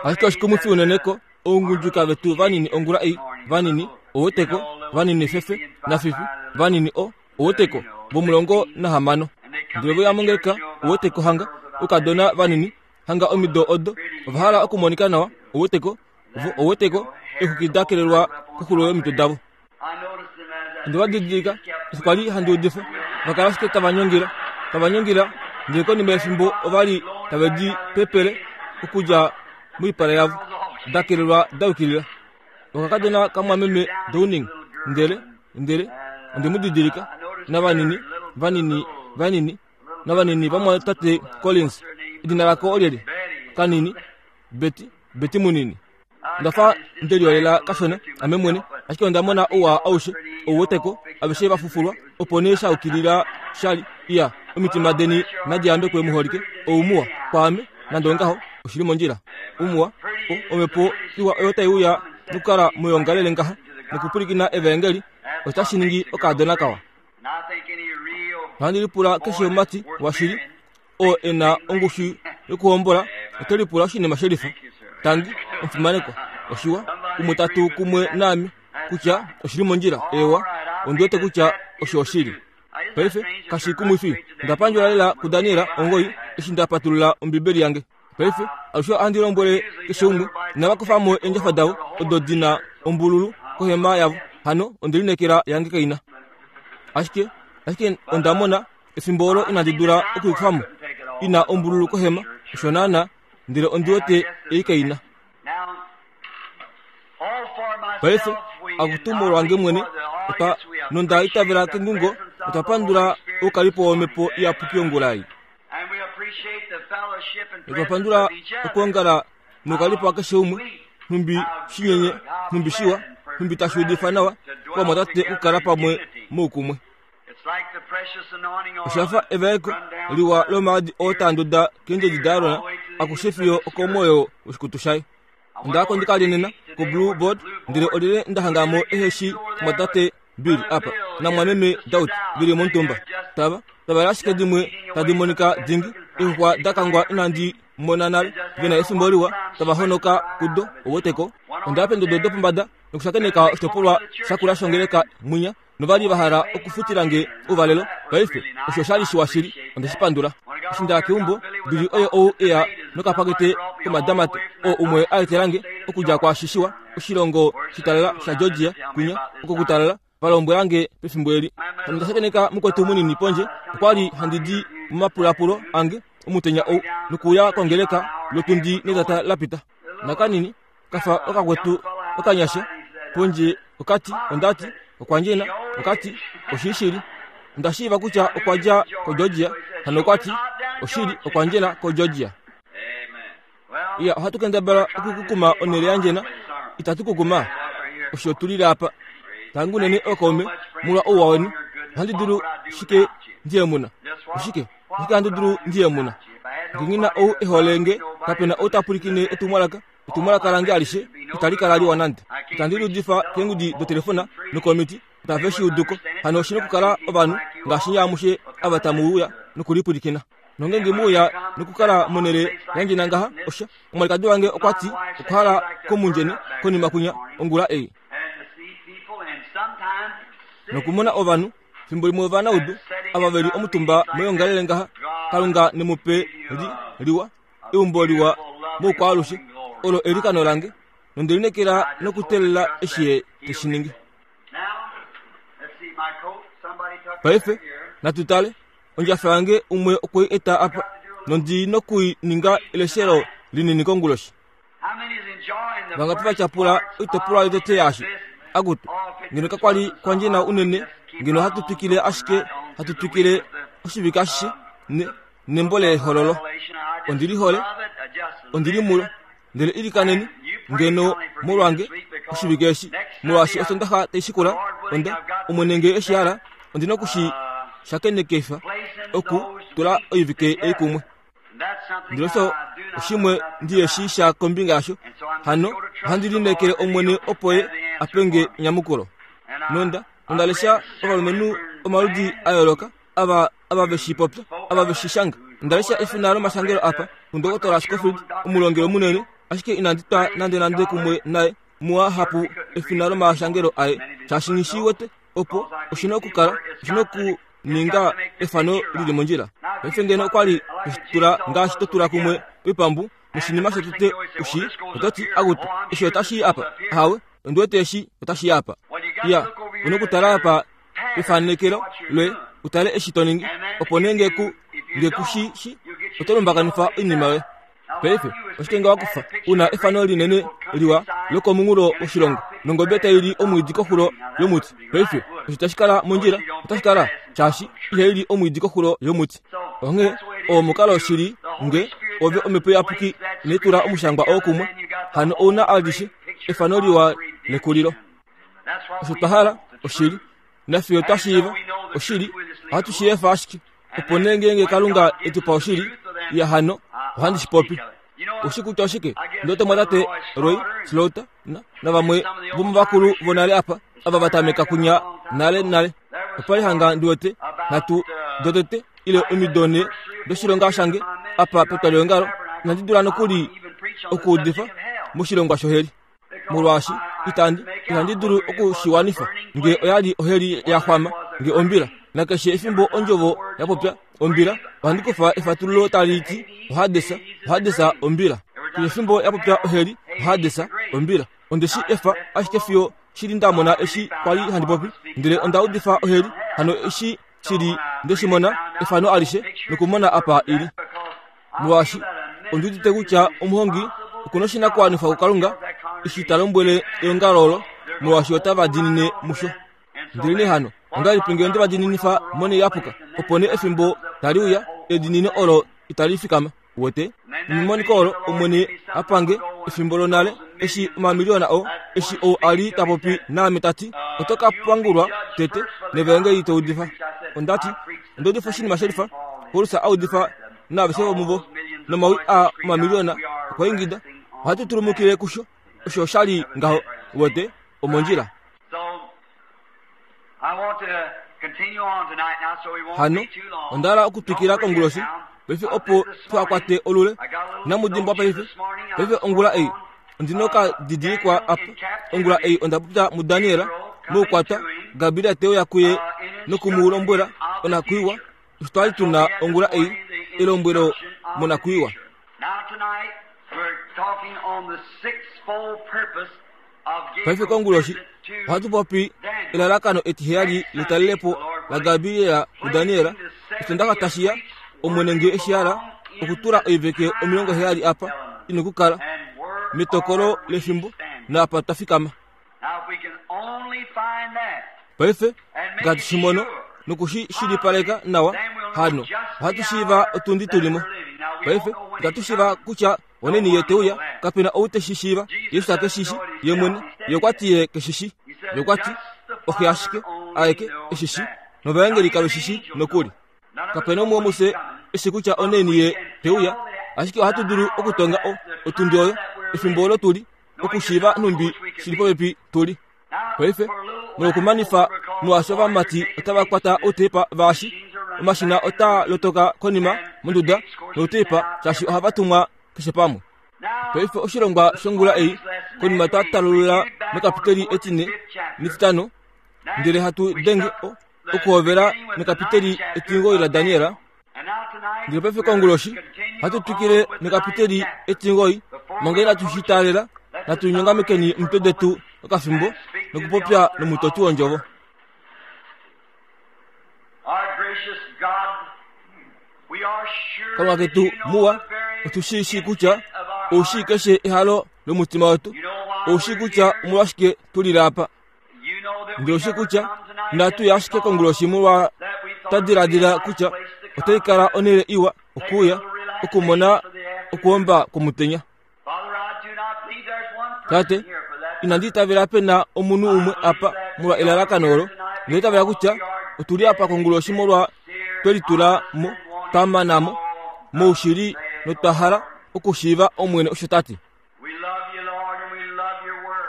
Ashike oshikumwifi unene ko oungudjuka vetu vanini ongula ei, vanini, oweteko, vanini fefe, nafifi, vanini o, oweteko, vomulongo nahamano. Ndele vo ya mongeleka, oweteko hanga, oukadona vanini, hanga omido odo, ova hala okumonika nawa, oweteko, vo oweteko, eexwiki da kelelwa koxulo yomitwe davo. Onde va didilika eshi kwa li handi udifa, va kala ashike tava nyongila, tava nyongila, ndele konima yefimbo ova li tave di pepele okudja moipala yavo, da kelelwa da yukilila. Okakadona kamwameme Downing, ndele, ndele onde mu didilika, navanini, vanini, vanini, navanini vamwatate Collins, edina lako olyelye? Kanini, Betty, Betty munini. Onda fa nde liolela kashona ame mwene, ashike onda mona ouwa aushe ou weteko, aveshe va fufulwa, opo nee sha yukilila sha li. Iya, omitima deni nadi yambekwe muholike, ou muwa kwaame, nande ongaho, oshi li mondjila. Umuwa, o, omhepo iwa oyo tai uya nokukala moyoongalele ngaha nokupwilikina evaengeli, otashi ningi okaadona kawa. Ohandi lipula keshe omumati washili oo e na ongushu yokuhombola ote lipula oshinima shelifa. Tangi, omufimanekwa. Oshiwa, umwe ta tu kumwe naame kutya oshi li mondjila. Eewa, ondi wete kutya osho oshili. Paife, kashi kumwifi, nda pandjula lela kuDaniel ongoi eshi nda patulula Ombibeli yange. Paife, alushe ohandi lombwele keshe umwe, inava kufa mo eendjafa davo odo di na ombululu kohema yavo. Hano, onde lineekela yange kai na. Ashike, ashike onda mona efimbo olo inandi dula okuikufa mo i na ombululu kohema, osho naana, ndele ondi wete ei kai na. Paife, akutu molwange mwene, otwa, nonda itavela kengungo, otwa pandula oukalipo wOmhepo Iyapuki ongula ei. Otwa pandula okwoongala noukalipo wakeshe umwe, nhumbi shinyenye, nhumbi shiwa, nhumbi tashi udifa nawa kovamwatate okukala pamwe moukumwe. Osha fa evaeko liwa lomaadi oo taa nduda keendjedi daAron akushe fiyo okomwoyo woshikutu shaye. Onda ya ko ndi ka lye nena koBlue Board, ndele olyelye nda hanga mo ehe shi mwatate Bill apa namwameme Daut ve li momutumba. Tava, tava li ashike dimwe tadi monika dingi, eexuxwa da kangwa inandi mona nale, ve na efimbo liwa tava honoka kudo, ouweteko. Onda ya pendodo dopombada nokushakeneka oshitopolwa shakula shongeleka mwinya. nova li va hala okufutila nge ouvalelo. Paife, osho osha li shiwa shili, onde shi pandula. Eshi nda ya keumbo, Billy oye ou e ya nokapakete komadamate, oo umwe a etela nge okudja kwaashi shiwa, oshilongo shitalala shaGeorgia, kwinya, oko kutalala, va lombwela nge pefimbo eli. Hano nda shakeneka mukwetu munini pondje, okwa li handi di momapulapulo ange omutenya ou, nokuuya kongeleka lotundi netata la pita. Nakanini, kafa okakwetu okanyasha pondje okati ondati okwa ndjena okati oshishili onda shiiva kutya okwa dja koGeorgia hano okwati oshili okwa ndjena koGeorgia iya ohatu kendabala okukukuma onhele ya ndjena itatu kukuma osho tu lile apa tangi unene ookaume molwa ouwa weni ohandi dulu shike ndiye muna oshike oshike handi dulu ndiye muna nge nghi na ou e hole nge kape na ou ta pwilikine etumwalaka Etumwalaka lange alishe itali kala liwa nande. Itandi li udifa keengudi dotelefona nokomiti, otave shi udu ko. Hano oshi nokukala ovanhu ngaashi nye amushe ava tamu uya nokulipwilikina. Nongeenge mu uya nokukala monhele yandjena ngaha, osha, omwalikadi wange okwa ti okwa hala komundjene konima kwinya ongula ei. Nokumona ovanhu, fimbo limwe ovanaudu, ava ve li omutumba moyoongalele ngaha, Kalunga ne mu pe li, liwa. eumbo liwa moukwaalushe olo elikano lange nonde lineekela nokuteelela eshi ye te shi ningi. Paife natu tale ondjafa yange umwe okwe i eta apa nondi noku i ninga eleshelo linini konguloshi. Vangapi va tyapula oitopolwa yotete yaashi? Akutu, ngeno kakwa li kwa ndjena unene, ngeno ohatu twikile ashike hatu twikile oshivike ashishe ne, nembo lehololo. Ondi li hole, ondi li mulo. Ndele ilikaneni ngeno molwange oshivike eshi, molwaashi Osondaxa tai shikula, onda, Omwene nge eshi hala, ondi na oku shi shakenekefa oku tula oivike ei kumwe. Ndele osho oshimwe ndi eshi sha kombinga yasho, hano ohandi lineekele Omwene opo ye a pe nge enyamukulo. Nonda, onda lesha ovalumenhu omaludi a yooloka ava ava ve shi popya, ava ve shi shanga. Onda lesha efina lomashangelo apa, kundokotola Scofield, omulongelo munene. Ashike inandi twa nandenande kumwe naye muahapu efina lomashangelo aye, shaashi nghi shi wete opo oshi na okukala, oshi na okuninga efano li li mondjila. Paife ngeno okwa li to shi tula ngaashi to tula kumwe oipambu noshinima shotete u shii, oto ti, Akutu, eshi otashi i apa. Ahawe, ondi wete eshi otashi i apa. Iya, u na okutala apa pefanekelo loye u tale eshi to ningi, opo nee nge ku, nge ku shi shi, oto lumbakanifa oinima yoye. Paife, oshike nge wa kufa u na efano linene liwa lokomunghulo woshilongo nongobe tai li omwiidi koxulo yomuti? Paife, osho tashi kala mondjila, otashi kala, shaashi ihai li omwiidi koxulo yomuti. Onghee, oo omukalo shili nge ove Omhepo Iyapuki inai tula omushangwa oo kumwe, hano ou na alishe efano liwa lekulilo. Osho twa hala, oshili. Nafiyo twa shiiva oshili, ohatu shi efa ashike. Opo nee ngeenge Kalunga e tu pa oshili, ya hano, ohandi shi popi. Oshi kutya oshike? Ndote mwatate Roy Slaughter na, navamwe vomovakulu vonale apa, ava va tameka kunya nale nale. Opa li hanga ndi wete nhatu dotete ile omido nhe doshilonga shange apa petwalihongalo, inandi dula nokuli okuudifa moshilongwa shoheli. molwaashi itandi ihandi dulu oku shi wanifa nge oya li oheli ya xwama nge ombila nakeshe efimbo ondjovo ya popya ombila ohandi kufa efatululo tali ti ohadesa ohadesa ombila keshe efimbo ya popya oheli ohadesa ombila onde shi efa ashike fiyo shili nda mona eshi kwa li handi popi ndele onda udifa oheli hano eshi shili nde shi mona efano alishe nokumona apa ili molwaashi ondi udite kutya omuhongi oku na oshinakuwanifwa kuKalunga eshi ta lombwele eongalo olo molwaashi otava diinine musho. Ndelenee hano, ongahelipi ngee onde va diininifa monhele yapuka, opo nee efimbo tali uya, ediinino olo itali fikama? Uwete? Nemoniko olo Omwene a pange efimbo lonale, eshi omamiliyona oo, eshi ou a li ta popi naame ta ti, Oto ka pangulwa tete nevaengeli to udifa. Onda ti, Onda udifa oshinima shelifa, Paulus a udifa naaveshe vomuvo, nomawi aa omamiliyona okwa ingida, Ohatu tulumukile kusho. Osho osha li ngaho, uwete, omondjila. Hano, onda hala okutwikila konguloshi, paife opo tuha kwate olule. Inamu dimbwa paife, paife ongula ei, ondi noka didilikwa apa. Ongula ei onda popya muDaniel, moukwatwa, Gabriel te uya kuye noku mu lombwela onakwiiwa, osho twa li tu na ongula ei, elombwelo monakwiiwa. Paife konguloshi ohatu popi elalakano etiheyali letalelepo laGabriel kuDaniel, Osondaxa tashi ya, Omwene nge eshi hala okutula oiveke 70 apa i nokukala, metokolo lefimbo, naapa twa fikama. Paife, ngaashi shi mono noku shi shilipaleka nawa, hano ohatu shiiva otundi tu li mo. Paife, itatu shiiva kutya oneni ye te uya, kape na ou te shi shiiva. Jesus ke shi shi, ye mwene. Ye okwa ti ye ke shi shi. Ye okwa ti, Oxe ashike, aeke, e shi shi, novaengeli kave shi shi nokuli. Kape na umwe womufye e shi kutya oneni ye te uya, ashike ohatu dulu okutonga o, otundi oyo, efimbo olo tu li, okushiiva nhumbi shi li popepi tu li. Paife, molwokumanifa molwaashi ovamati otava kwata outepa vaashi, omashina otaa lotoka konima monduda noutepa shaashi ohava tumwa keshe pamwe. Paife oshilongwa shongula ei, konima twa talulula mekapiteli etine netitano, ndele hatu denge o, okuhovela mekapiteli etingoyi laDaniel, Ndele paife konguloshi ohatu twikile nekapiteli etingoi manga inatu shi taalela natu nyongamekeni omitwe detu okafimbo nokupopya nomutoti wondjovo. Kalunga ketu muwa, otu shi shii kutya ou shii keshe ehalo lomutima wetu, ou shii kutya omolwashike tu lile apa. Ndele oshi kutya natu ya ashike konguloshi molwa twa diladila kutya otai kala onhele iwa okuuya okumona okuomba kwomutenya. Tate, inandi itavela pe na omunhu umwe apa molwa elalakano olo. Onda itavela kutya otu li apa konguloshi molwa twe litula mo, twa mana mo moushili notwa hala okushiiva Omwene osho ta ti.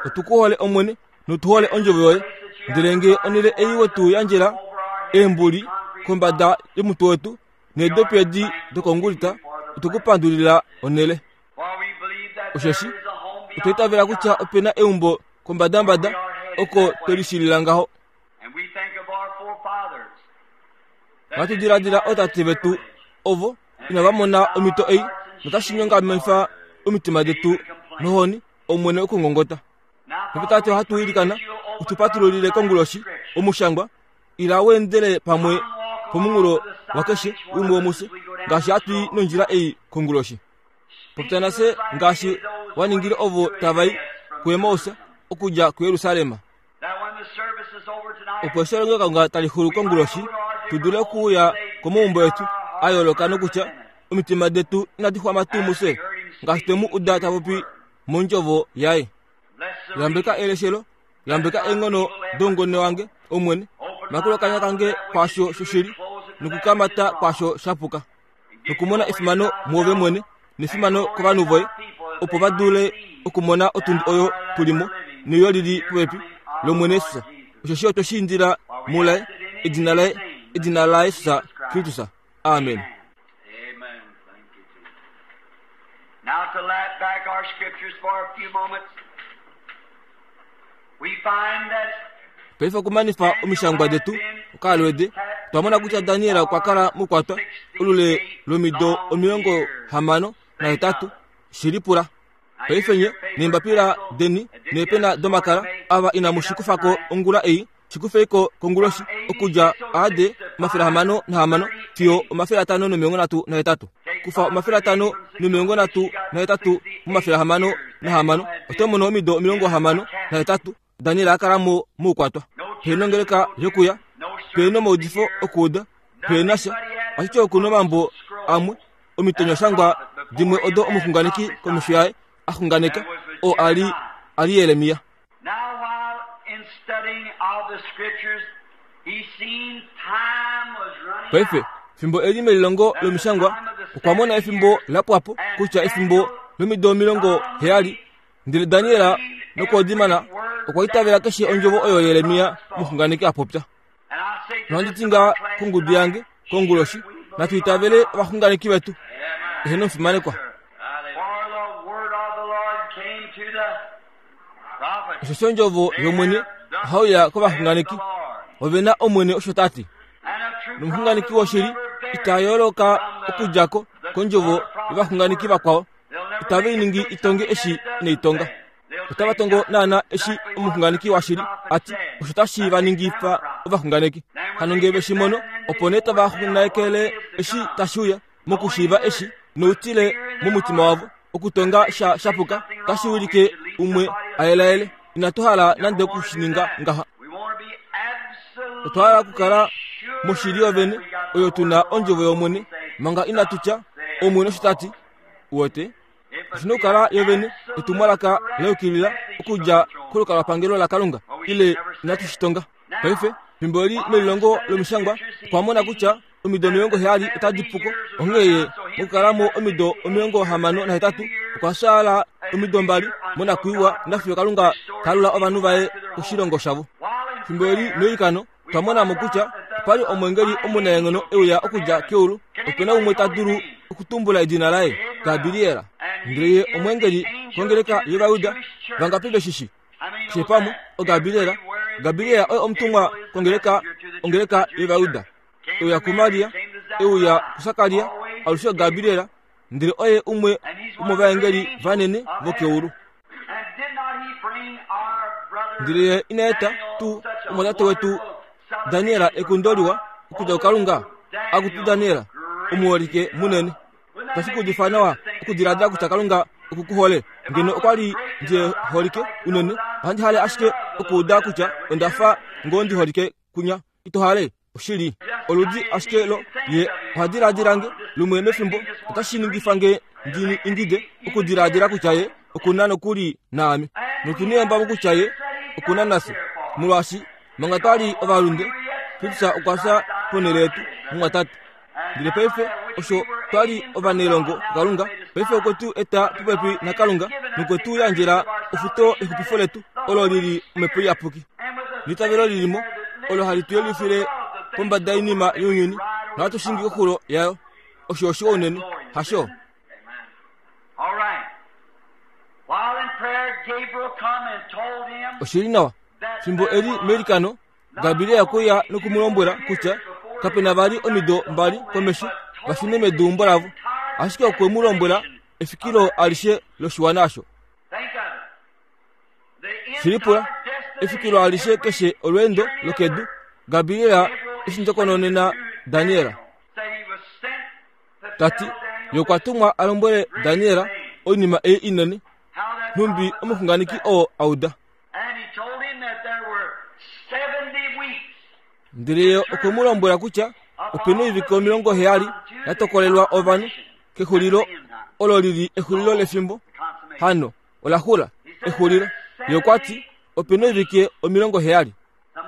Otu ku hole Omwene notu hole ondjovo yoye. Ndele nge onhele ei we tu yandjela eembuli kombada yomutwe wetu needopi edi dokongulita, otu ku pandulila onhele. Osheshi otwa itavela kutya ope na eumbo kombadambada oko twe lishilila ngaho. Ohatu diladila ootate vetu ovo inava mona omhito ei notashi nyongamenifa omitima detu nohoni Omwene okungongota. Paife Tate ohatu ilikana u tu patululile konguloshi omushangwa ila u endele pamwe pomunghulo wakeshe umwe womufye ngaashi hatu i nondjila ei konguloshi. Popya nafye ngaashi wa ningile ovo tava i kuEmaus okudja kuJerusalem. Opo eshi elongelokalunga tali xulu konguloshi, tu dule okuuya komaumbo etu a yooloka nokutya omitima detu inadi xwama tuu mufye ngaashi twe mu uda ta popi mondjovo yaye. Yambeka eleshelo, yambeka eenghono doungone wange, Omwene, makula okanya kange kwaasho shoshili nokukamata kwaasho sha puka, nokumona efimano muove mwene nefimano kovanhu voye, opo va dule okumona otundi oyo tu li mo neuyo li li popepi lOmwene Jesus. Osheshi otwe shi indila mulaye, edina laye, edina laJesus Kristus. Amen. Now to lap back our scriptures for a few moments, we find that Paife okumanifa omishangwa detu okaalwede, otwa mona kutya Daniel okwa kala mukwatwa olule lomido 68 shi lipula. Paife nye neembapila deni neepena domakala ava inamu shi kufa ko ongula ei, shi kufei ko konguloshi okudja AD 606 fiyo 538. Kufa 538 mo606 oto mono omido 68 Daniel a kala mo moukwatwa. Pe nongeleka yokuya, pe nomaudifo okuuda, pe na sha, ashike oku nomambo amwe omitonyashangwa dimwe odo omuxunganeki komesho yaye a xunganeka, oo a li a li Jeremia. Now while in studying of the scriptures, he seen time was running Paife, out. fimbo e li melilongo lomishangwa, okwa mona efimbo la pwa po, kutya efimbo lomido 70, ndele Daniel nokoodimana okwa itavela keshe ondjovo oyo Jeremia omuxunganeki a popya. And I say to Nohandi this ti ngaha little class kongudu yange tonight, konguloshi, should we believe natu itavele our ovaxunganeki vetu. Eheno mufimanekwa. For the word of the Lord came to the prophet. Osheshi ondjovo yOmwene ohai uya kovaxunganeki, ove na Omwene osho ta ti. Nomuxunganeki woshili ita yooloka okudja ko kondjovo yovaxunganeki vakwao, itave i ningi itonge eshi inai tonga. Otava tongo naana eshi omuxunganeki washili a ti, osho tashi va ningifa ovaxunganeki. Hano nge ve shi mono, opo nee tava xunganekele eshi tashi uya, mokushiiva eshi, noutile momutima wavo, okutonga sha shapuka otashi wilike umwe a yelaele. Inatu hala nande oku shi ninga ngaha. Otwa hala okukala moshili yovene oyo tu na ondjovo yOmwene manga inatu tya, Omwene osho ta ti. Uwete? Oshi na okukala yovene etumwalaka la yukilila okudja kolukalwapangelo laKalunga, ile inatu shi tonga. Paife, fimbo eli melilongo lOmishangwa, okwa mona kutya omido 70 otadi pu ko, onghee ye mokukala mo omido 68 okwa fyaala omido mbali monakwiiwa nafiyo Kalunga ta alula ovanhu vaye koshilongo shavo. Fimbo eli meilikano, otwa mona mo kutya opa li omweengeli omunaenghono e uya okudja keulu. Ope na umwe ta dulu okutumbula edina laye? Gabriel. Ndele ye omweengeli kongeleka yOvayuda. Vangapi ve shi shii? Keshe pamwe, oGabriel. Gabriel oye omutumwa kongeleka, ongeleka yOvayuda. E uya kuMaria, e uya kuSakaria, alushe oGabriel, ndele oye umwe womovaengeli vanene vokeulu. Ndele ye ina eta tuu omwatate wetu Daniel ekundo liwa okudja kuKalunga? Akutu Daniel, omuholike munene. Itashi ku udifa nawa okudiladila kutya Kalunga oku ku hole? Ngeno okwa li ndi holike unene, ohandi hale ashike okuuda kutya onda fa ngoo ndi holike kunya. Ito hale? Oshili, oludi ashike lo ye oha diladila nge lumwe mefimbo, otashi ningifa nge ndi ingide okudiladila kutya ye oku na nokuli naame. Notu neyambamo kutya ye oku na nafye, molwaashi manga twa li ovalunde, Kristus okwa fya ponhele yetu, mumwatate. Ndele paife osho twa li ovanailongo kuKalunga, paife okwe tu eta popepi naKalunga nokwe tu yandjela ofuto yexupifo letu, olo li li Omhepo Iyapuki. Neitavelo li li mo, olo hali tu yelifile pombada yoinima younyuni, nohatu shingi koxulo yayo. Osho oshiwa unene, hasho? All right. Oshili nawa, fimbo e li meilikano, Gabriel okwe ya noku mu lombwela kutya kape na vali omido mbali komesho va shune meduumbo lavo, ashike okwe mu lombwela efikilo alishe loshiwana osho. Shilipula, efikilo alishe keshe olweendo lokedu, Gabriel eshi ndjokononena Daniel. Ta ti, ye okwa tumwa a lombwele Daniel oinima ei inene, nhumbi omuxunganeki oo a uda. Ndele ye okwe mu lombwela kutya ope na oivike 70 ya tokolelwa ovanhu kexulilo olo li li exulilo lefimbo. Hano ola xula exulilo. Ye okwa ti ope na oivike 70.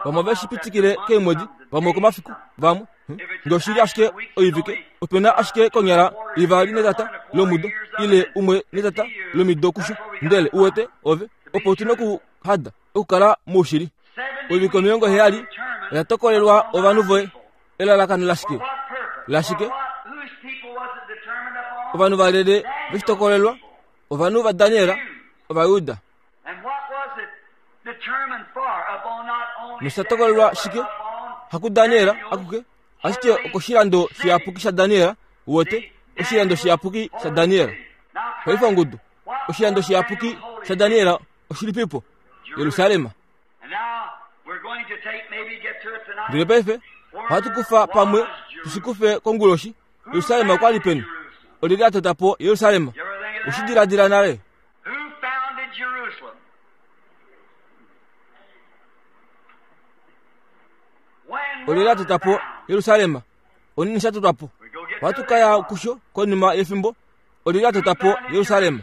Vamwe ove shi pitikile keemwedi, vamwe okomafiku, vamwe hm, nge oshi li ashike oivike, ope na ashike konyala ivali netata lomudo ile umwe netata lomido kusho. Ndele uwete ove opo otu na okuhada okukala moushili. Oivike 70 oya tokolelwa ovanhu voye. Elalakano lashike? Lashike? Ovanhu valele veshi tokolelwa, ovanhu vaDaniel, Ovajuda. Nosha tokolelwa shike? HakuDaniel akuke, ashike okoshilando shiyapuki shaDaniel, uwete, oshilando shiyapuki shaDaniel. Paife ongudu, oshilando shiyapuki shaDaniel oshilipipo? Jerusalem. Ndele paife ohatu kufa pamwe tushi kufe konguloshi. Jerusalem okwa li peni? Olyelye a tota po Jerusalem? Oshi diladila nale? Olyelye a tota po Jerusalem? Onini sha totwa po? Ohatu ka ya kusho konima yefimbo. Olyelye a tota po Jerusalem?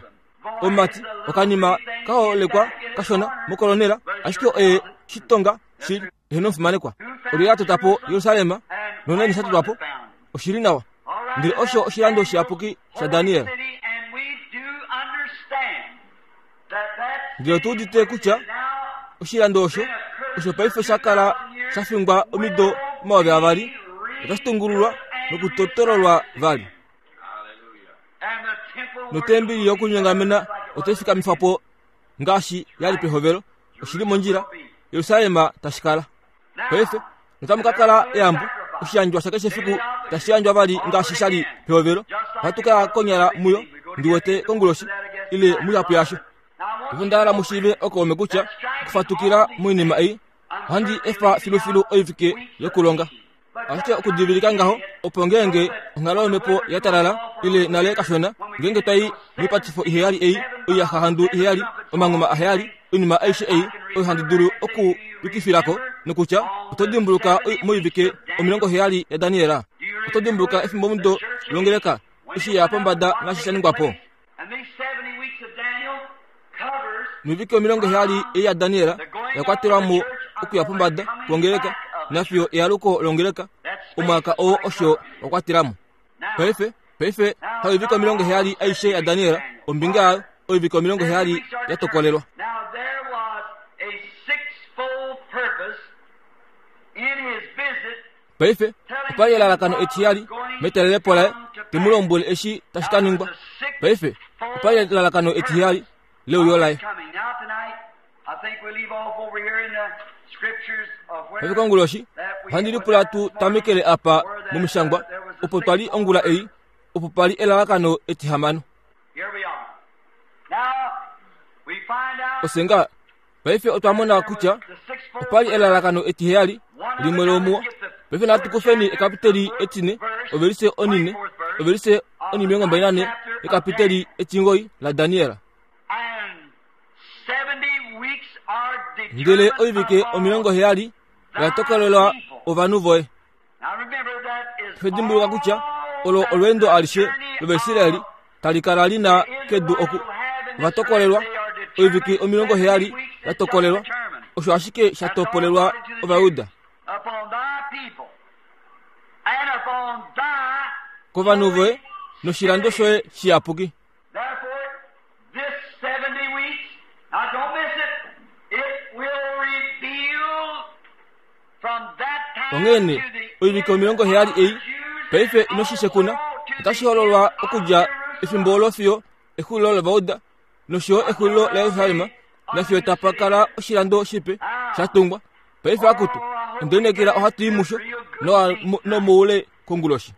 Omumati okanima ka holekwa kashona mokolonela, ashike oye shitonga shili eheno omufimanekwa. Olyelye a tota po Jerusalem? Noneni sha totwa po? Oshi li nawa. Ndele osho oshilando shiyapuki shaDaniel. Ndele otu udite kutya oshilando osho osho paife sha kala sha fingwa omido 2000 otashi tungululwa nokutotololwa vali. Notembeli yokunyongamena otai fikamifwa po ngaashi ya li pehovelo. Oshi li mondjila, Jerusalem tashi kala. Paife notamu ka kala eyambo, oshiyandjwa shakeshe efiku tashi yandjwa vali ngaashi sha li pehovelo. Ohatu ka ya konyala muyo, ndi wete konguloshi, ile muihapu yasho. Paife onda hala mu shiive okaume kutya okufatukila moinima ei, ohandi efa filufilu oivike yokulonga. Ashike okudivilika ngaho, opo ngeenge onghalo yomhepo ya talala ile nale kashona, ngeenge twa i moipatifo iheyali ei, oiyaxahandu iheyali, omanghuma aheyali, oinima aishe ei oyo handi dulu oku yukifila ko, nokutya oto dimbuluka moivike 70 yaDaniel? Oto dimbuluka efimbomudo longeleka eshi ya pombada naashi sha ningwa po? Noivike 70 ei yaDaniel oya kwatelwa mo okuya pombada kwongeleka nafiyo ealuko longeleka, omwaka oo osho wa kwatela mo. Paife, paife, haivike 70 aishe yaDaniel, ombinga yayo, oivike 70 ya tokolelwa. Paife, opa li elalakano etiyali metalelepo laye, te mu lombwele eshi tashi ka ningwa. Paife, opa li elalakano etiheyali leuyo laye. Paife konguloshi, ohandi lipula tu tamekele apa momishangwa, opo twa li ongula ei, opo pa li elalakano etihamano. Osenga, paife otwa mona kutya opa li elalakano etiheyali limwe lomuo. Paife natu kufeni ekapiteli etine, ovelise onine, ovelise onimilongo mbali nane yekapiteli etingoi laDaniel. Ndele oivike 70 oya tokolelwa ovanhu voye. Dimbuluka kutya olo olweendo alishe lOvaisraeli tali kala li na kedu oku. Ova tokolelwa oivike 70 ya tokolelwa, osho ashike sha topolelwa Ovajuda. Kovanhu voye noshilando shoye shiyapuki. This 70 weeks, now don't miss it, it will reveal from that time Onghee nee, to the oivike 70 ei, paife ino shi shekuna, otashi hololwa okudja efimbo olo fiyo exulilo lovauda. nosho yo exulilo laJerusalem, nafiyo tapa kala oshilando shipe sha tungwa. Paife akutu, onde lineekela ohatu i musho nomoule konguloshi.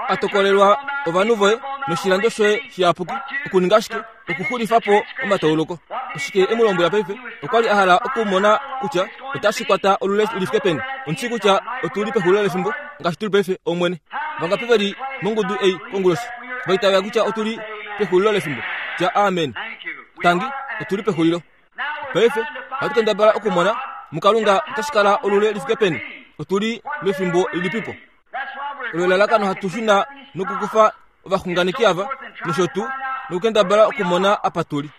A tokolelwa ovanhu voye noshilando shoye shiyapuki okuninga shike? Okuxulifa po omatauluko. Oshike e mu lombwela paife? Okwa li a hala okumona kutya otashi kwata olule li fike peni. Ondi shii kutya otu li pexulilo lefimbo ngaashi tu li paife, Omwene. Vangapi ve li mongudu ei konguloshi va itavela kutya otu li pexulilo lefimbo? Tya amen. Tangi, otu li pexulilo. Paife ohatu kendabala okumona muKalunga otashi kala olule li fike peni. Otu li mefimbo lilipipo? Olo elalakano hatu shuna nokukufa ovaxunganeki ava nosho tuu nokukendabala okumona apa tu li.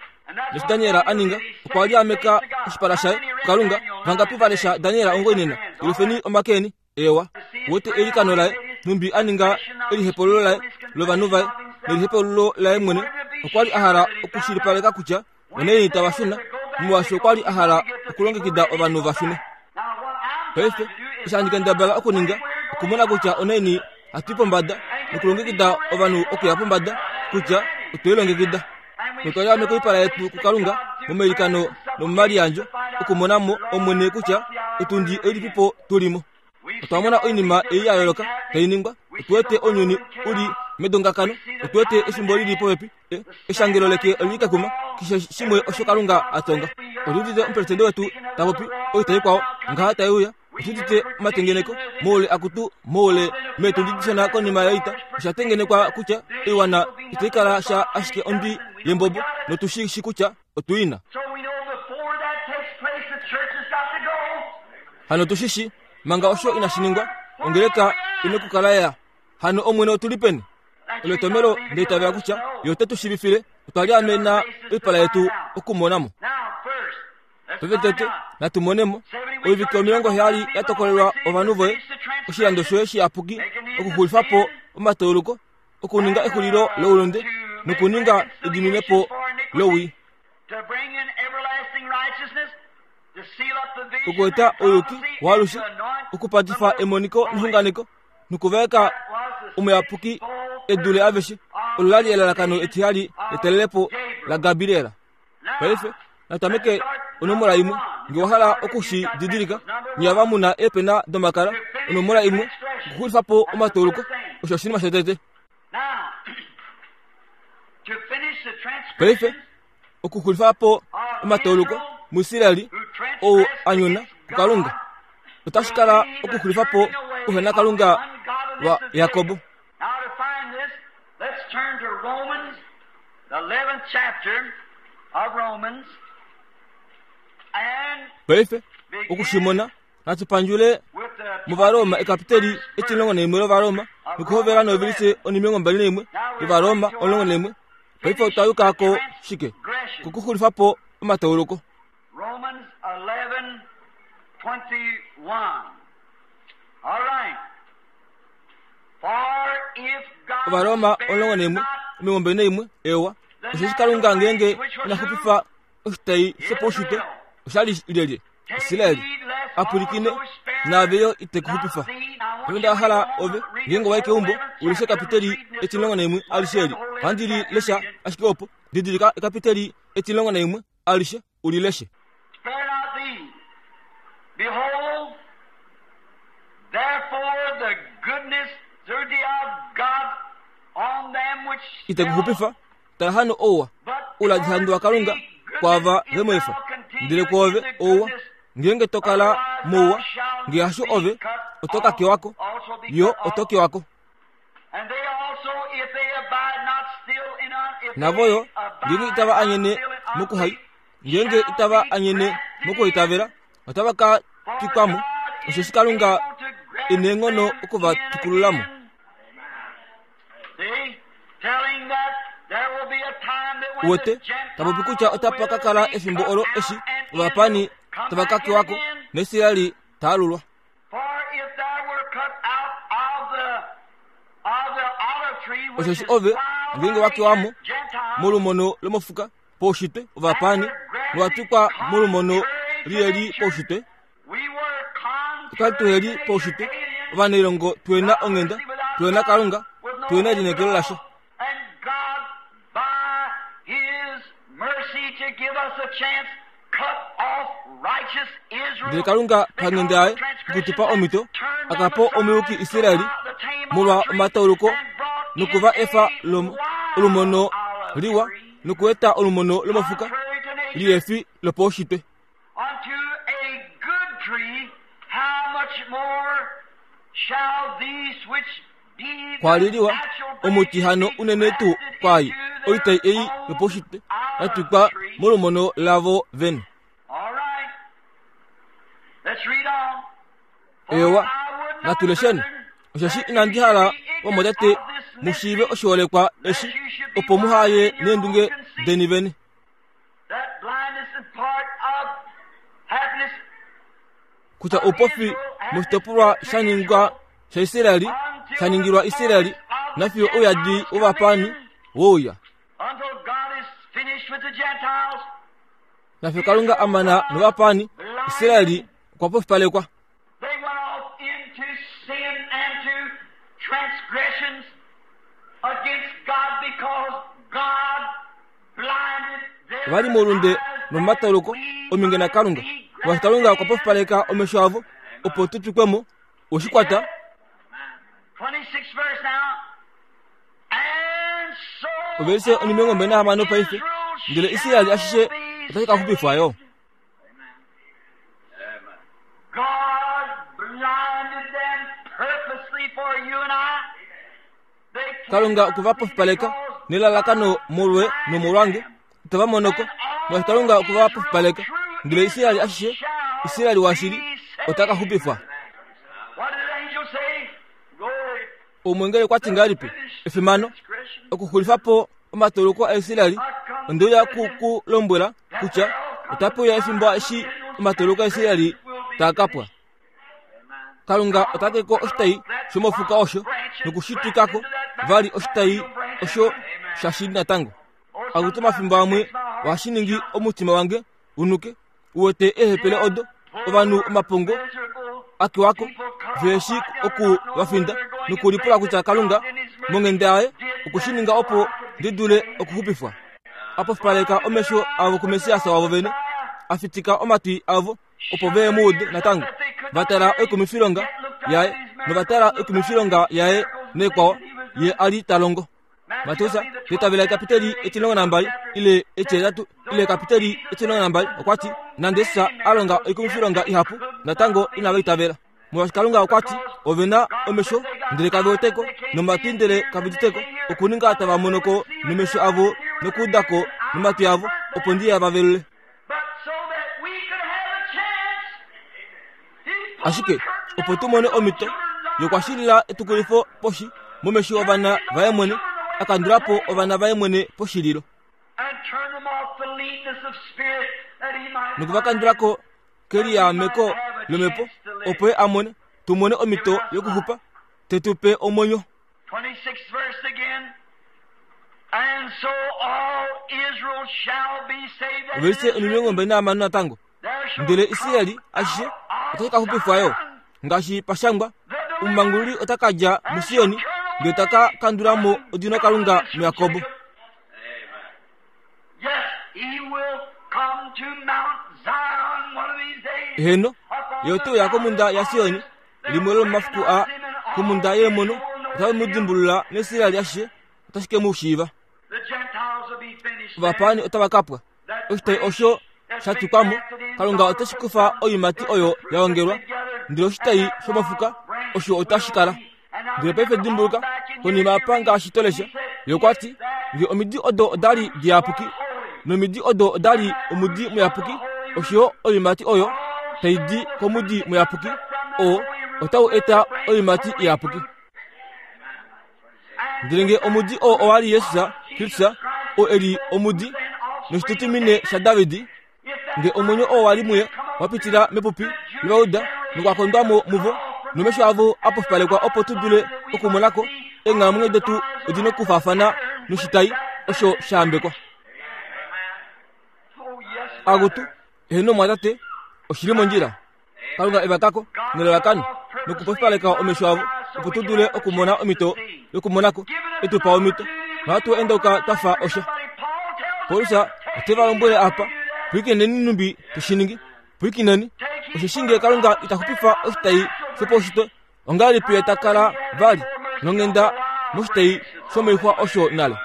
Eshi Daniel a ninga, okwa li a meka oshipala shaye kuKalunga. Vangapi va lesha Daniel ongoinena? Yelufeni omake eni. Eewa. Wete eilikano laye, nhumbi a ninga elihepululo laye lovanhu vaye nelihepululo laye mwene. Okwa li a hala okushilipaleka kutya onaini tava shuna, molwaashi okwa li a hala okulongekida ovanhu va shune. Paife, eshi handi kendabala okuninga, okumona kutya onaini hatu i pombada nokulongekida ovanhu okuya pombada, kutya otwe lilongekida. Notwa liameka oipala yetu kuKalunga momailikano nomomaliyandjo okumona mo Omwene kutya otundi oilipipo tu li mo. Otwa mona oinima ei ya yooloka tai ningwa. Otu wete ounyuni u li medongakano. Otu wete efimbo li li popepi. E, eshangelo leke oli li kekuma, keshe shimwe osho Kalunga a tonga. Otu udite omupresidente wetu ta popi oita ikwao ngaha tai uya. Otu udite omatengeneko moule akutu moule meetundi dishona konima yoita. Osha tengenekwa kutya oiwana itai kala sha ashike ondwi yembobo, notu shi shi kutya otu i na. Hano tu shi shi, manga osho inashi ningwa, ongeleka ine okukala ya. Hano Omwene otu li peni? Olo etomelo nda itavela kutya Ye ote tu shiivifile. Otwa liamena oipala yetu okumona mo. Paife tete natu mone mo oivike 70 ya tokolelwa ovanhu voye, oshilando shoye shiyapuki, okuxulifa po omatauluko, okuninga exulilo loulunde nokuninga ediminepo lowii. Okueta ouyuki waalushe, okupatifa emoniko nexunganeko nokuvaeka omuyapuki e dule aveshe. Olo la li elalakano etihali letalelepo laGabriel. Paife natameke onomola imwe. Nge wa hala oku shi didilika, nye ava mu na eepena domakala, onomola imwe, okuxulifa po omatauluko, osho oshinima shotete. Paife, okuxulifa po omatauluko muIsraeli ou a nyona kuKalunga, otashi kala okuxulifa po ouhenakalunga waJakob. Let's turn to Romans, the 11th chapter of Romans, and Paife, oku shi mona, natu pandjule mOvaroma ekapiteli etimulongo naimwe lOvaroma nokuhovela novelise onimilongo mbali naimwe yOvaroma 11. Paife otwa yuka ko shike? Kokuxulifa po omatauluko. Romans 11:21. All right. Ovaroma 11 21 Ewa, osheshi Kalunga ngeenge ina xupifa oshitai shopaushitwe, osha li lyelye? Israel. A pwilikine, naave yo ite ku xupifa. Paife nda hala ove, ngeenge wa i keumbo, u leshe ekapiteli etimulongo naimwe alishe eli. Ohandi li lesha ashike opo. Didilika ekapiteli etimulongo naimwe alishe, u li leshe. Spare not thee. Behold, therefore the goodness through the of God on them which Ite ku xupifa. Tala hano ouwa, ouladihandu waKalunga kwaava ve mu efa. Ndele kwoove ouwa, ngeenge to kala mouwa, nge hasho ove, oto ka kewa ko, yo oto kewa ko. Navo yo, ngeenge itava anyene mokuhai, ngeenge itava anyene mokuitavela, otava ka twikwa mo, osheshi Kalunga e neenghono oku va twikulula mo. Uwete, ta popi kutya otapa ka kala efimbo olo eshi ovapaani tava ka kewa ko, naIsrael ta alulwa. Osheshi ove ngeenge wa kewa mo molumono lomofuka poushitwe ovapaani nowa twikwa molumono liheli poushitwe, otwa li tuheli poushitwe, ovanailongo tuhena onghenda, tuhena Kalunga, tuhena elineekelo lasha. Ndele Kalunga panghenda yaye okutupa omhito aka po omuyuki Israeli molwa omatauluko nokuva efa olumono liwa nokueta olumono lomofuka lihefi lopaushitwe. Kwa li liwa omuti hano unene tuu kwaai oitai ei yopaushitwe ya twikwa molumono lavo vene. Eewa, natu lesheni, osheshi inandi hala vamwatate mu shiive oshiholekwa eshi, opo muha ye neendunge deni vene. Kutya oupofi moshitopolwa sha ningwa shaIsraeli sha ningilwa Israeli nafiyo ouyadi wovapaani wouya. Nafiyo Kalunga a mana novapaani, Israeli okwa pofipalekwa. Ova li moulunde nomomatauluko ominge naKalunga. Molwaashi Kalunga okwa pofipaleka omesho avo opo tu twikwe mo, we shi kwata. Ovelise onimilongo mbali nahamano paife, ndele Israel ashishe otashi ka xupifwa yo. Kalunga okwe va pofipaleka nelalakano molwe nomolwange itava monoko molwaashi Kalunga okwe va pofipaleka. Ndele Israel ashishe, Israel washili, ota ka xupifwa. Omweengeli okwa ti ngahelipi? Efimano! Okuxulifa po omatoloko aIsrael, onde uya ku ku lombwela kutya otape uya efimbo eshi omatoloko aIsrael taa ka pwa. Kalunga ota te ko oshitai shomofuka osho noku shi twika ko vali oshitai osho shashili natango. Akutu omafimbo amwe ohashi ningi omutima wange u nuke, u wete eehepele odo, ovanhu omapongo a kewa ko, ve shi oku va finda nokulipula kutya Kalunga monghenda yaye okwe shi ninga opo ndi dule okuxupifwa. A pofipaleka omesho avo kuMessias wavo vene, a fitika omatwi avo opo ve mu ude natango, va tala oikumifilonga yaye nova tala oikumifilonga yaye neekwao ye a li ta longo. Mateus petavela ekapiteli etilongo nambali ile etihetatu ile ekapiteli etilongo nambali okwa ti nande Jesus a longa oikumifilonga ihapu natango inava itavela molwaashi Kalunga okwa ti ove na omesho ndele kave weteko nomatwi ndele kave uditeko okuninga tava mono ko nomesho avo nokuuda ko nomatwi avo opo ndi va velule. Ashike opo tu mone omhito yokwashilila etukulifo poshi momesho ovana vaye mwene, a kandula po ovana vaye mwene poshililo. Noku va kandula ko keliyaameko lomhepo, opo ye a mone, tu mone omhito yokuxupa, te tu pe omwenyo. 26th verse again. And so all Israel shall be saved. And Ovelise it is omilongo mbali nahamano natango. There shall Ndele come Israeli ashishe out of otashi ka xupifwa yo. Zion Ngaashi pa shangwa, the omumangululi deliverer ota ka dja and muSioni, shall turn ndele ta ka away kandula mo odino Kalunga ungodliness from muJakob. Jacob. Yes, he will come to Mount Zion one of these days. Heeno, Upon ye the ote uya komhunda mountain of yaSioni, olives, they'll limwe lomomafiku a recognize him and all komhunda yeemono, Israel will know otave mu him. dimbulula naIsrael ashishe otashi ke mu shiiva. The Gentiles will be finished then. Ovapaani otava ka pwa. That Oshitai branch osho that's sha been twikwa mo, grafted in, Kalunga God ote shi will kufa put some oiimati there's oyo the fruit ya that's ongelwa, been gathered, ndele and oshitai that shomofuka wild branch osho otashi will kala. be. And now Ndele paife remember, on dimbuluka, back in here, konima you apa read, ngaashi to lesha, he said, ye okwa ti, if that Nge omidi odo oda li diyapuki, was holy, nomidi odo oda li omudi muyapuki, osho yo oiimati oyo tai di komudi muyapuki, oo otau eta oiimati iyapuki. Ndele nge omudi oo owa li Jesus Kristus, oo e li omudi noshitutumine shaDavid, nge omwenyo oo wa li muye wa pitila mepupi lovauda nokwa kondwa mo muvo, nomesho avo a pofipalekwa opo tu dule okumona ko, eenghalamwenyo detu odi nokufaafana noshitai osho sha yambekwa. Akutu, eheno mwatate, oshi li mondjila. Kalunga e va kako nelalakano nokupofipaleka omesho avo opo tu dule okumona omhito yokumona ko, e tu pa omhito nohatu endauka twa fa osha. Paulus Ote va lombwele apa, pwilikineni nhumbi te shi ningi. Pwilikineni, osheshi nge Kalunga ita xupifa oshitai shopaushitwe, ongahelipi ye ta kala vali nonghenda moshitai shomoixwa osho nale?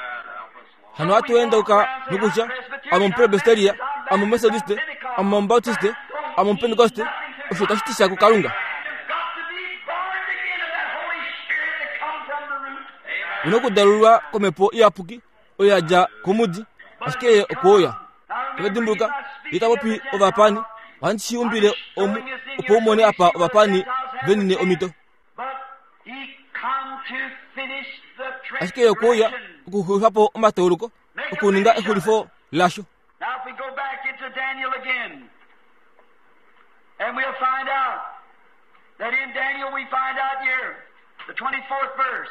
Hano hatu endauka nokutya, Ame Omupresbiteria, ame Omumetodiste, ame Omubaptiste, ame Omupentekoste, osho tashi ti sha kuKalunga. U na okudalulwa komhepo iyapuki oyo ya dja komudi, ashike ye okwe uya. Oto dimbuluka, ye ta popi ovapaani, ohandi shi umbile omu opo u mone apa ovapaani ve nine omhito. Ashike ye okwe uya okuxulifa po omatauluko, okuninga exulifo lasho. And we'll find out that in Daniel we find out here, the 24th verse.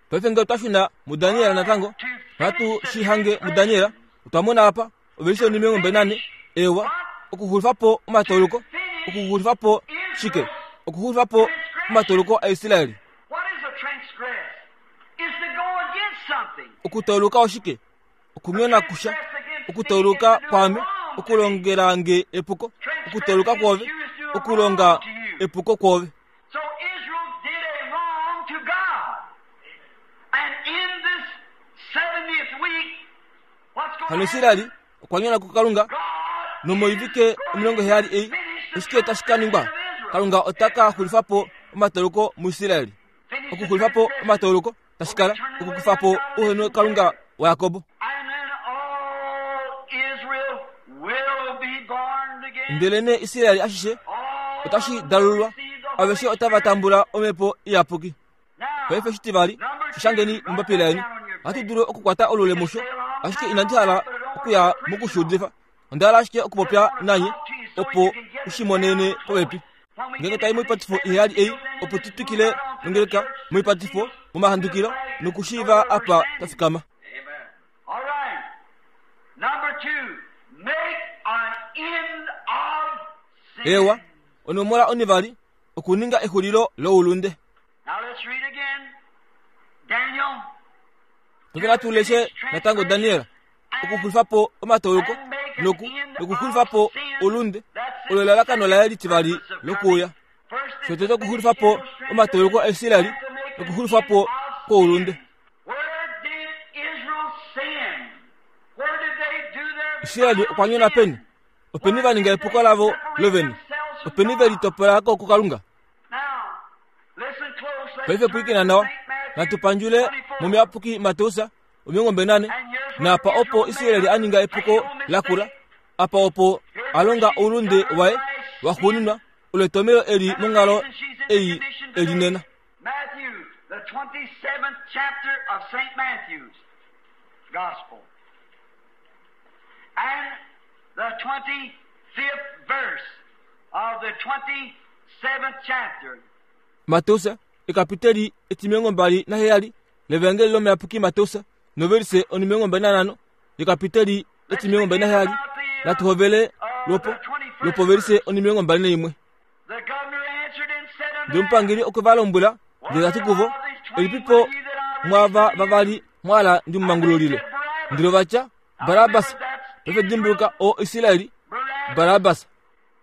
Paife ngee otwa shuna muDaniel natango, ohatu shi hange muDaniel, otwa mona apa, ovelishe onimilongo mbali nane, ewa, okuxulifa po omatauluko, okuxulifa po shike? Okuxulifa po omatauluko aIsraeli. Okutauluka oshike? Okunyona kusha. Okutauluka kwaame, okulongela nge epuko. Okutauluka kwoove, okulonga epuko kwoove. So Israel did a wrong to God. And in this 70th week, what's going Hano to Israeli happen? okwa nyona kuKalunga God nomoivike 70 ei oshike tashi ka ningwa? Kalunga ota ka xulifa po omatauluko muIsraeli. finished the Okuxulifa po transgression. omatauluko tashi kala okukufa po ouhenokalunga waJakob. And then all Israel will be born again. Ndelenee Israel ashishe All otashi will dalulwa, receive the Holy aveshe otava Spirit. tambula omhepo iyapuki. Now, Paife shitivali, number shi shangeni two, write mombapila that yeni. down on your Ohatu paper. dulu okukwata olule musho, ashike inandi hala okuya mokushuudifa. Onda hala ashike okupopya nanye opo u shi monene popepi. Ngeenge tai moipatifo iheyali ei, opo tu twikile nongeleka moipatifo, momahandukilo, nokushiiva apa twa fikama. All right. Number two, make an end of sin. Ewa, onomola onivali, okuninga exulilo loulunde. Now let's read again. Daniel. Paife natu leshe natango Daniel, okuxulifa po omatauluko noku nokuxulifa po oulunde, olo elalakano laye litivali lokuuya. Shotete okuxulifa po omatauluko aIsraeli nokuxulifa po kwoulunde. Where did Israel sin? Where did they do their Israeli okwa nyona peni? Openi va ninga epuko lavo lovene? Openi ve litopola ko kuKalunga? Now, listen close. Let's Paife turn pwilikina to nawa, St. Matthew natu pandjule 24. momuyapuki Mateus 24, naapa opo Israeli a ninga epuko lakula, apa opo a longa oulunde waye waxuuninwa, olo etomhelo eli monghalo ei e li nena. Matthew, the 27th chapter of St. Matthew's Gospel. And the 25th verse of the 27th chapter. Mateus, ekapiteli etimilongo mbali naheyali lEvangeli lomuyapuki Mateus, novelise onimilongo mbali nanhano yekapiteli etimilongo mbali naheyali, natu hovele lwopo lwopovelise onimilongo mbali naimwe. The governor answered and said unto Ndele them, omupangeli okwe va lombwela ndele ta ti kuvo, Elipipo mwaava vavali mwa hala ndi mu mangululile? Ndele ova tya, Barabas. Paife dimbuluka, o Israeli, Barabas.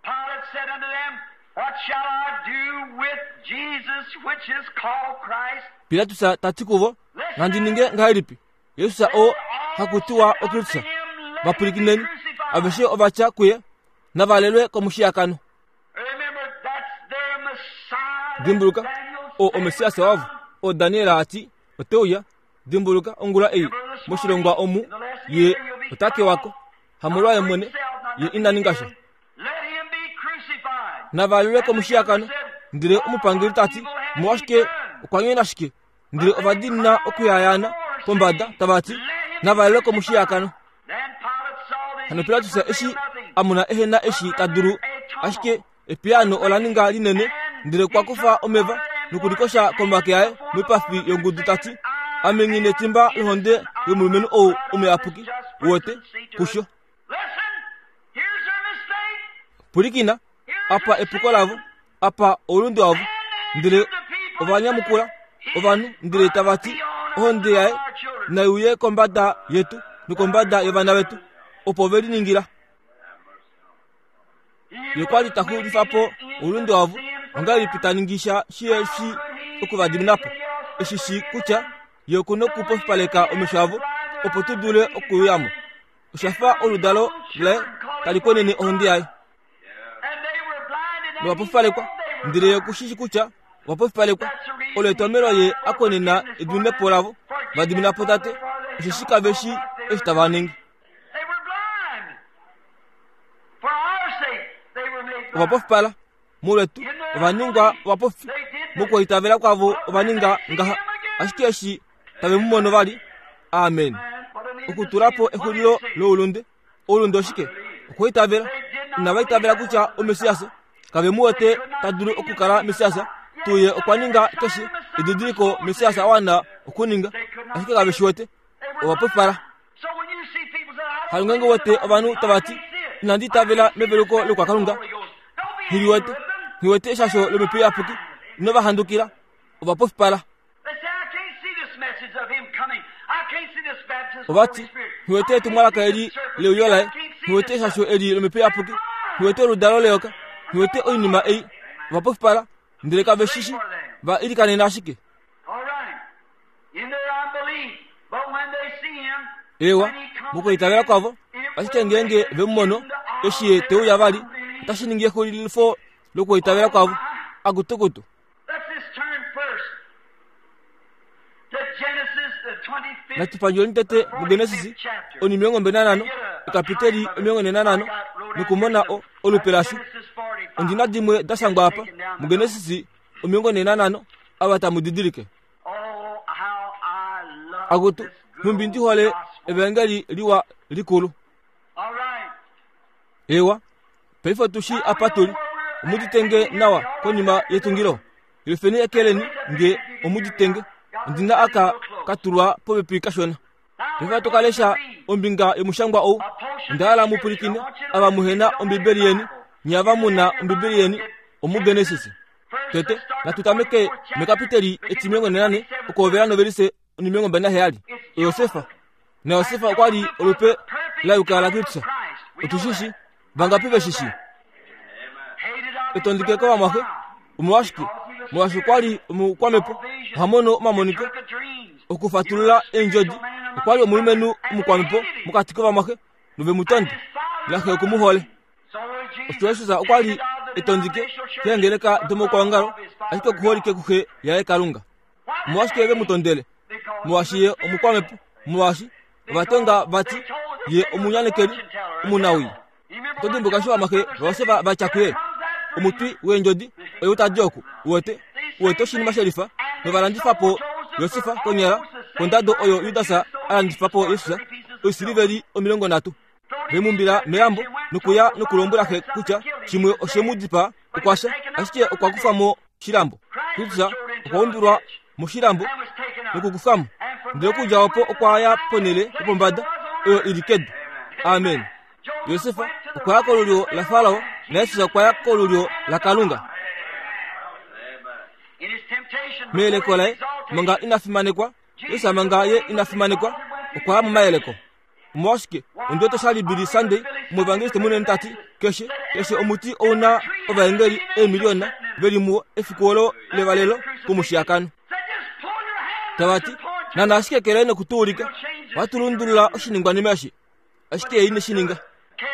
Pilate said unto them, What shall I do with Jesus, which is called Christ? Pilatus ta ti kuvo, Nandi ninge ngahelipi? Jesus oo haku tiwa oKristus. Va pwilikineni, aveshe ova tya kuye, Navalelwe komushiyakano. Remember, that's their Messiah. that Dimbuluka, Daniel oo said oMessias would wavo, come. oo Daniel a ti, ote uya. Dimbuluka, ongula ei, moshilongwa omu, ye ota kewa ko, hamolwaye mwene, ye ina ninga sha. Let him be crucified. Navalelwe komushiyakano. Ndele omupangeli ta ti, Omolwashike okwa nyona shike? Ndele ova diinina okuyayaana pombada, tava ti, Navalelwe komushiyakano. Then Pilate saw that Hano he Pilatus could eshi prevail nothing. a mona ehe na eshi ta dulu, ashike epiyaano ola ninga linene, ndele okwa kufa omeva nokulikosha komake aye moipafi yongudu ta ti, Ame nghi netimba lohonde yomulumenhu ou omuyapuki, wote, kusho. Listen, here's their mistake. Pwilikina, apa epuko lavo, apa oulunde wavo. Ndele ova nyamukula ovanhu ndele tava ti, Ohonde yaye nai uye kombada yetu nokombada yovana vetu. Opo ve liningila. Ye kwa li ta xulifa po oulunde wavo, ongahelipi ta ningi sha shihe shi oku va dimina po? Eshi shii kutya ye oku na okupofipaleka omesho avo opo tu dule okuuya mo. Osha fa oludalo laye tali konene ohonde yaye. Novapofipalekwa, ndele ye oku shi shii kutya ovapofipalekwa. Olo etomhelo ye a konena ediminepo lavo, va dimina po Tate, osheshi kave shii eshi tava ningi. Ovapofipala molwetu ova ningwa ovapofi mokwaitavela kwavo ova ninga ngaha ashike eshi tave mu mono vali amen okutula po exulilo loulunde oulunde oshike okwaitavela inava itavela kutya omessias kave mu wete ta dulu okukala messias tuye okwa ninga keshe edidiliko messias a wana okuninga ashike kave shi wete ova pofipala Kalunga wete ovanhu tava ti, Inandi itavela meveluko lokwakalunga. Nghi wete, nghi wete eshasho lomhepo iyapuki. Ino va handukila. Ova pofipala. Ova ti, Nghi wete etumwalaka eli leuyo laye. Nghi wete eshasho eli lomhepo iyapuki. Nghi wete oludalo leyoka. Nghi wete oinima ei. Ova pofipala, ndele kave shi shi. Va ilikanena ashike. Ewa, mokwiitavela kwavo, ashike ngeenge ve mu mono, eshi ye te uya vali, otashi ningi exulifo lokwiitavela kwavo. Akutukutu. Natu pandjuleni tete muGenesis onimilongo mbali nanhano, ekapiteli omilongo nhee nanhano, nokumona o, olupe lasho. Ondi na dimwe da shangwa apa, muGenesis 45 ava tamu didilike. Akutu, nhumbi ndi hole evangeli liwa likulu. Ewa, paife otu shi apa tu li. Omuditenge nawa konima yetungilo. Lefeni ekeleni nge omuditenge. Ondi na aka ka tulwa popepi kashona. Paife ohatu ka lesha ombinga yomushangwa ou. Onda hala mu pwilikine ava muhe na Ombibeli yeni, nye ava mu na Ombibeli yeni, omuGenesis. Tete, natu tameke mekapiteli etimilongo nenane okuhovela novelise onimilongo mbali naheyali. Josefa. NaJosefa okwa li olupe la yuka laKristus. Otu shi shi? Vangapi ve shi shi? Etondike kovamwaxe. Omolwashike? Molwaashi okwa li omukwamhepo, oha mono omamoniko, okufatulula eendjodi. Okwa li omulumenhu omukwamhepo mokati kovamwaxe, nove mu tonde. Naxe oku mu hole. Osho Jesus okwa li e tondike keengeleka domokwaongalo, ashike oku holike kuxe yaye Kalunga. Omolwashike ve mu tondele? Molwaashi ye omukwamhepo, molwaashi ova tonga vati ye omunyanekeli omunawii. Oto dimbuka eshi ovamwaxe vaJosef va tya kuye, Omutwi weendjodi oyou ta di oku, uwete, uwete oshinima shelifa, nova landifa po Josef konyala kondado oyo Judas a landifa po Jesus, oisiliveli 30. Ve mu umbila melambo nokuya nokulombwela xe kutya shimwe oshe mu dipaa, okwa fya, ashike okwa kufwa mo moshilambo. Kristus okwa umbilwa moshilambo nokukufwa mo, ndele okudja opo okwa ya ponhele yopombada oyo i li kedu. Amen. Josef okwa ya kolulyo laFarao naJesus okwa ya kolulyo laKalunga. Meyeleko laye manga ina fimanekwa, Jesus manga ye ina fimanekwa okwa ya momayeleko. Omolwashike, ondi wete sha li Billy Sunday, omuevangeliste munene ta ti, Keshe, keshe omuti ou na ovaengeli eemiliona ve li muwo efiku olo levalelo komushiyakano. Tava ti, Nana ashike kele noku tu ulika, ohatu lundulula oshiningwanima eshi. Ashike ye ine shi ninga.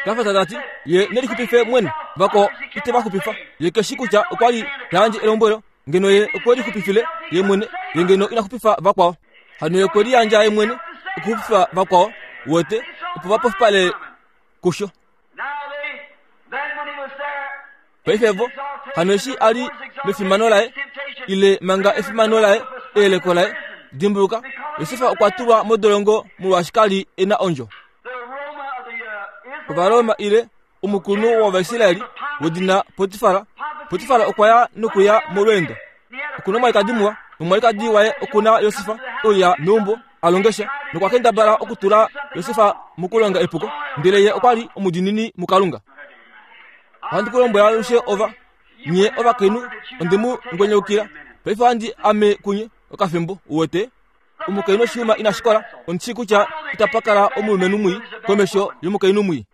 Kafas ta ti, Ye ne lixupife mwene, vakwao ite va xupifa. Ye ke shi kutya okwa li ta yandje elombwelo, ngeno ye okwe lixupifile ye mwene, ye ngeno ina xupifa vakwao. Hano ye okwe liyandja ye mwene okuxupifa vakwao, wete, opo va pofipale kusho. Paife vo, hano eshi a li mefimano laye, ile manga efimano laye, eyeleko laye, dimbuluka, Josef okwa tulwa modolongo molwaashi ka li e na ondjo. Ovaroma ile omukulunhu wOvaisraeli wedina Potifar. Potifar okwa ya nokuya molweendo. Oku na omwalikadi muwa, nomwalikadi waye oku na Josef e uya meumbo a longe sha, nokwa kendabala okutula Josef mokulonga epuko, ndele ye okwa li omudiinini muKalunga. Ohandi ku lombwele alushe ova, nye ovakainhu, onde mu ngwenyaukila. Paife ohandi ame kunye okafimbo, uwete. Omukainhu oshiyuma ina shikola, ondi shii kutya itapa kala omulumenhu mwii komesho yomukainhu mwii.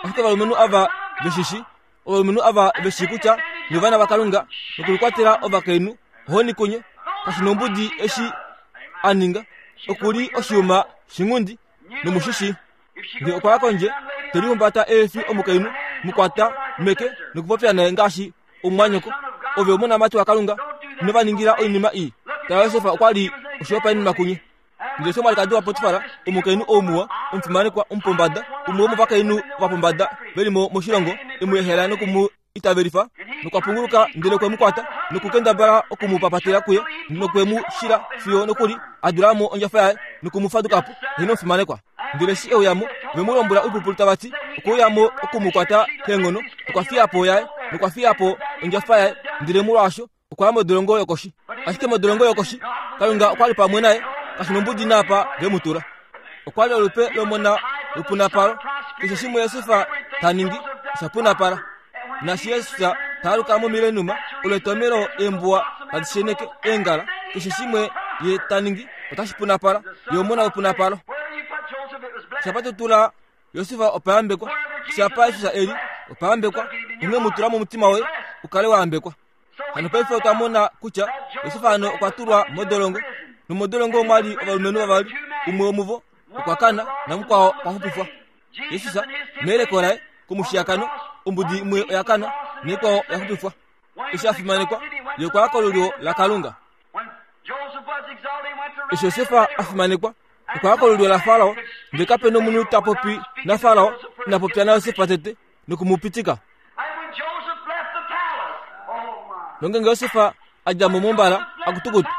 Ashike ovalumenhu ava ve shi shi, ovalumenhu ava ve shii kutya nye ovana vaKalunga, nokulikwatela ovakainhu, ohoni kunye, kashi nombudi eshi a ninga, oku li oshiyuma shinghundi, nomu shi shii. Nge okwa ya kondje, te lihumbata eefi omukainhu, mu kwata meke nokupopya naye ngaashi omumwanyoko. Ove omonamati waKalunga, ino va ningila oinima ii. Tala, Josef okwa li oshihopaenenwa kunye. Ndele omwalikadi waPotifar, omukainhu ou muwa, omufimanekwa, omupombada, umwe womovakainhu vapombada ve li mo moshilongo, e mu ehela noku mu itavelifa, nokwa punguluka ndele okwe mu kwata nokukendabala oku mu papatela kuye, nokwe mu shila fiyo nokuli a dula mo ondjafa yaye noku mu faduka po. Ye nomufimanekwa. Ndele eshi e uya mo, ve mu lombwela oipupulu tava ti, okwe uya mo oku mu kwata keenghono, nokwa fiya po yaye, nokwa fiya po ondjafa yaye, ndele molwaasho okwa ya modolongo yokoshi. Ashike modolongo yokoshi, Kalunga okwa li pamwe naye, kashi nombudi naapa ve mu tula. Okwa li olupe lomona lupunapalo. Keshe shimwe Josef ta ningi osha punapala. Naashi Jesus ta aluka momilenuma, olo etomelo eembuwa tadi sheneke eengala. Keshe shimwe ye ta ningi otashi punapala. Ye omona wepunapalo. Shapa to tula Josef opa yambekwa. Shapa Jesus e li opa yambekwa. Onghee mu tula momutima woye u kale wa yambekwa. Hano paife otwa mona kutya Josef hano okwa tulwa modolongo, nomodolongo omwa li ovalumenhu vavali, umwe womuvo okwa kana namukwao okwa xupifwa. Jesus meyeleko laye komushiyakano, ombudi imwe oya kana naikwao oya xupifwa. Eshi a fimanekwa, ye okwa ya kolulyo laKalunga. Eshi Josef a fimanekwa, okwa ya kolulyo laFarao, ndele kape nomunhu ta popi naFarao ina popya naJosef tete noku mu pitika. Nongeenge Josef a dja mo mombala, akutukutu.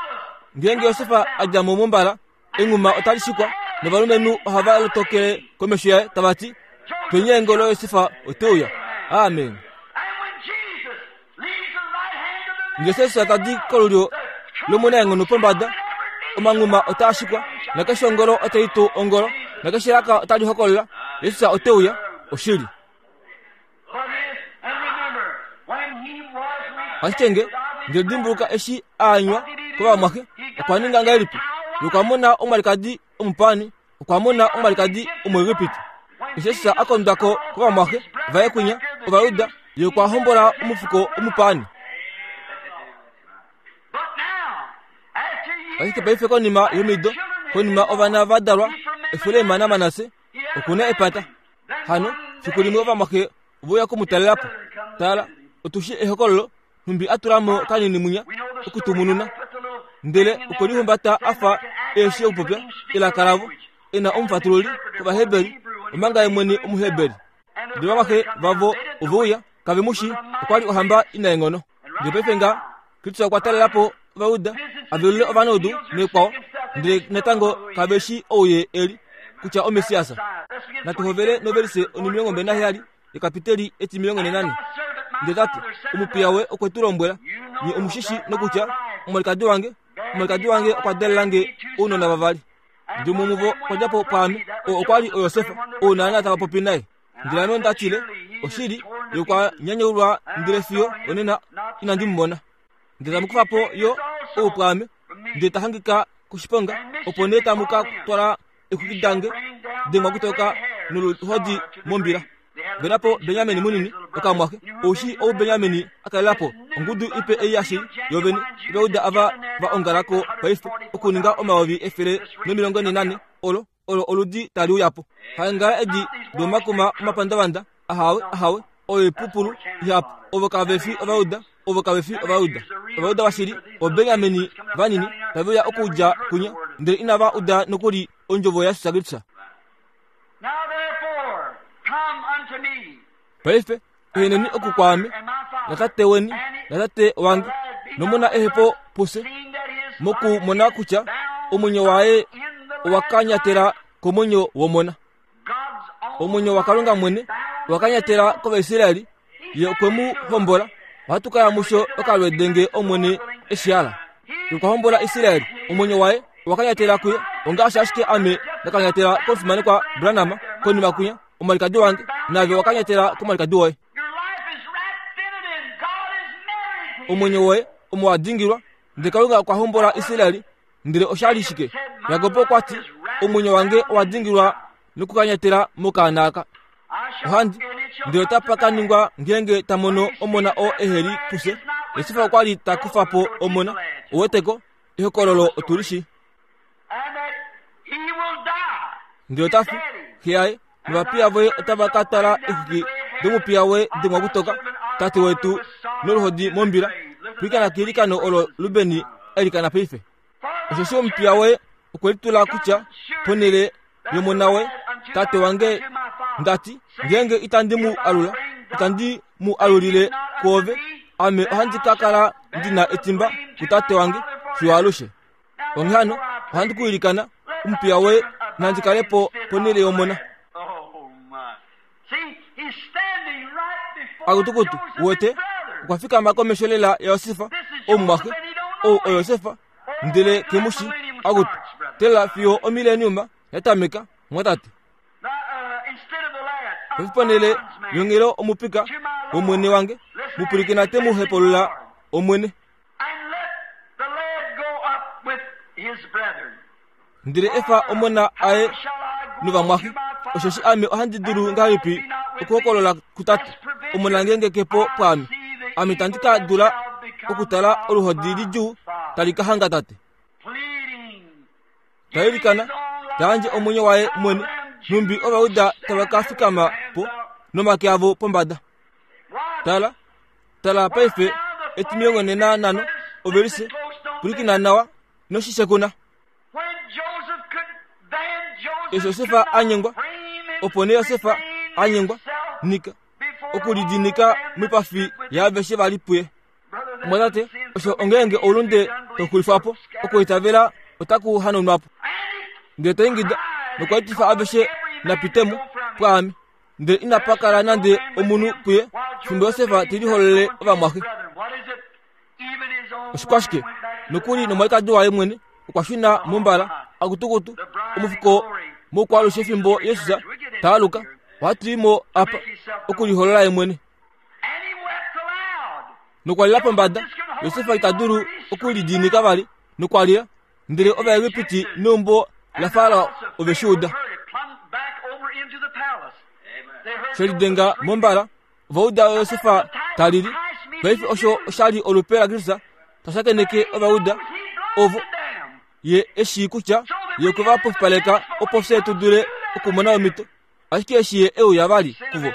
Ngeenge Josef a dja mo mombala, enghuma otali shikwa, novalumenhu ohava lotokele komesho yaye tava ti, Twenyeengolo Josef ote uya. Amen. Jesus ta di kolulyo lomunaenghono pombada, omanghuma otaa shikwa, nakeshe ongolo otai tu ongolo, nakeshe elaka otali hokolola, Jesus ote uya, oshili. Ashike nge ndele dimbuluka eshi a anywa kovamwaxe, okwa ninga ngahelipi? Ye okwa mona omwalikadi omupaani, okwa mona omwalikadi Omuegipiti. Eshi Jesus a kondwa ko kovamwaxe vaye kwinya Ovajuda, ye okwa hombola omufuko omupaani. Ashike paife konima yomido, konima ovana va dalwa, Efraim naManasse, oku na epata. Hano, fiku limwe ovamwaxe ove uya oku mu talela po. Tala, otu shii ehokololo, nhumbi a tula mo kanini mwinya okutumununa, ndele okwe lihumbata a fa eeshi okupopya elaka lavo, e na omufatululi kOvaheberi, omanga ye mwene Omuheberi. Ndele ovamwaxe vavo ove uya, kave mu shii, okwa li ohamba inaenghono. Ndele paife nga Kristus okwa talela po Ovajuda, a velule ovanaudu nekwao, ndele natango kave shii ou ye e li, kutya oMessias. Natu hovele novelise onimilongo mbali naheyali yekapiteli etimilongo nenane. Ndele ta ti, Omupiya we okwe tu lombwela, nye omu shi shi nokutya, omwalikadi wange, omwalikadi wange okwa dalela nge ounona vavali. Ndele umwe womuvo okwa dja po pwaame, oo okwa li oYosef, ou naana tava popi naye. Ndele ame onda tile, Oshili, ye okwa nyanyaulwa ndele fiyo onena inandi mu mona. Ndele tamu kufa po yo ou pwaame, ndele ta hangika koshiponga, opo nee tamu ka twala exwiki dange dengwa kutoka noluhodi mombila. Vena po Benyamin munini, okamwaxe, ou shii ou Benyamin a kalela po, ongudu ipe ei yashili, yovene, Ovajuda ava va ongala ko paife, okuninga 144, olo olo oludi tali uya po. Haengala edi domakuma omapandavanda, ahawe, ahawe, oyo oipupulu ihapu. Ovo kave fi Ovajuda, ovo kave fi Ovajuda. Ovajuda vashili, Obenjamini vanini, tave uya okudja kunya, ndele inava uda nokuli ondjovo yaJesus Kristus. Paife, eheneni oku kwaame, natate weni, natate wange, nomona ehepo pufye, mokumona kutya omwenyo waye owa kanyatela komwenyo womona. Omwenyo waKalunga mwene owa kanyatela kOvaisraeli, ye okwe mu hombola. Ohatu ka ya musho okalwede nge Omwene eshi hala. Ye okwa hombola Israel, omwenyo waye owa kanyatela kuye, ongaashi ashike ame nda kanyatela komufimanekwa Branham konima kwinya, omwalikadi wange, naave owa kanyatela komwalikadi woye. Omwenyo woye. Omo wa dingilwa, ndele Kalunga okwa hombola Israel, ndele osha li shike? Jakob okwa ti, Omwenyo wange owa dingilwa nokukanyatela mokaana aka. Ohandi, ndele otapa ka ningwa ngeenge ta mono omona oo ehe li pufye. Josef okwa li ta kufa po omona. Ouweteko, ehokololo otu li shii. Ndele ota fi, xe yaye novapiya voye otava ka twala exwiki domupiya woye dengwa kutoka, tate wetu noluhodi mombila. Pwilikina keilikano olo Rubeni a ilikana paife. Osheshi omupiya woye okwe litula kutya ponhele yomona woye, tate wange, nda ti, ngeenge itandi mu alula, itandi mu alulile kwoove, ame ohandi ka kala ndi na etimba kutate wange fiyo alushe. Onghee hano, ohandi ku ilikana, omupiya woye nandi kale po ponhele yomona. Akutukutu, wete, okwa fikama komesho lela yaJosef, omumwaxe, ou oJosef, ndele ke mu shi. Akutu, tela fiyo omileniuma ya tameka, mwatate. Paife ponhele yonghelo omupika womwene wange, mu pwilikina te mu hepulula Omwene. Ndele efa omona aye novamwaxe, osheshi ame ohandi dulu ngahelipi okuhokolola kutate, omona ngeenge ke po pwaame? Ame itandi ka dula okutala oluhodi lidjuu tali ka hanga tate. Ta ilikana, ta yandje omwenyo waye mwene, nhumbi Ovajuda tava ka fikama po nomake avo pombada. Tala, Tala paife etimilongo nena nano ovelise pwilikina nawa noshishekuna. Eshi Josefa a nyengwa, opo nee Josefa a nyengwa nika okulidinika moipafi yaaveshe va li puye. Omwatate, osho ongeenge oulunde tau xulifwa po, okuitavela otaku hanaunwa po. Ndele ta ingida nokwa etifa aveshe na pite mo pwaame. Ndele inapa kala nande omunhu puye fimbo Josef te lihololele ovamwaxe. Oshikwashike? Nokuli nomwalikadi waye mwene okwa shuna mombala akutukutu omufuko moukwaalushe fimbo Jesus ta aluka. Ohatu i mo apa okuliholola ye mwene. Nokwa lila pombada. Josef ita dulu okulidiinika vali nokwa lila. Ndele Ovaegipiti neumbo laFarao ove shi uda. She lidenga mombala, ova uda Josef ta lili. Paife osho osha li olupe laKristus ta shakeneke Ovajuda ovo ye e shii kutya ye okwe va pofipaleka opo fye tu dule okumona omhito. Ashike eshi ye e uya vali kuvo,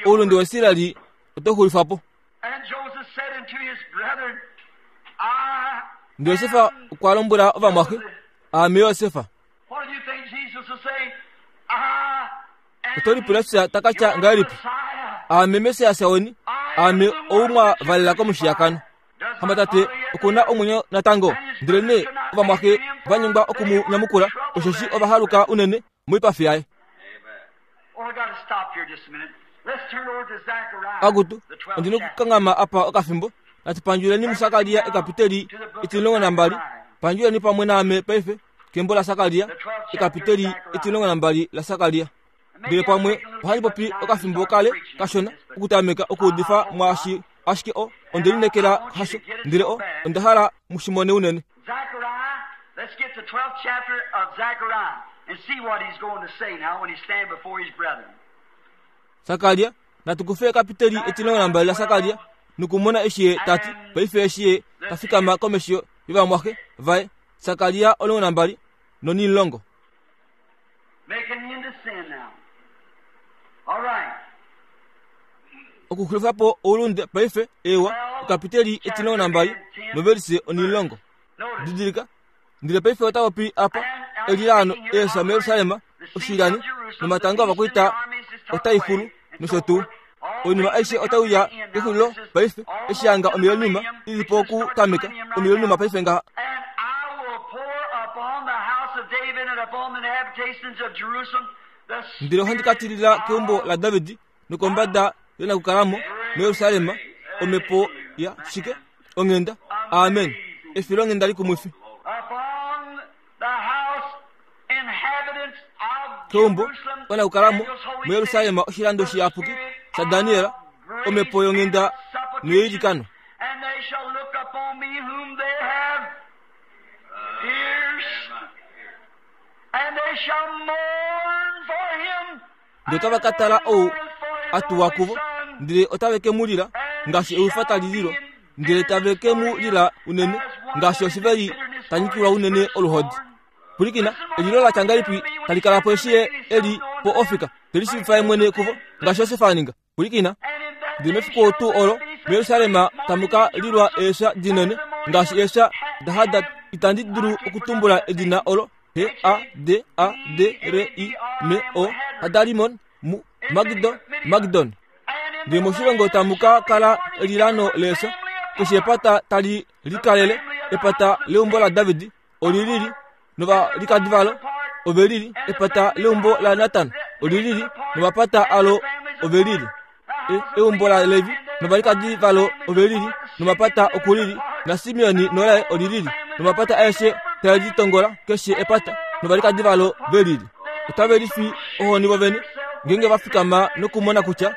oulunde waIsrael otau xulifwa po. Ndele Josef okwa lombwela ovamwaxe, Aame Josef. Oto lipula kutya ta ka tya ngahelipi? Aame Messias weni, aame ou mwa valela komushiyakano. Hamba tate oku na omwenyo natango? Ndelenee ovamwaxe va nyengwa oku mu nyamukula, osheshi ova haluka unene moipafi yaye. Akutu, ondi nokukanghama apa okafimbo. Natu pandjuleni muSakaria ekapiteli etimulongo nambali. Pandjuleni pamwe naame paife kembo laSakaria, ekapiteli etimulongo nambali laSakaria. Ndele pamwe ohandi popi okafimbo kale kashona okutameka okuudifa mwaashi ashike o onde lineekela hasho, ndele o onda hala mu shi mone unene. Let's get the 12th chapter of Zechariah and see what he's going to say now when he stand before his brethren. Sakaria, natu kufe ekapiteli etilongo nambali laSakaria nokumona eshi ye ta ti paife eshi ye ta fikama komesho yovamwaxe vaye. Sakaria 12 nonimulongo. Make an end to sin now. All right. Okuxulifa po oulunde paife, eewa, ekapiteli etilongo nambali novelise onimulongo. Didilika, ndele paife ota popi apa elilaano eefya muJerusalem, oshilani nomatanga ovakwaita otai xulu nosho tuu. Oinima aishe otai uya kexulilo paife, eshi hanga omileniuma i li po okutameka, omileniuma paife ngaha. And I will pour upon the house of David and upon the inhabitations of Jerusalem the Ndele ohandi ka tilila keumbo laDavid nokombada yonakukalamo muJerusalem omhepo ya shike? Onghenda. Amen. Efilonghenda likumwifi. Upon the house inhabitants of Keumbo Jerusalem, onakukalamo Daniel's holy muJerusalem city, oshilando the shiyapuki spirit shaDaniel of grace omhepo yonghenda and supplication, noyeilikano. and they shall look upon me whom they have pierced, and they shall mourn for him. Ndele otava ka tala ou a tuwa kuvo, ndele otave ke mu lila ngaashi ewifa tali lilwa, ndele tave ke mu lila unene ngaashi oshiveli ta nyikilwa unene oluhodi. Pwilikina, elilo la tya ngahelipi tali kala po eshi ye e li po ofika, te lishiivifa ye mwene kuvo, ngaashi Josef a ninga. Pwilikina, ndele mefiku tuu olo muJerusalem tamu ka lilwa eefya dinene ngaashi eefya daHadad. Itandi dulu okutumbula edina olo, H A D A D R I M O, Hadarimon, mu Magidon, Magidon. Ndele moshilongo tamu ka kala elilano leefya, keshe epata tali likalele, epata leumbo laDavid oli lili novalikadi valo ove lili, epata leumbo laNatan oli lili nomapata alo ove lili, eumbo laLevi novalikadi valo ove lili nomapata oku lili, naSimeoni nolaye oli lili nomapata aeshe tae litongola keshe epata novalikadi valo ve lili. Otave lifi ohoni vovene ngeenge va fikama nokumona kutya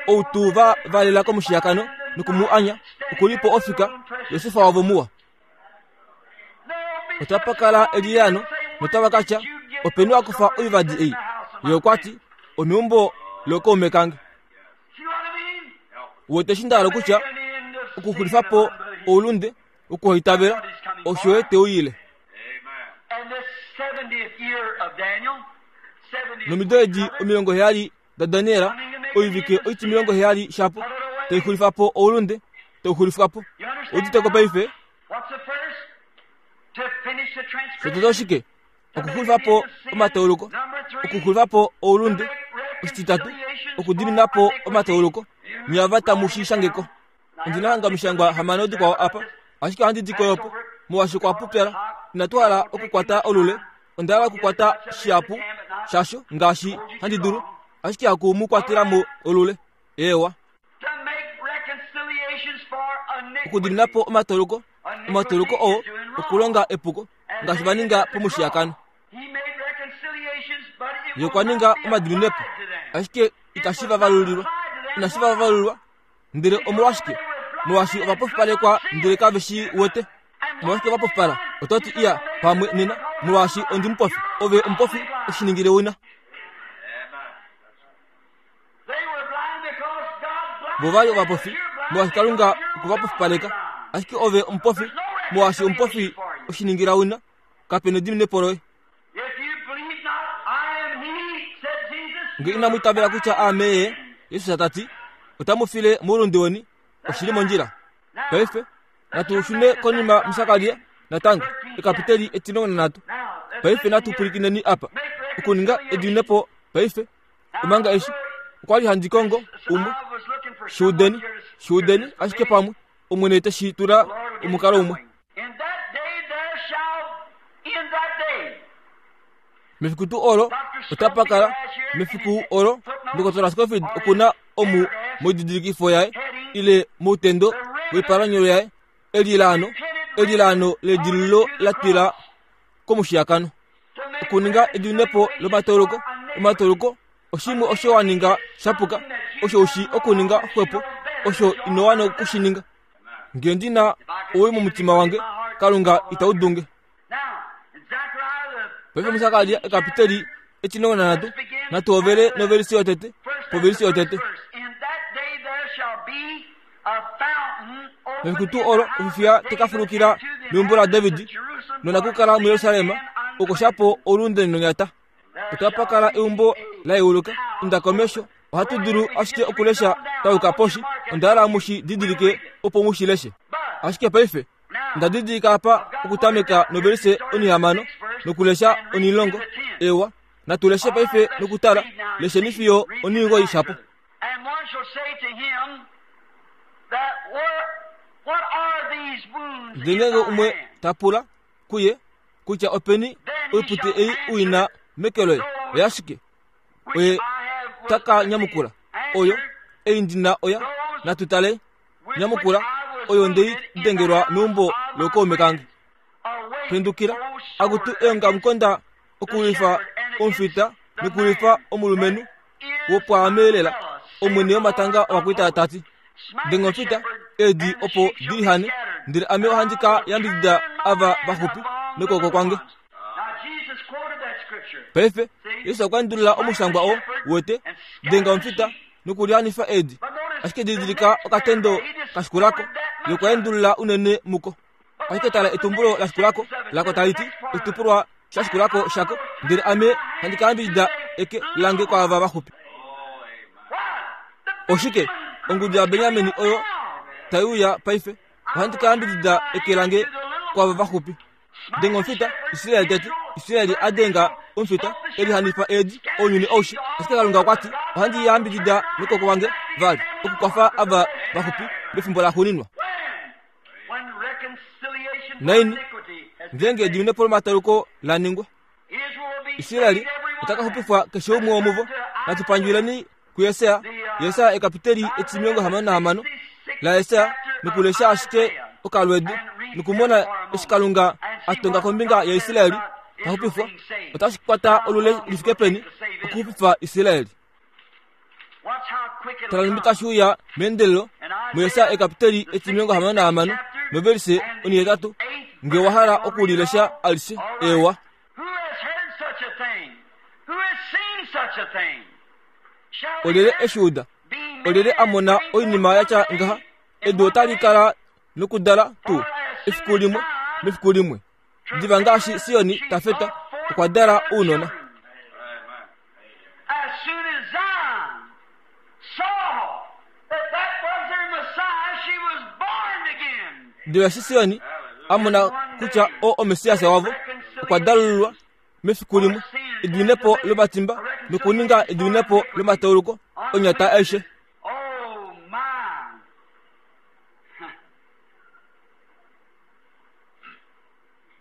ou tuu va valela komushiyakano noku mu anya oku li po ofika, Josef wavo muwa. Otapa kala eliyano notava ka tya, Openi wa kufa oivadi ei? Ye okwa ti, Omeumbo lookaume kange. Wete eshi nda hala okutya, okuxulifa po oulunde wokuhaitavela, osho ye te uyile. Nomido edi 70 daDaniel, oivike oitimilongo heyali shapo, tai xulifa po oulunde, tau xulifwa po. Udite ko paife? Shotete oshike? Okuxulifa po omatauluko, okuxulifa po oulunde. Oshititatu, okudimina po omatauluko. Nye ava tamu shi shange ko. Ondi na hanga omishangwa hamano dikwao apa, ashike ohandi di koyo po, molwaashi okwa pupyala. Inatu hala okukwata olule, onda hala okukwata shihapu shasho ngaashi handi dulu, ashike haku mu kwatela mo olule. Eewa. Okudimina po omatoloko, omatoloko oo okulonga epuko, ngaashi va ninga pomushiyakano. Ye okwa ninga omadiminepo, ashike itashi va valulilwa. Inashi va valulilwa. Ndele omolwashike? Molwaashi ova pofipalekwa ndele kave shi wete. Omolwashike va pofipala? Oto ti, Iya, pamwe nena, molwaashi ondi mupofi. Ove omupofi, oshi ningile wina. Vo va li ovapofi, molwaashi Kalunga okwe va pofipaleka. Ashike ove omupofi, molwaashi omupofi oshi ningila wina. Kape nediminepo loye. Nge inamu itavela kutya aame ye, Jesus ta ti, otamu file moulunde weni. Oshi li mondjila. Paife, natu shune konima muSakaria natango, ekapiteli etimilongo nanhatu. Paife natu pwilikineni apa. Okuninga ediminepo paife, omanga eshi okwa li handi kongo umwe. Shuudeni, shuudeni ashike pamwe Omwene te shi tula omukalo umwe. Mefiku tuu olo otapa kala, mefiku olo, Ndokotola Scofield oku na omu moididilikifo yaye ile moutendo woipalanyolo yaye elilaano, elilaano ledililo la twila komushiyakano. Okuninga edinepo lomatauluko, omatauluko oshimwe osho wa ninga sha puka, osho u shii okuninga xwepo, osho ino wana oku shi ninga. Nge ndi na owii momutima wange, Kalunga itau dunge. Paife muSakaria ekapiteli etimilongo nanhatu, natu hovele novelisi yotete, povelisi yotete. Mefiku tuu olo ofifiya te ka fulukila meumbo laDavid nonakukala muJerusalem okosha po oulunde nonyata. Otapa kala eumbo la yeuluka. Inda komesho. Ohatu dulu ashike okulesha twa yuka poshi. Onda hala mu shi didilike opo mu shi leshe. Ashike paife, onda didilika apa okutameka novelise onihamano nokulesha onilongo. Ewa, natu leshe paife nokutala. Lesheni fiyo onimugoyi shapo. Ndele ngeenge umwe ta pula kuye kutya openi oipute ei u i na meke loye oyashike, oye ta ka nyamukula, Oyo, ei ndi na oya, natu tale, nyamukula, oyo nde i dengelwa meumbo lookaume kange. Pendukila, akutu eongamukonda okulwifa omufita nokulwifa omulumenhu wopwaame lela, Omwene womatanga ovakwaita ta ti. Denga omufita, eedi opo di lihane. Ndele ame ohandi ka yambidida ava vaxupi nokwooko kwange. Paife, Jesus okwa endulula omushangwa oo, uwete, denga omufita nokulianifa eedi. Ashike didilika okatendo ka shikula ko, ye okwa endulula unene muko. Ashike tala etumbulo la shikula ko, lako tali ti, oshitukulwa sha shikula ko shako, ndele ame handi ka yambidida eke lange kwaava vaxupi. Oshike? Ongudu yaBenjamin oyo tai uya paife. Ohandi ka yambidida eke lange kwaava vaxupi. Denga omufita, Israel teti. Israel a denga omufita, e lihanifa eedi, ounyuni aushe. Ashike Kalunga okwa ti, Ohandi yambidida nokwooko kwange vali, okukwafa ava vaxupi mefimbo laxuuninwa. Naini, ngeenge ediminepo lomataluko la ningwa, Israel ota ka xupifwa keshe umwe womuvo. Natu pandjuleni kuJesaja, Jesaja ekapiteli etimilongo hamano nahamano laJesaja nokulesha ashike okalwedu nokumona eshi Kalunga a tonga kombinga yaIsrael ta xupifwa. Otashi kwata olule li fike peni okuxupifa Israel? Tala nhumbi tashi uya meendelelo muJesaja ekapiteli etimilongo hamano nahamano novelise onihetatu nge wa hala oku li lesha alishe. Eewa. Olyelye e shi uda? Olyelye a mona oinima ya tya ngaha? Edu otali kala nokudala tuu efiku limwe mefiku limwe. Diva ngaashi Sioni ta feta, okwa dala ounona. Diva eshi Sioni a mona kutya oo oMessias wavo, okwa dalululwa mefiku limwe, ediminepo lomatimba nokuninga ediminepo lomatauluko onyata aishe.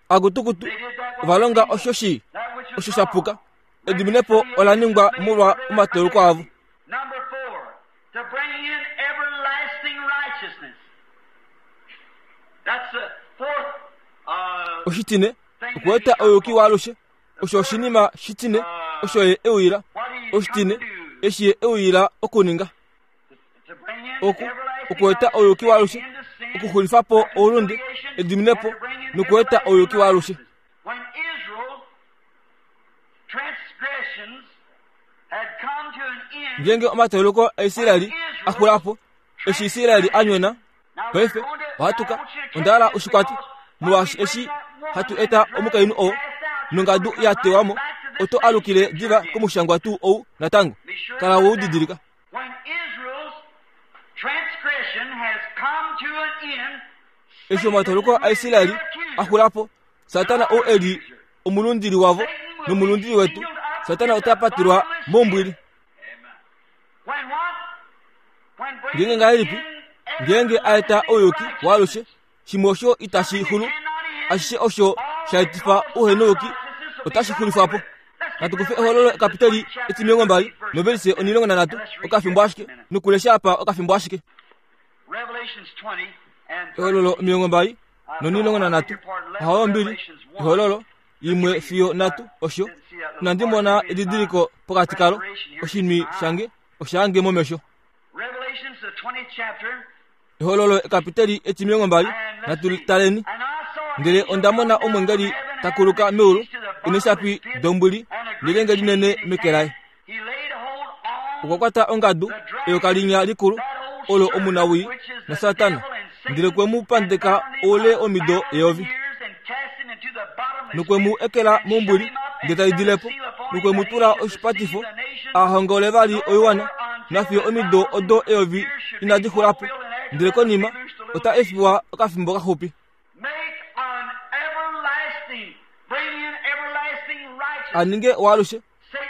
Akutukutu ova longa osho shii, osho sha puka. Ediminepo ola ningwa molwa omatauluko avo. Oshitine, okueta ouyuki waalushe. Osho oshinima shitine osho ye e uyila. Oshitine, eshi ye e uyila okuninga. Oku, okueta ouyuki waalushe, okuxulifa po oulunde, ediminepo, nokueta ouyuki waalushe. Ngeenge omatauluko aIsraeli a xula po, eshi Israeli a nyona, paife ohatu ka onda hala oshikwati molwaashi eshi hatu eta omukainhu oo nongadu ya tewa mo, oto alukile diva komushangwa tuu ou natango. Kala we u didilika. Eshi omatauluko aIsraeli a xula po, Satana ou e li omulundili wavo nomulundili wetu, Satana ota patelwa mombwili. Ngeenge ngahelipi? Ngeenge a eta ouyuki waalushe, shimwe osho itashi xulu, ashishe osho sha etifa ouhenouyuki otashi xulifwa po. Natu kufe ehololo ekapiteli etimilongo mbali novelise onilongo nanhatu okafimbo ashike nokulesha apa okafimbo ashike. Ehololo omilongo mbali nonilongo nanhatu ohawo mbili ehololo imwe fiyo nhatu osho inandi mona edidiliko pokati kalo oshinwi shange oshaange momesho ehololo ekapiteli etimilongo mbali natu taleni ndele onda mona omwengeli ta kuluka meulu eneshapi dombwili nelyenge linene meke laye Okwa kwata ongadu eyoka linya likulu olo omunawii naSatana, ndele kwe mu pandeka oule womido eyovi. Nokwe mu ekela mombwili ndele tai dile po, nokwe mu tula oshipatifo a hongole vali oiwana nafiyo omido odo eyovi inadi xula po, ndele konima ota efiwa okafimbo kaxupi. A ninge waalushe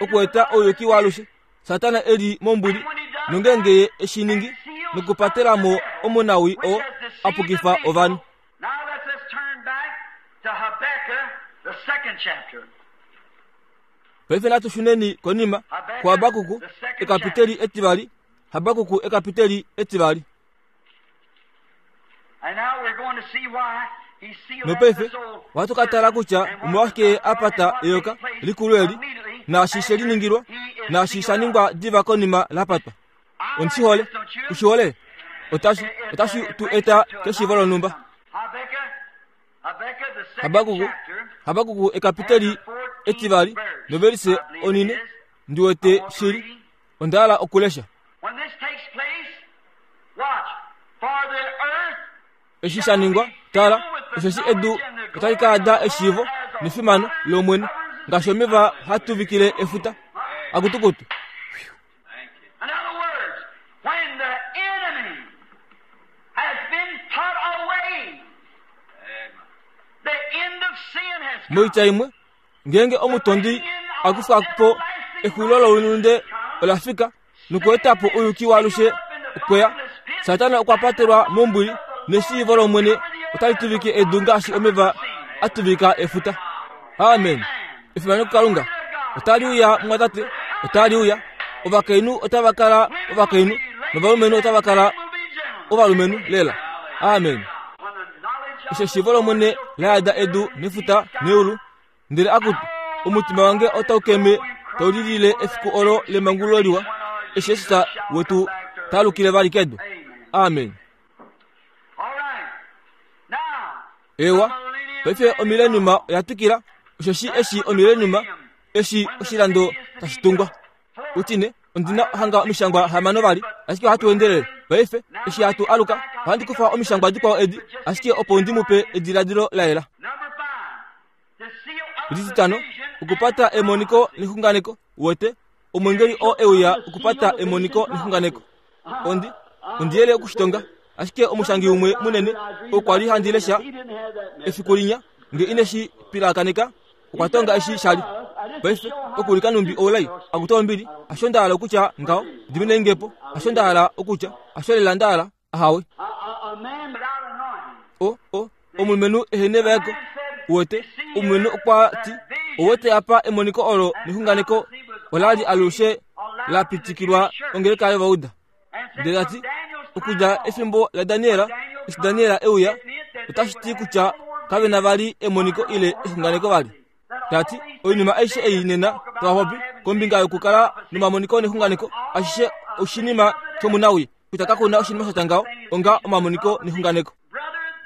okueta ouyuki waalushe Satana e li mombwili, nongeenge ye e shi ningi nokupatela mo omunawii oo a pukifa ovanhu. Paife natu shuneni konima kuHabakuku ekapiteli etivali, Habakuku ekapiteli etivali. Nopaife ohatu ka tala kutya omolwashike a pata eyoka likulu eli, naashi she liningilwa, naashi sha ningwa diva konima la patwa. Ondi shi hole. Ku shi hole? Otashi, otashi tu eta keshiivo lonhumba. Habakuku, Habakuku ekapiteli etivali novelise onine, ndi wete shili, onda hala okulesha. Eshi sha ningwa, tala, osheshi edu otali ka yada eshiivo nefimano lOmwene, ngaashi omeva haa tuvikile efuta. Akutukutu. In other words, when the enemy has been put away, the end of sin has come. Moitya imwe, ngeenge omutondi a kufa po exulilo loulunde ola fika nokueta po ouyuki waalushe okweya. Satana okwa patelwa mombwili neshiivo lOmwene otali tuvike edu ngaashi omeva a tuvika efuta. Amen. Efimano kuKalunga. Otali uya, mumwatate. Otali uya. Ovakainhu otava kala ovakainhu novalumenhu otava kala ovalumenhu lela. Amen. Eshi eshiivo lOmwene la yada edu nefuta neulu, ndele akutu, omutima wange otau keme tau lilile efiku olo lemangululo liwa, eshi Jesus wetu ta alukile vali kedu. Amen. Ewa, paife omileniuma oya twikila, osheshi eshi omileniuma, eshi oshilando tashi tungwa. Utine, ondi na hanga omishangwa hamano vali, ashike ohatu endelele. Paife, eshi hatu aluka, ohandi kufa omishangwa dikwao edi, ashike opo ndi mu pe ediladilo la yela. Etitano, okupata emoniko nexunganeko, uwete, omwengeli oo e uya okupata emoniko nexunganeko. Ondi, ondi yele okushitonga, ashike omushangi umwe munene okwa li handi lesha efiku linya, nge ine shi pilakaneka, okwa tonga eshi sha li. Paife, okulika numbi oulai, akutu ombili, hasho nda hala okutya ngaho, diminei nge po, hasho nda hala okutya, hasho lela nda hala. Ahawe. O, o, omulumenhu ehene vaeko. Uwete, omulumenhu okwa ti, Uwete apa emoniko olo nexunganeko ola li alushe la pitikilwa ongeleka yovauda. Ndele ta ti, okudja efimbo laDaniel, eshi Daniel e uya, otashi ti kutya kave na vali emoniko ile exunganeko vali. Ta ti, oinima aishe ei nena tava popi kombinga yokukala nomamoniko nexunganeko, ashishe oshinima shomunawii. Kutya kaku na oshinima sha tya ngaho onga omamoniko nexunganeko.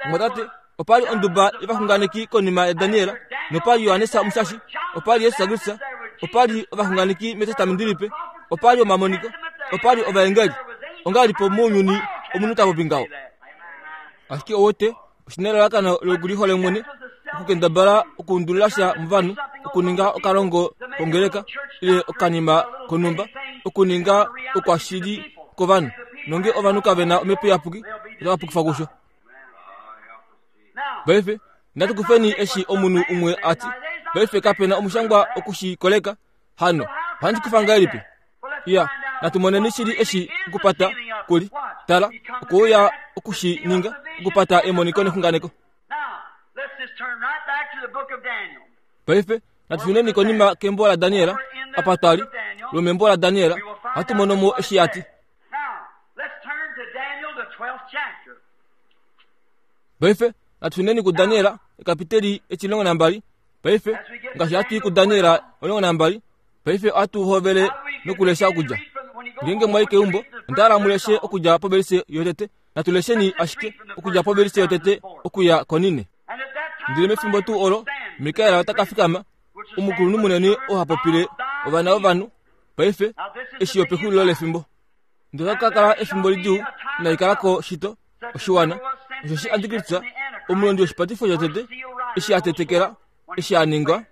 Omwatate, opa li onduba yovaxunganeki konima yaDaniel, nopa li Johannes Omushashi, opa li Jesus Kristus, opa li ovaxunganeki mEtestamenti Lipe, opa li omamoniko, opa li ovaengeli. Ongahelipi mounyuni omunhu ta popi ngaho? Ashike owote, oshi na elalakano lokulihole mwene, okukendabala okuundulila sha movanhu, okuninga okalongo kongeleka ile okanima konhumba, okuninga okwashili kovanhu. Nonge ovanhu kave na omhepo iyapuki, otava pukifwa kusho. Paife, natu kufeni eshi omunhu umwe a ti. Paife kape na omushangwa oku shi koleka. Hano, ohandi kufa ngahelipi? Iya, natu moneni shili eshi okupata kuli. Tala, okuuya oku shi ninga, okupata emoniko nexunganeko. Paife, natu shuneni konima kembo laDaniel, apa twa li, lwomembo laDaniel, ohatu mono mo eshi a ti. Paife, natu shuneni kuDaniel, ekapiteli echilongo nambali. Paife, ngaashi hatu i kuDaniel 12, Paife ohatu hovele nokulesha okudja. Ngeenge mwa i keumbo, onda hala mu leshe okudja povelise yotete. Natu lesheni ashike okudja povelise yotete okuya konine. Ndele mefimbo tuu olo, Mikael ota ka fikama, omukulunhu munene oo ha popile ovana vovanhu, paife, eshi opexulilo lefimbo. Ndele ota ka kala efimbo lidjuu inali kala ko shito, oshiwana, osheshi Antikristus, omulondi woshipatifo shotete, eshi a tetekela, eshi a ningwa,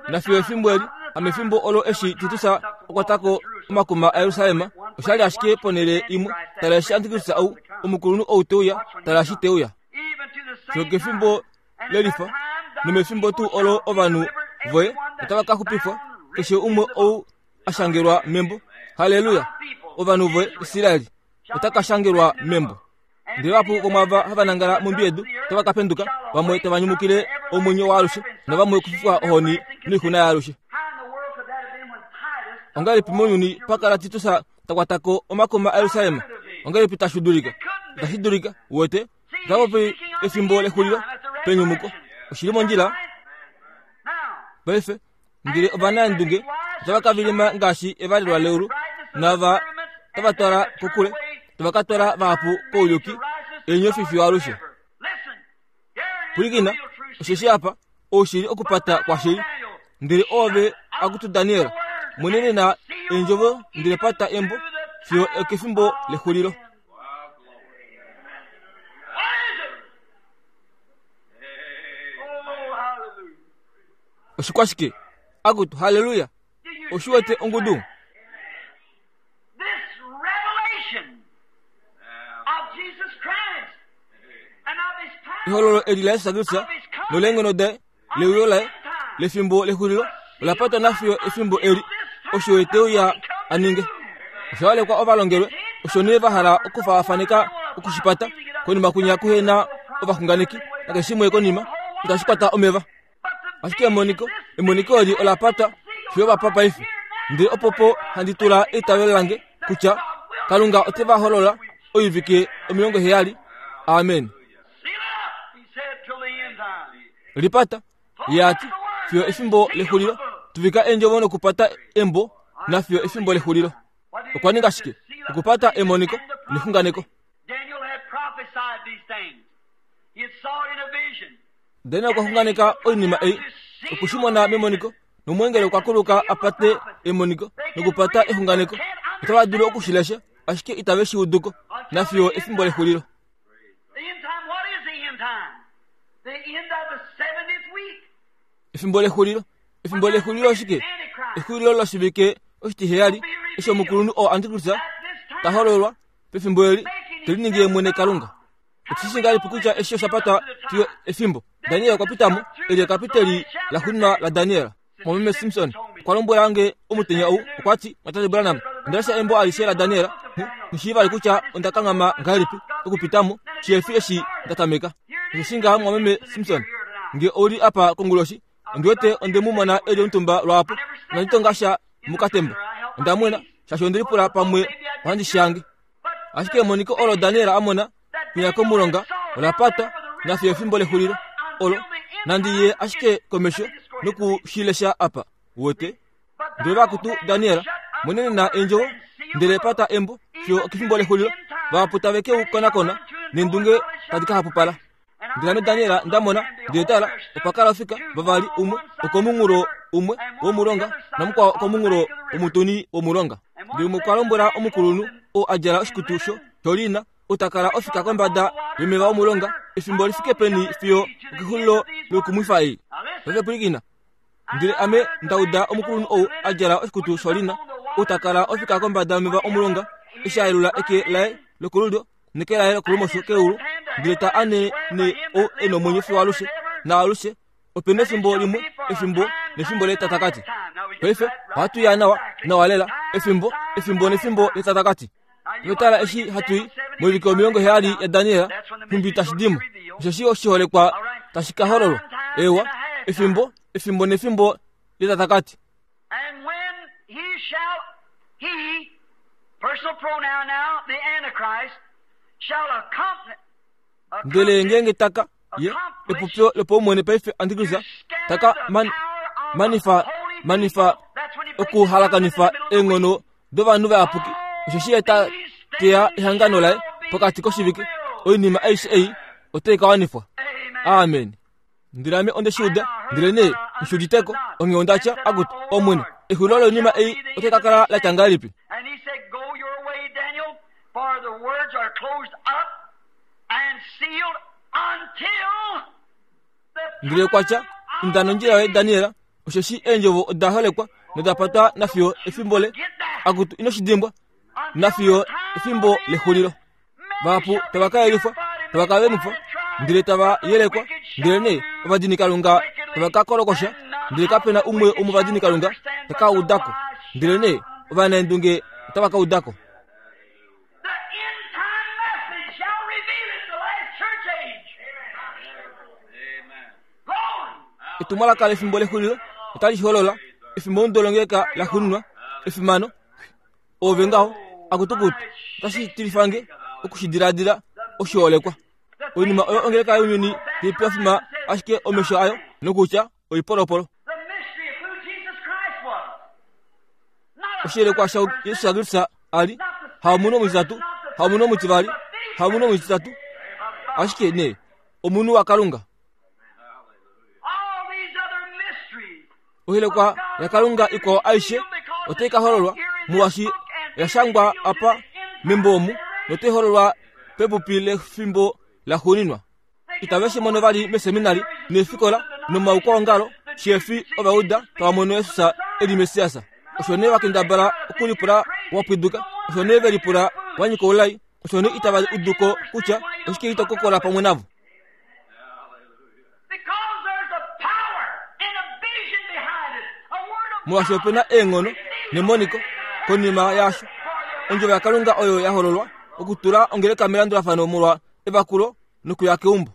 Nafiyo efimbo eli, hamefimbo olo eshi Titus a kwata ko omakuma aJerusalem, osha li ashike ponhele imwe. Tala eshi Antikristus ou, omukulunhu ou te uya, tala eshi te uya. Fiyo kefimbo lelifa, nomefimbo tuu olo ovanhu voye otava ka xupifwa, keshe umwe ou a shangelwa membo. Halleluya! Ovanhu voye, Israel, ota ka shangelwa membo. Ndele vahapu vomwaava hava nangala mombi yedu otava ka penduka, vamwe tava nyumukile omwenyo waalushe, navamwe okufifwa ohoni noixuna yaalushe. Ongahelipi mounyuni pa kala Titus ta kwata ko omakuma aJerusalem? Ongahelipi tashi dulika? Itashi dulika, uwete. Ota popi efimbo lexulilo penyumuko. Oshi li mondjila. Paife, Ndele ovanaendunge otava ka vilima ngaashi evalelwa leulu, naava tava twala kokule, tava ka twala vahapu kouyuki, eenyofi fiyo alushe. Pwilikina, Osheshi apa oushili okupata kwashili. Ndele oove akutu Daniel, mwenenena eendjovo ndele pata embo fiyo okefimbo lexulilo. Oshikwashike? Akutu, haleluya! Oshi wete ongudu? Ehololo eli laJesus Kristus noleenghono daye leuyo laye lefimbo lexulilo ola patwa nafiyo efimbo eli osho ye te uya a ninge. Osha holekwa ovalongelwe osho nee va hala okufaafaneka okushipata konima kwinya kuhe na ovaxunganeki nakeshe shimwe konima itashi kwata omeva. Ashike emoniko, emoniko eli ola patwa fiyo vapa paife. Ndele opopo handi tula eitavelo lange kutya Kalunga ote va holola oivike 70. Amen. Lipata, ye a ti, fiyo efimbo lexulilo. Tuvika eendjovo nokupata embo nafiyo efimbo lexulilo. Okwa ninga shike? Okupata emoniko nexunganeko. Daniel okwa xunganeka oinima ei, oku shi mona memoniko, nomweengeli okwa kuluka a pate emoniko nokupata exunganeko. Otava dulu oku shi lesha, ashike itave shi udu ko, nafiyo efimbo lexulilo. Efimbo lexulilo. Efimbo lexulilo oshike? Exulilo loshivike oshitiheyali, eshi omukulunhu oo Antikristus ta hololwa pefimbo eli, te liningi ye mwene Kalunga. Otu shi ngahelipi kutya eshi osha patwa fiyo efimbo? Daniel okwa pita mo, eli ekapiteli laxuuninwa laDaniel. Mumeme Simpson okwa lombwela nge omutenya ou, okwa ti, Mwatate Branham, onda lesha embo alishe laDaniel, nghi shii vali kutya onda kanghama ngahelipi okupita mo, shihe fi eshi nda tameka. Osho shi ngaha Mumeme Simpson, nge ou li apa konguloshi, ondi wete onde mu mona e li omutumba lwaapo, inandi tonga sha mokatemba. Onda mwena, shaashi onde lipula pamwe ohandi shange. Ashike emoniko olo Daniel a mona kwinya komulonga ola patwa nafiyo efimbo lexulilo olo nandi ye ashike komesho noku shi lesha apa. Uwete? Ndele vakutu Daniel monenena eendjovo ndele pata embo fiyo okefimbo lexulilo vahapu tave ke u konakona neendunge tadi ka hapupala. Ndele ame Daniel nda mona, ndele tala, opa kala ofika vavali, umwe okomunghulo umwe womulonga namukwao okomunghulo womutuni womulonga. Ndele umwe okwa lombwela omukulunhu oo a djala oshikutu sholiina, ou ta kala ofika kombada yomeva omulonga, efimbo li fike peni fiyo okexulilo loikumwifa ei? Paife pwilikina. Ndele ame nda uda omukulunhu ou a djala oshikutu sholina, ou ta kala ofika kombada yomeva omulonga, eshi a yelula eke laye lokolulyo neke laye lokolumosho keulu, ndele ta ane ne ou e nomwenyo fiyo alushe naalushe, ope nefimbo limwe, efimbo nefimbo letatakati. Paife ohatu ya nawa, nawa lela, efimbo, efimbo nefimbo letatakati. Notala eshi hatu i moivike 70 yaDaniel, nhumbi tashi di mo, osheshi oshiholekwa tashi ka hololwa. Eewa, efimbo, efimbo nefimbo letatakati. And when he shall, he, personal pronoun now, the Antichrist, shall accompany, Ndele ngeenge taka, ye, epopyo lopaumwene paife Antikristus, taka man, manifa, manifa okuhalakanifa eenghono dovanhu vayapuki, osheshi ye ta teya ehangano laye pokati koshivike, oinima aishe ei otai ka wanifwa. Amen. Ndele ame onde shi uda, ndelenee nghi udite ko, onghee onda tya, Akutu, Omwene, exulilo loinima ei otai ka kala la tya ngahelipi? And he said, Go your way, Daniel, for the words are closed up and sealed until the Ndele okwa tya, Inda nondjila yoye, Daniel, osheshi eendjovo oda holekwa noda patwa nafiyo efimbo le, akutu, ino shi dimbwa, nafiyo efimbo lexulilo. Vahapu tava ka yelifwa, tava ka venifwa, ndele tava yelekwa, ndelenee ovadinikalunga tava ka kolokosha, ndele kape na umwe womovadinikalunga ta ka uda ko, ndelenee ovanaendunge otava ka uda ko. The end time message shall reveal it, the last church age. Glory! Etumwalaka lefimbo lexulilo otali shi holola, efimbo mudolongeka la xuninwa, efimano, Oove ngaho, akutukutu, otashi tilifa nge oku shi diladila oshiholekwa. Oinima oyo ongeleka younyuni tai pafima ashike omesho ayo nokutya oipolopolo. The mystery of who Jesus Christ was. Not a Oshiyelekwa sha Jesus Kristus a li, haomunhu omutitatu, haomunhu omutivali, haomunhu omutitatu, ashike nee omunhu waKalunga. Oilekwa yaKalunga ikwao aishe otai ka hololwa molwaashi oya shangwa apa membo omu notai hololwa pepupi lefimbo laxuuninwa. Itave shi mono vali meseminari neefikola nomaukwaongalo sheefi ovauda tava mono Jesus e li Messias. Osho nee va kendabala okulipula wa pwiduka, osho nee ve lipula wa nyika oulai, osho nee itava udu ko kutya oshike ito kokola pamwe navo. Molwaashi ope na eenghono nemoniko konima yaasho, ondjovo yaKalunga oyo ya hololwa okutula ongeleka melandulafano molwa evakulo nokuya keumbo.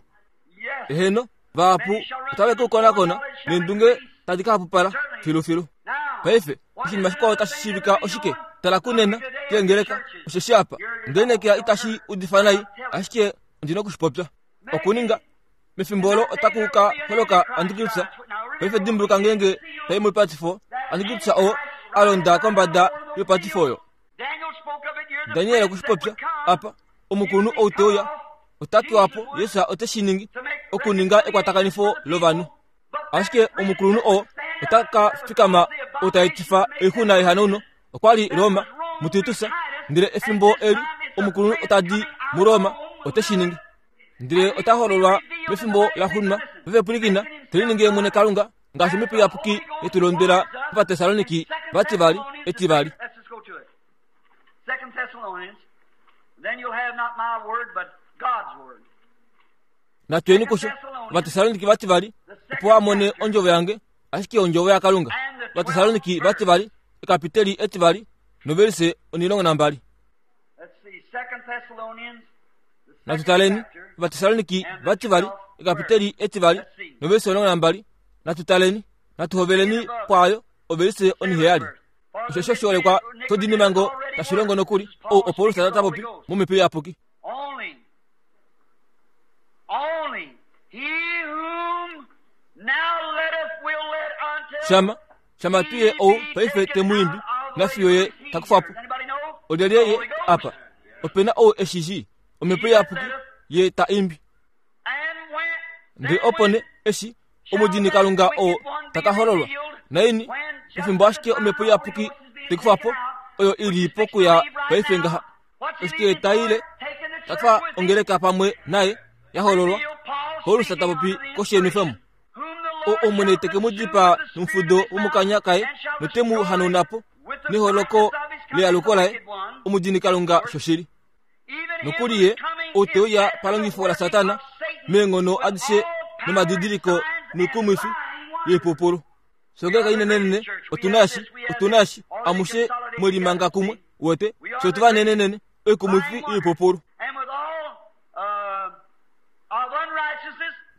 Eheno, vahapu otave ke u konakona neendunge tadi ka hapupala filufilu. Paife, oshinima shikwao tashi shiivika oshike? Tala kunena keengeleka, osheshi apa ndenekeya itashi udifa nai, ashike ondi na oku shi popya. Okuninga mefimbo olo otaku ka holoka antikristus. Paife dimbuluka ngeenge tai moipatifo, antikristus oo a londa kombada yoipatifo oyo. Daniel okwe shi popya apa, omukulunhu ou te uya ota kewa po, Jesus ote shi ningi okuninga ekwatakanifo lovanhu. Ashike omukulunhu oo ota ka fikama ou ta etifa oixuna yehanauno okwa li Roma muTitus, ndele efimbo eli omukulunhu ota di muRoma ote shi ningi. Ndele ota hololwa mefimbo la xunwa vevepwilikina te liningi ye mwene Kalunga ngaashi omhepo iyapuki ye tu londwela Ovatessaloniki vativali etivali. Natuyeni kusho Ovatessaloniki vativali opo wa mone ondjovo yange ashike ondjovo yaKalunga. Ovatessaloniki vativali ekapiteli etivali novelise 12. Natu taleni Ovatessaloniki vativali ekapiteli etivali novelise 12. Natu taleni, natu hoveleni pwaayo ovelise oniheyali. Osho oshiholekwa shodinimango tashi longo nokuli ou oPaulus ta popi momhepo iyapuki. Shama, shama tu ye ou paife te mu imbi, nafiyo ye ta kufa po. Olyelye ye apa? Ope na ou e shi shii? Omhepo iyapuki ye ta imbi. Ndele opo nee eshi omudini Kalunga oo ta ka hololwa, naini pefimbo ashike omhepo iyapuki te kufa po, oyo i li pokuya paife ngaha. Oshike ta ile ta twa ongeleka pamwe naye ya hololwa? Paulus ta popi koshienifemo. O Omwene te ke mu dipaa nomufudo womokanya kaye note mu hanauna po neholoko lealuko laye, omudini Kalunga shoshili. Nokuli ye ou te uya palongifo laSatana meenghono adishe nomadidiliko noikumwifi yoipupulu. Songeleka inenenene, otu na eshi, otu na eshi, amushe mwe limanga kumwe, uwete, fye otu vanenenene, oikumwifi yoipupulu.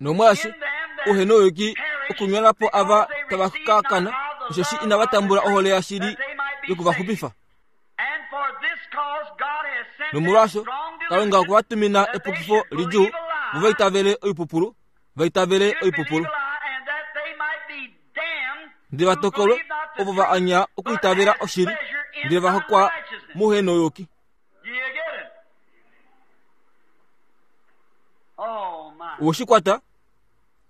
Nomwaashi uhe nouyuki okunyona po ava tava ka kana, osheshi inava tambula ohole yashili yoku va xupifa. Nomolwaasho Kalunga okwe va tumina epukifo lidjuu vo va itavele oipupulu, va itavele oipupulu. Ndele va tokolwe ovo va anya okwiitavela oshili, ndele va hokwa mouhenouyuki. Owe shi kwata?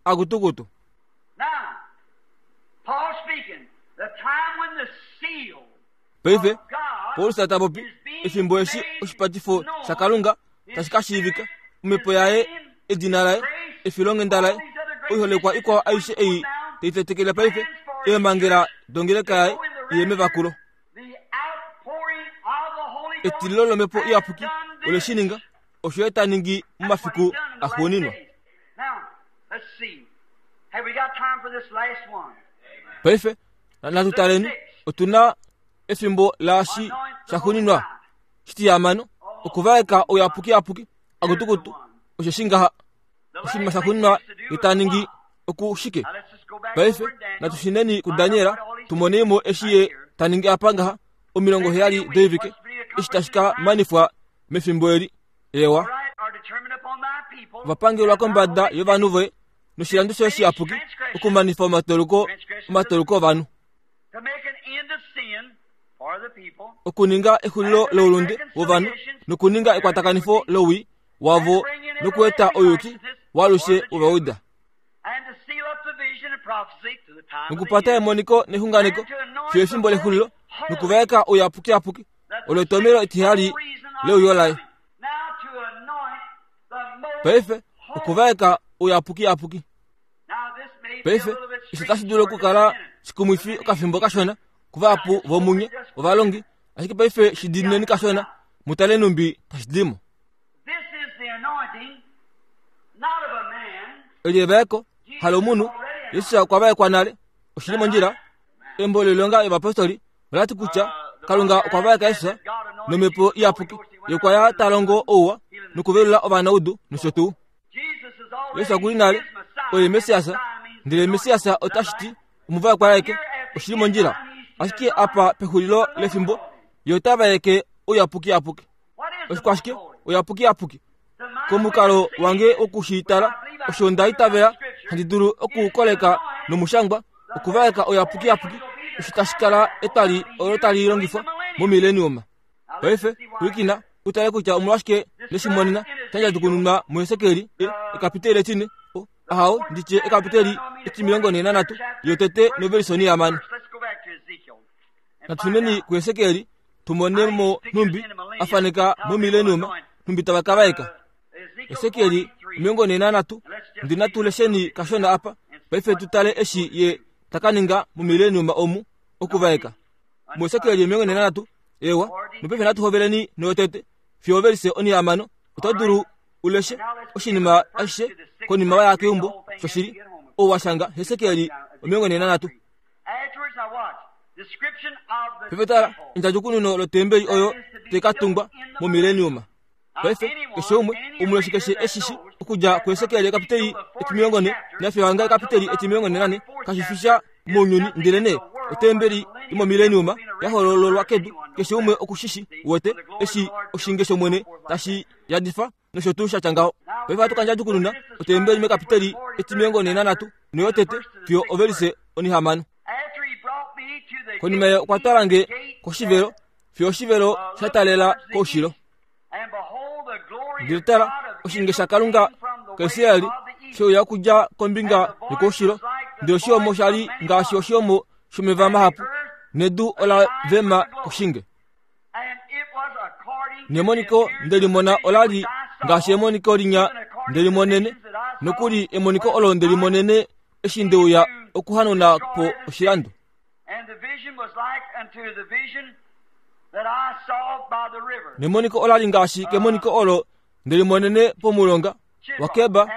Akutukutu. Paife, Paulus ta popi efimbo eshi oshipatifo shaKalunga tashi ka shiivika, omhepo yaye, edina laye, efilonghenda laye, oiholekwa ikwao aishe ei tai tetekele paife, eemhangela dongeleka yaye iye mevakulo. Etililo lomhepo iyapuki ole shi ninga, osho ye ta ningi momafiku axuuninwa. Paife, natu taleni, otu na efimbo laashi shaxuuninwa shitihamano, okuvaeka ouyapukiyapuki akutukutu, osheshi ngaha oshinima shaxuuninwa ye ta ningi oku shike. Paife natu shineni kuDaniel tu monei mo eshi ye ta ningi apa ngaha 70 doivike eshi tashi ka manifwa mefimbo eli. Ewa, va pangelwa kombada yovanhu voye noshilando shoye shiyapuki okumanifa omatoloko omatoloko ovanhu okuninga exulilo loulunde wovanhu nokuninga ekwatakanifo lowii wavo nokueta ouyuki waalushe wovauda. Nokupata emoniko nexunganeko fiyo efimbo lexulilo, nokuvaeka ouyapukiyapuki, olo etomelo etiheyali leuyo laye. Paife, okuvaeka ouyapukiyapuki. Paife, eshi otashi dulu okukala shikumwifi okafimbo kashona kuvahapu vomunye ovalongi, ashike paife shi diinineni kashona, mu tale nhumbi tashi di mo. Eli evaeko, halomunhu, Jesus okwa vaekwa nale. Oshi li mondjila. Embo loilonga yovapostoli ola ti kutya Kalunga okwa vaeka Jesus nomhepo iyapuki, ye okwa ya ta longo ouwa nokuvelula ovanaudu nosho tuu. Jesus oku li nale oye Messias, ndele Messias otashi ti omuvaekwa aeke. Oshi li mondjila. Ashike apa pexulilo lefimbo, ye ota vaeke ouyapukiyapuki. Oshikwashike ouyapukiyapuki? Komukalo wange woku shi tala, osho nda itavela handi dulu okukoleka nomushangwa, okuvaeka ouyapukiyapuki, osho tashi kala etwali olo tali longifwa momileniuma. Paife, pwilikina, u tale kutya omolwashike neshimonena sha ndjadjukununwa muHesekiel, e, ekapiteli etine, o, ahawo, nditye ekapiteli etimilongo nhee nanhatu, yotete novelisoni yamane. Natu shuneni kuHesekiel tu mone mo nhumbi a faneka momileniuma nhumbi tava ka vaeka. Hesekiel 43, ndi natu lesheni kashona apa paife tu tale eshi ye ta ka ninga momileniuma omu okuvaeka. MuHesekiel 43, ewa, nopaife natu hoveleni noyotete fiyo ovelise onihamano. Oto dulu u leshe oshinima ashishe konima wa ya keumbo, shoshili, ou wa shanga Hesekiel 43. Paife tala endjadjukununo lotembeli oyo tai ka tungwa momileniuma. Paife keshe umwe omuleshi keshe e shi shi okudja kuHesekiel ekapiteli etimilongo nhe nafiyo hanga ekapiteli etimilongo nhe nanhe kashi fi sha mounyuni ndelenee otembeli yomomileniuma ya holololwa kedu keshe umwe oku shi shi wete eshi oshinge shOmwene tashi yadifa nosho tuu sha tya ngaho. Paife ohatu ka ndjadjukununa otembeli mekapiteli etimilongo nhe nanhatu noyotete fiyo ovelise onihamano. Konima ye okwa twala nge koshivelo fiyo oshivelo sha talela koushilo. Ndele tala, oshinge shaKalunga kaIsraeli she uya okudja kombinga yokoushilo, ndele oshihomo sha li ngaashi oshihomo shomeva mahapu, nedu ola vema koshinge. Nemoniko nde li mona ola li ngaashi emoniko linya nde li monene, nokuli emoniko olo nde li monene eshi nde uya okuhanuna po oshilando. Nemoniko ola li ngaashi kemoniko olo nde li monene pomulonga waKeba,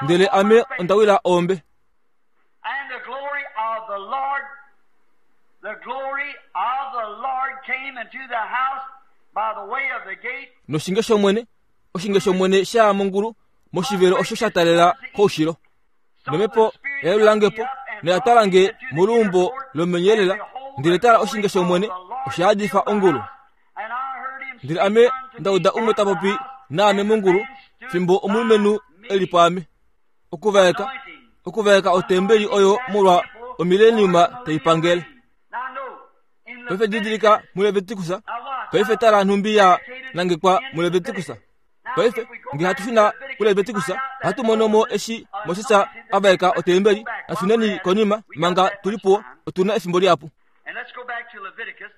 ndele ame onda wila ombe. And the glory of the Lord, the glory of the Lord came into the house by the way of the gate. Noshinge shOmwene, oshinge shOmwene sha ya mongulu moshivelo osho sha talela koushilo. Nomhepo ya yelula nge po noya twala nge moluumbo lomenyelela, ndele tala oshinge shOmwene osha yadifa ongulu. Ndele ame nda uda umwe ta popi naame mongulu fimbo omulumenhu e li pwaame. Okuvaeka, okuvaeka otembeli oyo molwa omileniuma tai pangele. Paife didilika muLevitikus, paife tala nhumbi ya nangekwa muLevitikus. Paife nge hatu shuna kuLevitikus, ohatu mono mo eshi Moses a vaeka otembeli. Natu shuneni konima manga tu li puwo, otu na efimbo lihapu.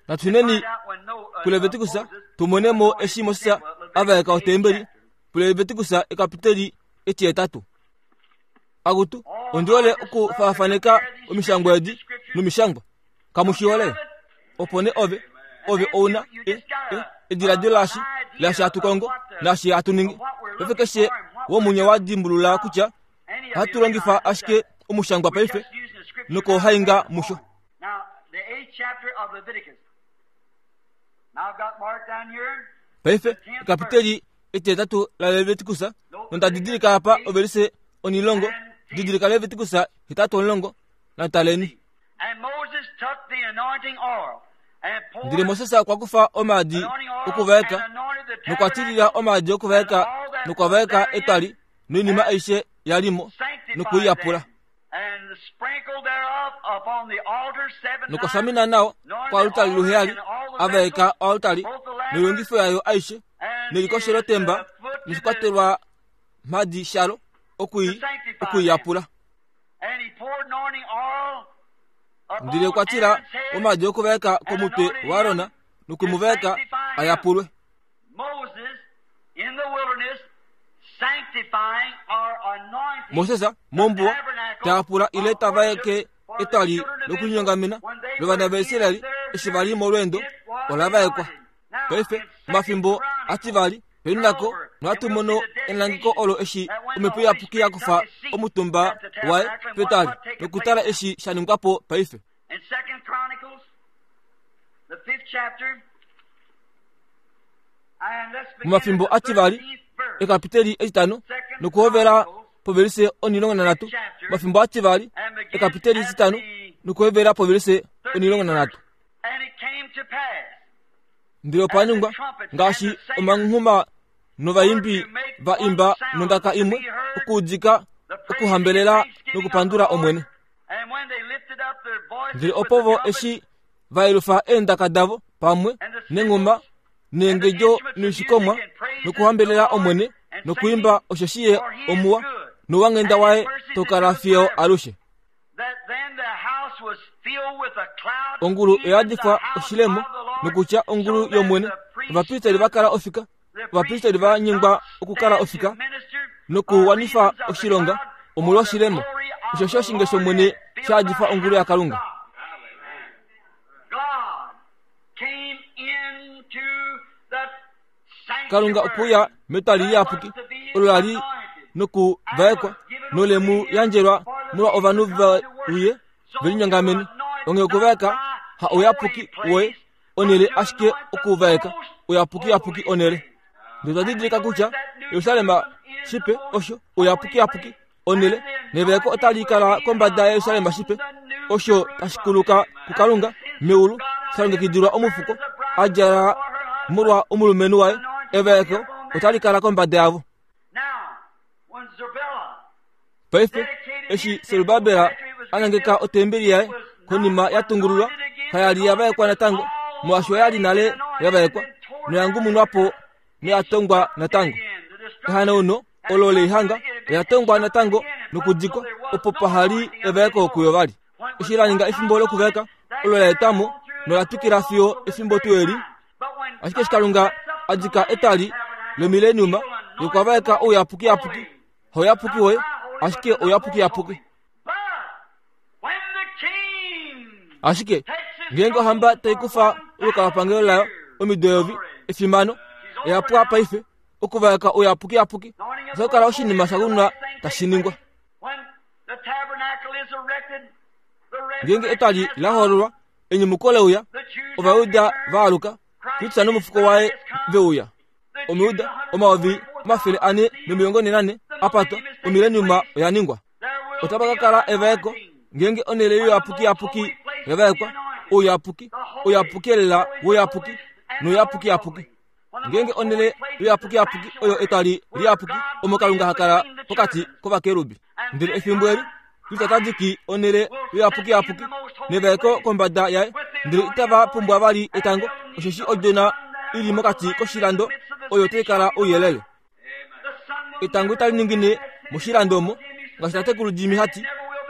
Natu shuneni kuLevitikus tu mone mo eshi Moses a vaeka otembeli. PuLevitikus ekapiteli etihetatu. Akutu, ondi hole okufaafaneka omishangwa edi nomishangwa. Kamu shi hole? Opo nee ove, ove ou na e, e, ediladilo laashi, laashi hatu kongo, naashi hatu ningi. Paife keshe womunye wa dimbulula kutya ohatu longifa ashike omushangwa paife nokohainga musho. Paife, ekapiteli etihetatu laLevitikus, nonda didilika apa ovelise onilongo, didilika Levitikus 8:10, nataleni. Ndele Moses okwa kufa omaadi okuvaeka nokwa tilila omaadi okuvaeka nokwa vaeka etwali noinima aishe ya li mo noku i yapula. Nokwa shamina nao koalutali luheyali, a vaeka oalutali noilongifo yayo aishe nelikoshelotemba noshikwatelwa mhadi shalo oku i yapula. Ndele okwa tila omaadi okuvaeka komutwe waAron noku mu vaeka a yapulwe. Moses mombuwa ta yapula ile ta vaeke etwali lokulinyongamena lovana vaIsraeli eshi va li molweendo ola vaekwa. Paife omafimbo ativali penako nohatu mono elangeko olo eshi omhepo iyapuki ya kufa omutumba waye petwali nokutala eshi sha ningwa po paife. Momafimbo ativali ekapiteli etitano nokuhovela povelise 13 omafimbo ativali ekapiteli etitano nokuhovela povelise 13 Ndele opa ningwa ngaashi omanghuma novaimbi va imba nondaka imwe okuudika okuhambelela nokupandula Omwene. Ndele opo vo eshi va yelufa eendaka davo pamwe nenghuma neengedjo noishikomwa nokuhambelela Omwene nokuimba osheshi Ye omuwa nouwanghenda waye tau kala fiyo alushe. Ongulu oya yadifwa oshilemo nokutya ongulu yOmwene. Ovapristeri va kala ofika, ovapristeri va nyengwa okukala ofika nokuwanifa oshilonga omolwoshilemo. Osheshi oshinge shOmwene sha yadifa ongulu yaKalunga. Kalunga okwe uya metwali liyapuki olo la li nokuvaekwa nole mu yandjelwa molwa ovanhu ve uye ve linyongamene. Onghee okuvaeka ha ouyapuki woye onhele ashike okuvaeka ouyapukiyapuki onhele. Ndele otwa didilika kutya Jerusalem shipe osho ouyapukiyapuki onhele nevaeko otali kala kombada yaJerusalem shipe osho tashi kuluka kuKalunga meulu sha longekidilwa omufuko a djala molwa omulumenhu waye evaeko otali kala kombada yavo. Paife eshi Serubabel a nangeka otembeli yaye konima ya tungululwa kaya li ya vaekwa natango molwaashi oya li nale ya vaekwa noya ngumunwa po noya tongwa natango. Ehanauno olo leihanga oya tongwa natango nokudikwa opo paha li evaeko kuyo vali. Eshi la ninga efimbo lokuvaeka olo la etwa mo nola twikila fiyo efimbo tuu eli. Ashike eshi Kalunga a dika etwali lomileniuma ye okwa vaeka ouyapukiyapuki, hauyapuki woye, ashike ouyapukiyapuki. Ashike ngeenge ohamba tai kufa olukalwapangelo layo omido eyovi, efimano, oya pwa paife okuvaeka ouyapukiyapuki otaku kala oshinima sha kunwa tashi ningwa. Ngeenge etwali la hololwa, enyumuko le uya, Ovajuda va aluka, Kristus nomufuko waye ve uya. Omujuda 444 a patwa, omileniuma oya ningwa. Otapa ka kala evaeko ngeenge onhele youyapukiyapuki ya vaekwa, ouyapuki, ouyapuki elela wouyapuki nouyapukiyapuki. Ngeenge onhele youyapukiyapuki oyo etwali liyapuki omo Kalunga ha kala pokati kovakerubi. Ndele efimbo eli Kristus ota diki onhele youyapukiyapuki nevaeko kombada yaye, ndele itava pumbwa vali etango, osheshi Odjona i li mokati koshilando oyo tai kala ouyelele. Etango itali ningine moshilando omo, ngaashi tatekulu Jimmy ha ti,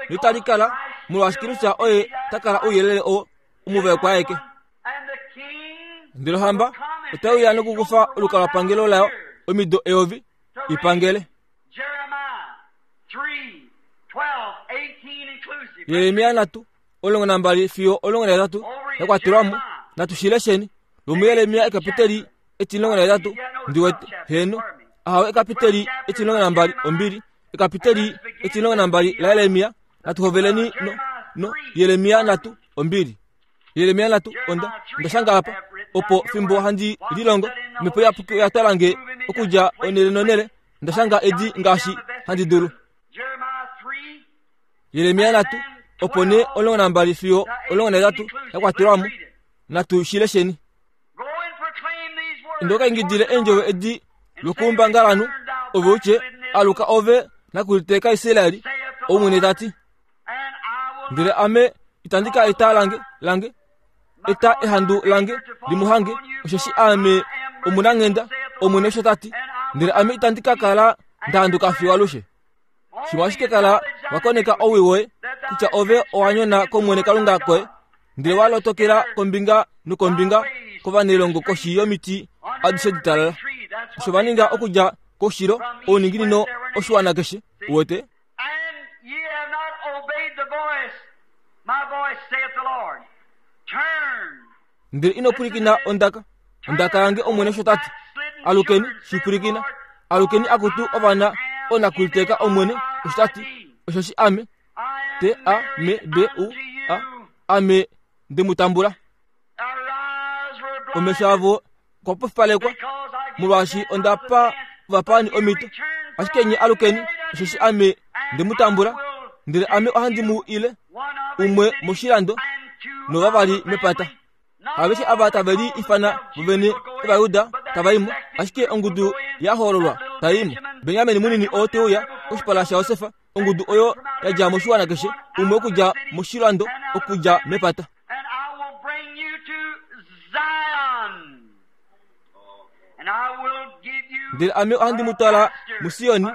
noitali kala, molwaashi Kristus oye ta kala ouyelele oo omuvaekwa aeke. Ndele ohamba otai uya nokukufa olukalwapangelo layo omido eyovi i pangele. Jeremia 3, 12 fiyo 13 ya kwatelwa mo. Natu shi lesheni. LomuJeremia ekapiteli etimulongo nahetatu ndi wete heeno ahawe ekapiteli etimulongo nambali ombili ekapiteli etimulongo nambali laJeremia. Natu hoveleni no, no Jeremia 3 ombili. Jeremia 3 onda onda shanga apa opo fimbo handi lilongo omhepo iyapuki oya twala nge okudja onhele nonhele onda shanga edi ngaashi handi dulu. Jeremia 3 opo nee 12 fiyo 18 ya kwatelwa mo. Natu shi lesheni. Inda u ka ingidile eendjovo edi lokoumbangalanhu, ove u tye, Aluka ove nakuliteeka Israel, Omwene ta ti. Ndele Ame itandi ka eta lange lange eta ehandu lange li mu hange, osheshi Aame omunanghenda, Omwene osho ta ti. Ndele Ame itandi ka kala nda handuka fiyo alushe. Shimwe ashike kala wa koneka owii woye. kutya ove owa nyona kOmwene Kalunga koye, ndele wa lotokela kombinga nokombinga kovanailongo koshi yomiti adishe ditalala. Osho va ninga okudja koushilo ouninginino oshiwana keshe, uwete. Ndele ino pwilikina ondaka, ondaka yange Omwene osho ta ti. Alukeni, shi pwilikina. Alukeni akutu ovana oonakuliteeka Omwene osho ta ti. Osheshi ame, T A M B U A, ame nde mu tambula. Omesho avo okwa pofipalekwa molwaashi onda pa ovapaani omhito. Ashike nye alukeni, osheshi ame nde mu tambula, ndele ame ohandi mu ile umwe moshilando novavali mepata. Aveshe ava tave li ifana vovene Ovajuda tava i mo, ashike ongudu ya hoololwa tai i mo. Benjamin munini oo te uya koshipala shaJosef, ongudu oyo ya dja moshiwana keshe, umwe okudja moshilando, okudja mepata. Ndele ame ohandi mu twala muSioni,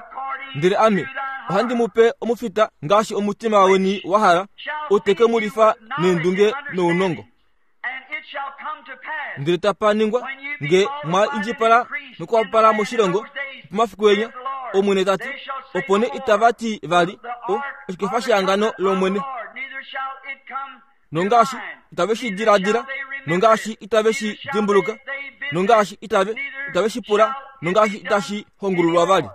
ndele ame ohandi mu pe omufita ngaashi omutima weni wa hala, ou te ke mu lifa neendunge nounongo. Ndele tapa ningwa, nge mwa indjipala nokuhapupala moshilongo pomafiku enya, Omwene ta ti, opo nee itava ti vali, O, oshikefa shehangano lOmwene. Nongaashi itave shi diladila, nongaashi itave shi dimbuluka, nongaashi itave itave shi pula, nongaashi itashi hongululwa vali.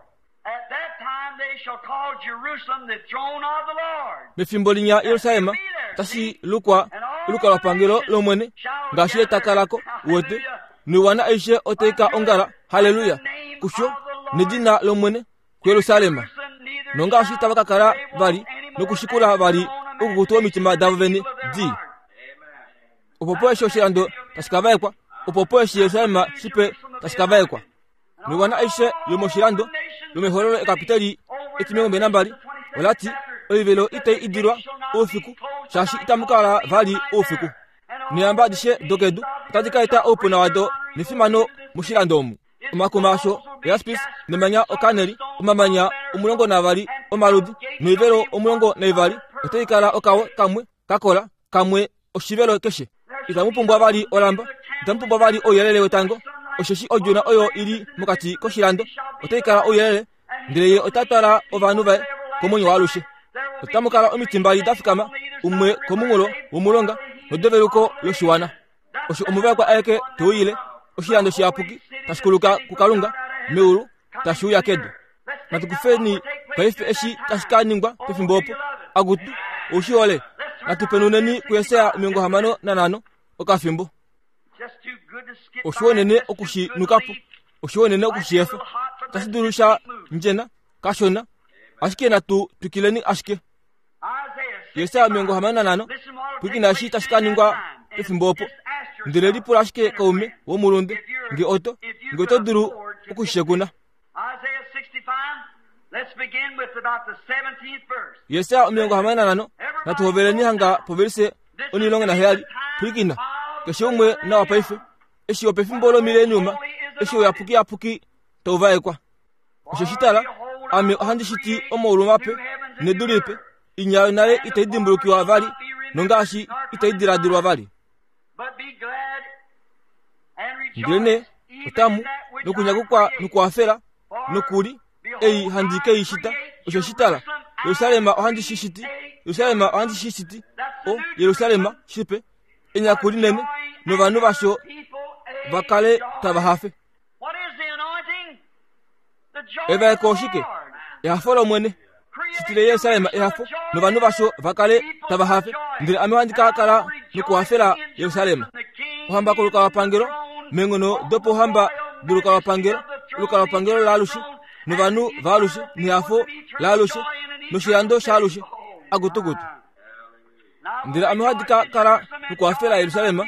Mefimbo linya Yerusalem tashi lukwa olukalwapangelo lOmwene, ngaashi ye ta kala ko, uwete, noiwana aishe otai ka ongala, halleluya, kusho, nedina lOmwene, kuYerusalem. Nongaashi tava ka kala vali nokushikula vali oukukutu womitima davo vene di. Opo po eshi oshilando tashi ka vaekwa, opo po eshi Yerusalem shipe tashi ka vaekwa. Noiwana aishe yomoshilando yomehololo ekapiteli etimilongo nambali ola ti oivelo itai idilwa oufiku shaashi itamu kala vali oufiku. Neehamba adishe dokedu otadi ka eta oupuna wado nefimano moshilando omu. Omakuma asho oyaspis nemanya okaneli, omamanya 12 omaludi noivelo 12 otai kala okawe kamwe ka kola kamwe oshivelo keshe. Itamu pumbwa vali olamba, itamu pumbwa vali ouyelele wetango, osheshi odjona oyo i li mokati koshilando otai kala ouyelele, ndele ye ota twala ovanhu vaye komwenyo waalushe. Otamu kala omiti mbali da fikama, umwe komunghulo womulonga nodeveluko loshiwana. Osho omuvaekwa aeke te uyile, oshilando shiyapuki tashi kuluka kuKalunga meulu tashi uya kedu. Natu kufeni paife eshi tashi ka ningwa pefimbo opo. Akutu, ou shi hole? Natu penuneni kuJesaja 65 okafimbo. Oshiwa unene oku shi nuka po, oshiwa unene oku shi efa. Otashi dulu sha ndjena kashona, ashike natu twikileni ashike. Jesaja 65 pwilikina eshi tashi ka ningwa pefimbo opo. Ndele lipula ashike kaume womulunde nge oto nge oto dulu oku shi shekuna. Jesaja 65 natu hoveleni hanga povelise 17 pwilikina keshe umwe nawa paife eshi opefimbo lomileniuma eshi ouyapukiyapuki tau vaekwa Osheshi tala, ame ohandi shiti omaulu mape nedu lipe, inya yonale itai dimbulukiwa vali nongaashi itai diladilwa vali. Ndelenee otamu nokunyakukwa nokuhafela nokuli ei handi ke i shita. Osheshi tala, Jerusalem ohandi shi shiti, Jerusalem ohandi shi shiti, o Jerusalem shipe, enyaku linene, novanhu vasho va kale tava hafe. Evaeko oshike? Ehafo lOmwene. Shitile Yerusalem ehafo, novanhu vasho va kale tava hafe. Ndele ame ohandi ka kala nokuhafela Yerusalem. Ohamba kolukalwapangelo, meenghono dopouhamba dolukalwapangelo, olukalwapangelo laalushe, novanhu vaalushe, nehafo laalushe, noshilando shaalushe. Akutukutu. Ndele ame ohandi ka kala nokuhafela Jerusalem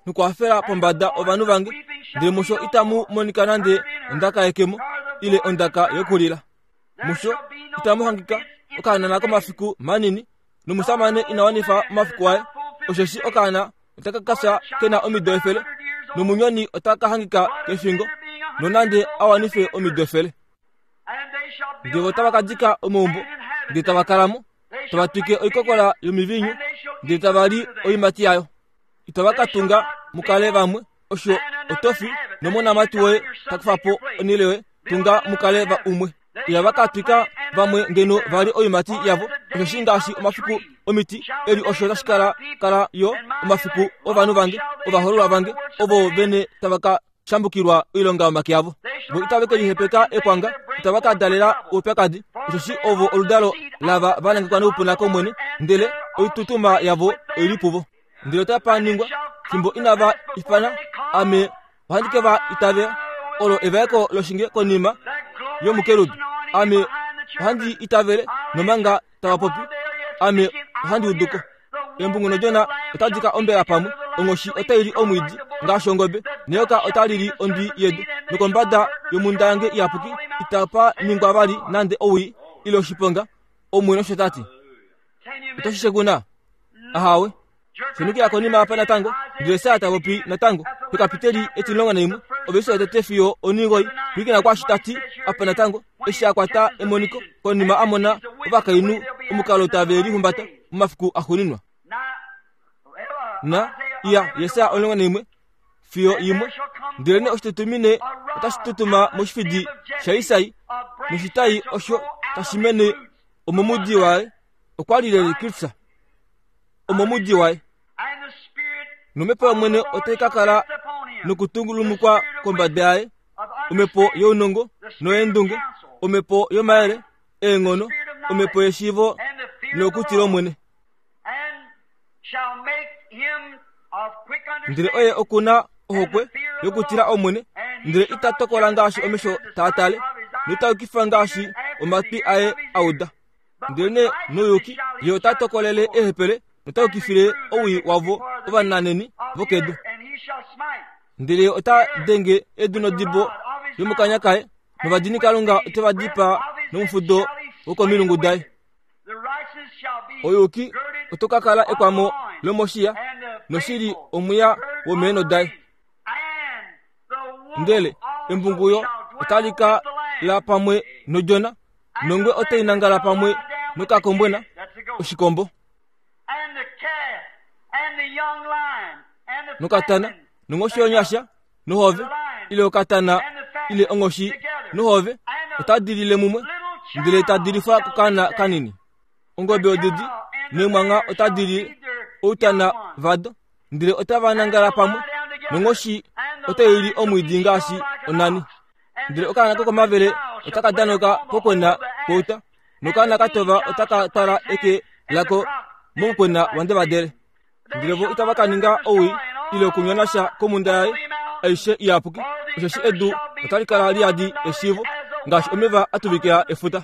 nokuhafela pombada ovanhu vange, ndele musho itamu monika nande ondaka yekemo ile ondaka yokulila. Musho itamu hangika okahanana komafiku manini, nomushamane ina wanifa omafiku aye, osheshi okaana otaka ka fya ke na omido efele, nomunyoni ota ka hangika kefingo, nonande a wanife omido efele. Ndele otava ka dika omaumbo, ndele tava kala mo. Tava twike oikokola yomiviinyu ndele tava li oiimati yayo. Itava ka tunga mu kale vamwe, osho otofi nomonamati woye ta kufa po onhele yoye, tunga mu kale va umwe. Ihava ka twika vamwe ngeno va li oiimati yavo, osheshi ngaashi omafiku omiti eli osho tashi kala kala yo omafiku ovanhu vange, ovahoololwa vange, ovo vene tava ka shambukilwa oilonga yomake avo. Vo itave ke lihepeka ekwanga, itava ka dalela oupyakadi, osheshi ovo oludalo lava va nangekwa noupuna kOmwene, ndele oitutuma yavo oi li puvo. Ndele otapa ningwa, fimbo inava ifana, ame ohandi ke va itavela. Olo evaeko loshinge konima yomukerubi. Ame ohandi itavele nomanga tava popi, ame ohandi udu ko. Embungu nodjona otadi ka ombela pamwe, onghoshi otai li omwiidi ngaashi ongobe, neyoka otali li ondwi yedu. Nokombada yomhunda yange iyapuki itapa ningwa vali nande owii ile oshiponga, Omwene osho ta ti. Oto shi shekuna? Ahawe. Shunukila konima apa natango, ndele Sara ta popi natango pekapiteli etilongo naimwe, ovelishe yotete fiyo onigoi. Pwilikina kwaashi ta ti apa natango, eshi a kwata emoniko konima a mona ovakainhu omukalo tave lihumbata momafiku axuuninwa. Na iya Jesaja 11 fiyo imwe. Ndelenee oshitutumine otashi tutuma moshifidi shaIsai, noshitai osho tashi mene omomudi waye. Okwa li leli Kristus omomudi waye. Nomhepo yOmwene otai ka kala nokutungulumukwa kombada yaye, omhepo younongo noyeendunge, omhepo yomayele, eenghono, omhepo yeshiivo noyokutila Omwene. Ndele oye oku na ohokwe yokutila Omwene, ndele ita tokola ngaashi omesho taa tale, nota yukifa ngaashi omatwi aye a uda. Ndelenee nouyuki ye ota tokolele eehepele nota yukifile owii wavo ovananheni vokedu. Ndele ye ota denge edu nodibo yomokanya kaye, novadinikalunga ote va dipaa nomufudo wokomilungu daye. Ouyuki oto ka kala ekwamo lomoshiya, noshili omwiya womeenho daye. Ndele embungu yo otali ka la pamwe nodjona, nongwe otai nangala pamwe nokakombwena oshikombo. Nokatana nonghoshi yonyasha nohove ile okatana ile onghoshi nohove otadi lile mumwe ndele tadi lifwa kokaana kanini. Ongobe odidi neemwangha otadi li outana vado ndele otava nangala pamwe, nonghoshi otai li omwiidi ngaashi onani. Ndele okaana kokomavele otaka danauka pokwena kwouta, nokaana ka tova otaka twala eke lako momukwena wandevadele. Ndele vo itava ka ninga owii ile okunyona sha komhunda yaye aishe iyapuki, osheshi edu otali kala li yadi eshiivo ngaashi omeva a tuvikila efuta.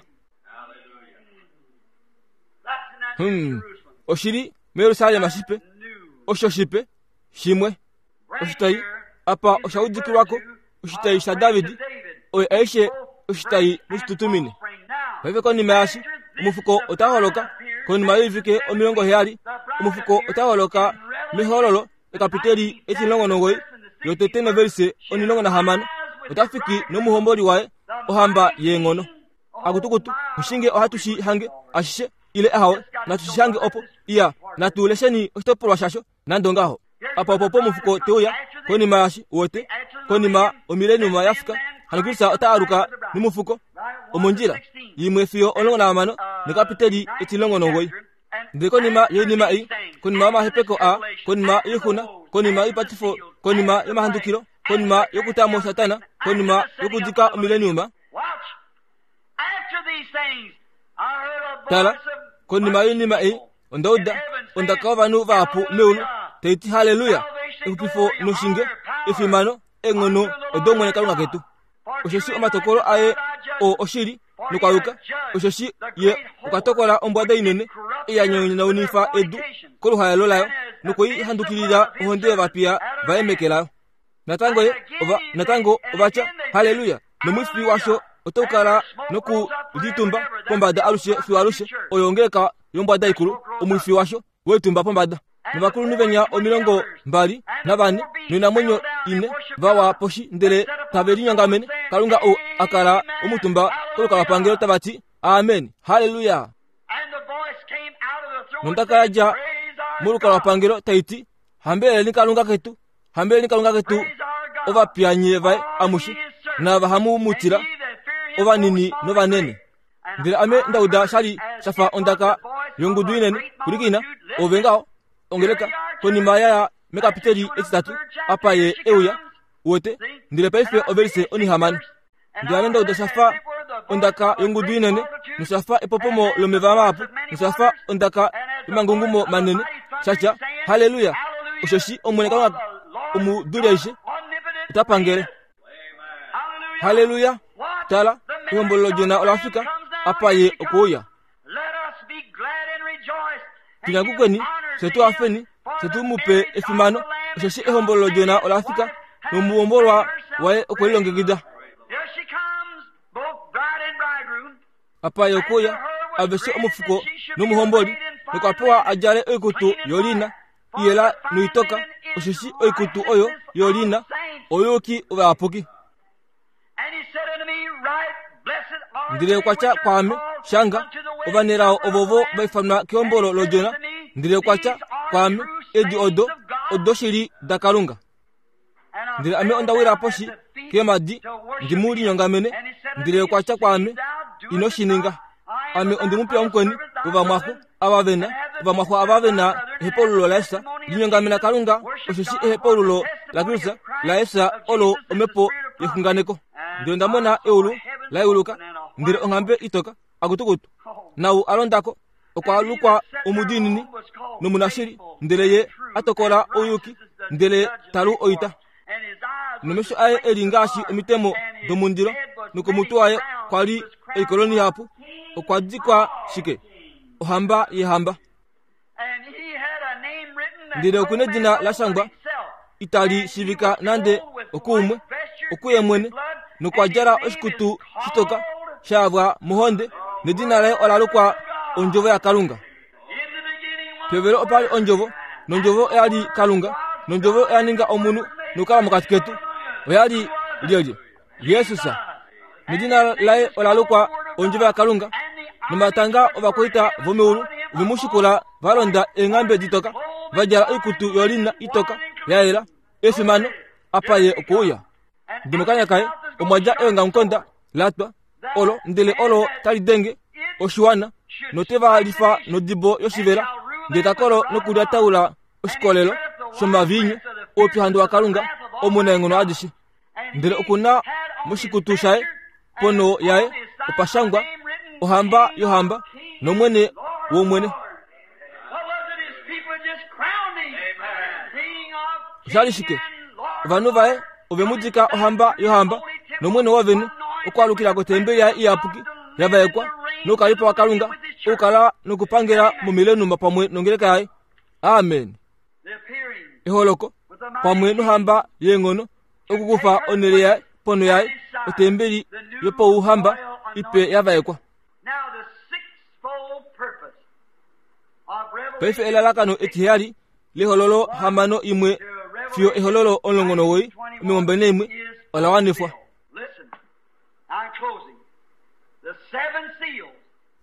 Hmm, oshi li muJerusalem shipe, osho shipe shimwe. Oshitai apa osha udikilwa ko, oshitai shaDavid, oyo aishe oshitai noshitutumine. Paife konima yashi, omufuko ota holoka, konima yoivike 70, omufuko ota holoka mehololo ekapiteli etimulongo nomugoyi yotete novelise 16, ota fiki nomuhomboli waye, ohamba yeenghono. Akutukutu, oshinge ohatu shi hange ashishe ile ahawe, natu shi hange opo, iya, natu lesheni oshitopolwa shasho nande ongaho. Apa opo pomufuko te uya, konima yashi, uwete, konima omileniuma ya fika, hano Kristus ota aluka nomufuko, omondjila, yimwe fiyo 16 nekapiteli 19. Ndele konima yoinima ei, konima yomahepeko aa, konima yoixuna, konima yoipatifo, konima yomahandukilo, konima yokuta mo Satana, konima yokudika omileniuma, Tala, konima yoinima ei, onda uda ondaka yovanhu vahapu meulu tai ti haleluya, exupifo noshinge, efimano, eenghono odOmwene Kalunga ketu. Osheshi omatokolo aye oo oshili nokwa yuka, osheshi ye okwa tokola ombwada inene ei ya nyonaunifa edu koluhaelo layo nokwe i handukilila ohonde yovapiya vaye meke layo. Natango ye ova natango ova tya, Halleluya! Nomwifi washo otau kala noku litumba pombada alushe fiyo alushe. Oyo ongeleka yombwada ikulu, omwifi washo we litumba pombada. Novakulunhu venya 24 noinamwenyo ine va wa poshi ndele tave linyongamene Kalunga ou a kala omutumba kolukalwapangelo tava ti, Amen! Halleluya! Nondaka ya dja molukalwapangelo tai ti, Hambeleleni Kalunga ketu, hambeleleni Kalunga ketu, ovapiya nye vaye amushe, naava hamu mu tila, ovanini novanene. Ndele ame nda uda sha li sha fa ondaka yongudu inene, Pwilikina, ove ngaho, ongeleka, konima ya ya mekapiteli etitatu, apa ye e uya, uwete, ndele paife ovelise onihamano. Ndele ame nda uda sha fa ondaka yongudu inene, nosha fa epopomo lomeva mahapu, nosha fa ondaka yomangungumo manene, sha tya, Halleluya! Osheshi Omwene Kalunga omuduli aishe ota pangele. Halleluya! Tala, ehombolo lOdjona ola fika, apa ye okwe uya. Tu nyakukweni, fye tu hafeni, fye tu mu pe efimano, osheshi ehombolo lOdjona ola fika, nomuhombolwa waye okwe lilongekida. Apa ye okwe uya, aveshe omufuko nomuhomboli, nokwa pewa a djale oikutu yoliina iyela noitoka, osheshi oikutu oyo yoliina ouyuki wovayapuki. Ndele okwa tya kwaame, Shanga, ovanelao ovovo va ifanwa kehombolo lOdjona. Ndele okwa tya kwaame, Edi odo odoshili daKalunga. Ndele ame onda wila poshi keemhadi ndi mu linyongamene. Ndele okwa tya kwaame, Ino shi ninga. Ame ondi mupiya mukweni wovamwaxo ava ve na ovamwaxo ava ve na ehepaululo laEsa. Linyongamena Kalunga, osheshi ehepaululo laKristus laEsa olo omhepo yexunganeko. Ndele onda mona eulu la yeuluka, ndele onghambe itoka, akutukutu, naau a londa ko okwa lukwa omudiinini nomunashili, ndele ye a tokola ouyuki, ndele ta lu oita. Nomesho aye e li ngaashi omitemo domundilo, nokomutwe waye kwa li oikoloni ihapu. Okwa dikwa shike? Ohamba yehamba. Ndele oku nedina la shangwa itali shiivika nande okuumwe, okuye mwene, nokwa djala oshikutu shitoka sha yavwa mohonde, nedina laye ola lukwa Ondjovo yaKalunga. Pevelo opa li Ondjovo, nOndjovo oya li Kalunga, nOndjovo oya ninga omunhu nokukala mokati ketu. Oya li lyelye? Jesus. Nedina laye ola lukwa Ondjovo yaKalunga. Nomatanga ovakwaita vomeulu ove mu shikula va londa eenghambe ditoka, va djala oikutu yolina itoka ya yela, efimano, apa ye okwe uya. Ndele mokanya kaye omwa dja eongamukonda la twa, olo ndele olo tali denge oshiwana, note va lifa nodibo yoshivela, ndele ta kolo nokulyataula oshikolelo shomaviinyu oupyuhandu waKalunga omunaenghono adishe. Ndele oku na moshikutu shaye ponho yaye opa shangwa ohamba yohamba nomwene womwene. Osha li shike? Ovanhu vaye ove mu dika ohamba yohamba nomwene wovene okwaalukila kotembeli yaye iyapuki ya vaekwa noukalipo waKalunga okukala nokupangela momilenuma pamwe nongeleka yaye. Amen. Eholoko pamwe nohamba yeenghono okukufa onhele yaye ponho yaye otembeli yopauhamba ipe ya vaekwa. Paife elalakano etiheyali lehololo hamano imwe fiyo ehololo 19 21 ola wanifwa.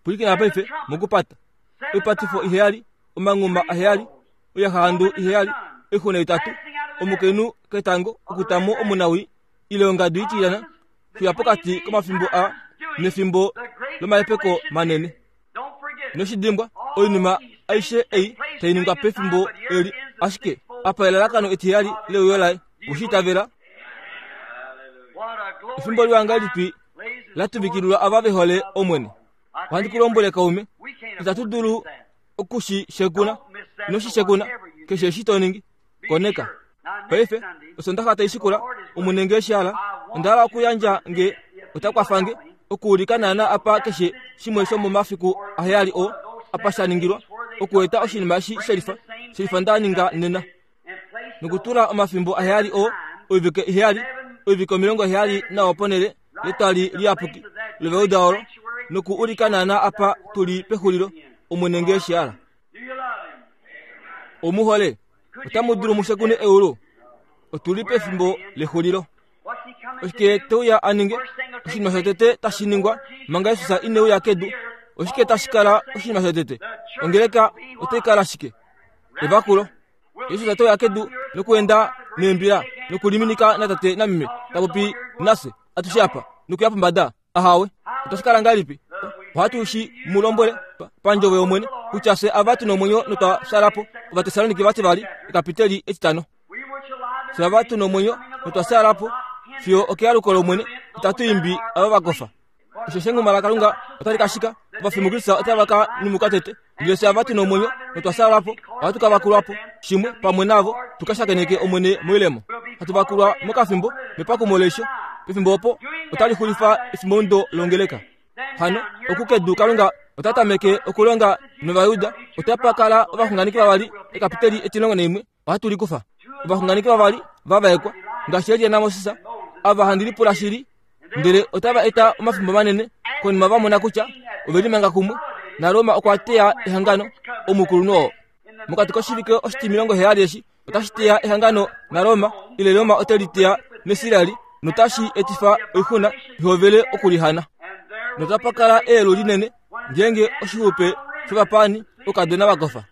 Pwilikina paife mokupata oipatifo iheyali, omanghuma aheyali, oiyahahandu iheyali, oixuna itatu, omukainhu ketango okutamo omunawii ile ongadu itilyana fiya pokati komafimbo a nefimbo lomahepeko manene. Inoshi dimbwa, oinima aishe ei tai ningwa pefimbo eli, ashike apa elalakano etiheyali leuyo laye. Owe shi itavela? Efimbo liwa ngahelipi la tuvikililwa ava ve hole Omwene! Ohandi ku lombwele kaume, itatu dulu oku shi shekuna. Ino shi shekuna, keshe eshi to ningi. Koneka. Paife, Osondaxa tai shikula, Omwene nge eshi hala, onda hala okuyandja nge ota kwafa nge, okuulika naana apa keshe shimwe shomomafiku aheyali oo apa sha ningilwa, okueta oshinima eshi shelifa, shelifa nda ninga nena. Nokutula omafimbo aheyali oo, oivike iheyali, oivike 70 nawa ponhele yetwali liyapuki loveuda olo, noku ulika naana apa tu li pexulilo, Omwene nge eshi hala. Omu hole? Otamu dulu mu shekune eulu? Otu li pefimbo lexulilo. Oshike te uya a ninge? Oshinima shotete tashi ningwa manga Jesus ine uya kedu, oshike tashi kala oshinima shotete? Ongeleka otai kala shike? Evakulo. Jesus ote uya kedu nokuenda meembila nokuliminika natate nameme ta popi nafye atushe apa nokuya pombada. Ahawe, otashi kala ngahelipi? Ohatu shi mu lombwele pandjovo yOmwene kutya fye ava tu nomwenyo notwa fyala po. Ovatessaloniki vativali ekapiteli etitano. Fye ava tu nomwenyo notwa fyala po fiyo okealuko lOmwene, itatu imbi ava va kofa. Osheshi enguma laKalunga otali ka shika, ovafi muKristus otava ka nyumuka tete. Ndele fye ava tu nomwenyo notwa fyala po, ohatu ka vakulwa po shimwe pamwe navo, tu ka shakeneke Omwene moilemo. Hatu vakulwa mokafimbo mepakumo leisho. Pefimbo opo otali xulifa efimbomudo longeleka. Hano oku kedu Kalunga ota tameke okulonga nOvajuda, otapa kala ovaxunganeki vavali ekapiteli etilongo naimwe ohatu likufa ovaxunganeki vavali va vaekwa ngaashi Elia naMoses ava handi lipula shili ndele otava eta omafimbo manene konima va mona kutya ove limanga kumwe naRoma okwa teya ehangano omukulunhu oo mokati koshivike oshitimilongo heyali eshi otashi teya ehangano naRoma ile Roma ote li teya nIsraeli notashi etifa oixuna ihovele okulihana notapa kala eelu linene ngeenge oshixupe shovapaani okadona va kofa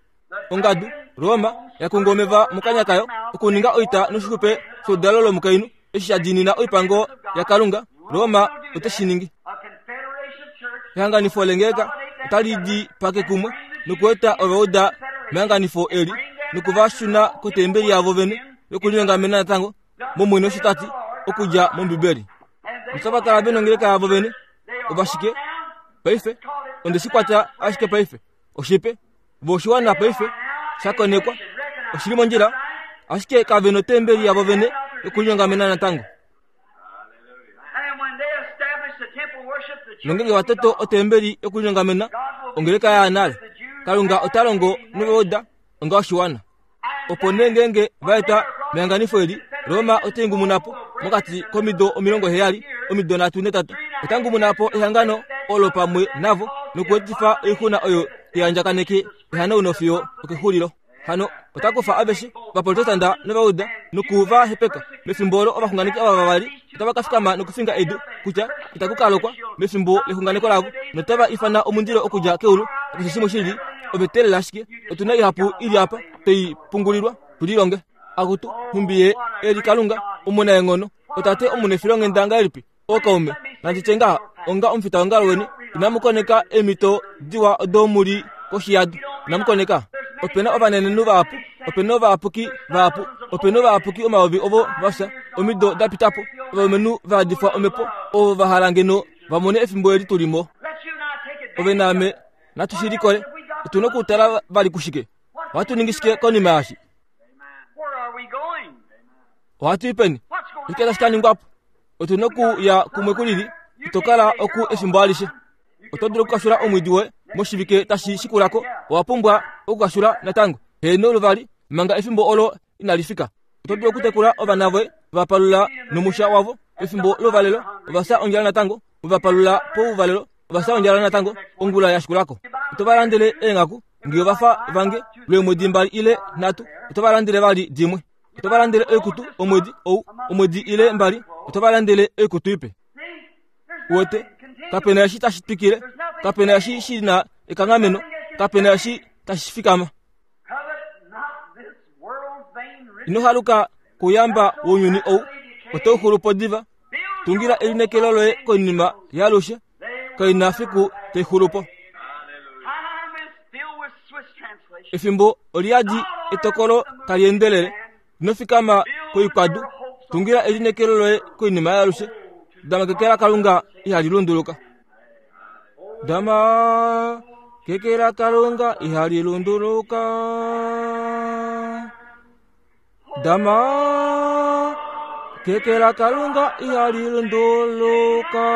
Ongadu, Roma, ya kunga omeva mokanya kayo okuninga oita noshixupe sholudalo lomukainhu eshi sha diinina oipango yaKalunga. Roma ote shi ningi. Ehanganifo lengeleka otali di pake kumwe nokueta ovauda mehanganifo eli noku va shuna kotembeli yavo vene yokulinyongamena natango mOmwene osho ta ti okudja mOmbibeli. Otava kala ve nongeleka yavo vene. Ovashike? Paife, onde shi kwata ashike paife. Oshipe, vo oshiwana paife sha konekwa, oshi li mondjila, ashike kave notembeli yavo vene yokulinyongamena natango. Nongenge va toto otembeli yokulinyongamena, ongeleka ya nale, Kalunga ota longo novauda onga oshiwana. Opo nee ngeenge va eta mehanganifo eli, Roma ote ngumuna po mokati komido 70, omido nhatu netata, ota ngumuna po ehangano olo pamwe navo nokuetifa oixuna oyo tai andjakaneke ehanauno fiyo okexulilo. Hano ota kufa aveshe Ovaprotestanta nOvauda noku va hepeka. Mefimbo olo ovaxunganeki ava vavali otava ka fikama nokufinga edu kutya itaku ka lokwa mefimbo lexunganeko lavo, notava ifana omundilo okudja keulu nakeshe shimwe shi li ove teelela ashike otu na ihapu i li apa twei pungulilwa tu lilonge. Akutu, nhumbi Ye e li Kalunga omunaenghono, oTate omunefilonghenda ngahelipi! Ookaume, nandi tye ngaha, onga omufitaongalo weni, inamu koneka eemhito diwa odo mu li koshi yado. Inamu koneka. Ope na ovanenenhu vahapu, ope na ovayapuki vahapu, ope na ovayapuki omayovi ovo va fya omido da pita po, ovalumenhu va yadifwa omhepo, ovo va hala ngeno va mone efimbo eli tu li mo. Ove naame natu shi likole. Otu na okutala vali kushike? Ohatu ningi shike konima yaashi? Ohatu i peni? Oshike tashi ka ningwa po? Otu na okuya kumwe ku lili. Ito kala oku efimbo alishe. Oto dulu okukashula omwiidi woye moshivike tashi shikula ko. Owa pumbwa okukashula natango. Heeno luvali, manga efimbo olo inali fika. Oto dulu okutekula ovana voye, va palula nomusha wavo pefimbo louvalelo. Ova fya ondjala natango, u va palula pouvalelo. Ova fya ondjala natango ongula ya shikula ko. Oto va landele eenghaku nge ova fa vange lweemwedi mbali ile nhatu, oto va landele vali dimwe. Oto va landele oikutu omwedi ou, omwedi ile mbali, oto va landele oikutu ipe. Uwete, kape na eshi tashi twikile, kape na eshi shi na ekanghameno, kape na eshi tashi fikama. Ino haluka kouyamba wounyuni ou, otau xulu po diva. Tungila elineekelo loye koinima yaalushe, kai na fiku tai xulu po. Efimbo oli yadi etokolo tali endelele. Ino fikama koikwadu, tungila elineekelo loye koinima yaalushe. Dama keke laKalunga ihali lunduluka. Dama keke laKalunga ihali lunduluka. Dama keke laKalunga ihali lunduluka.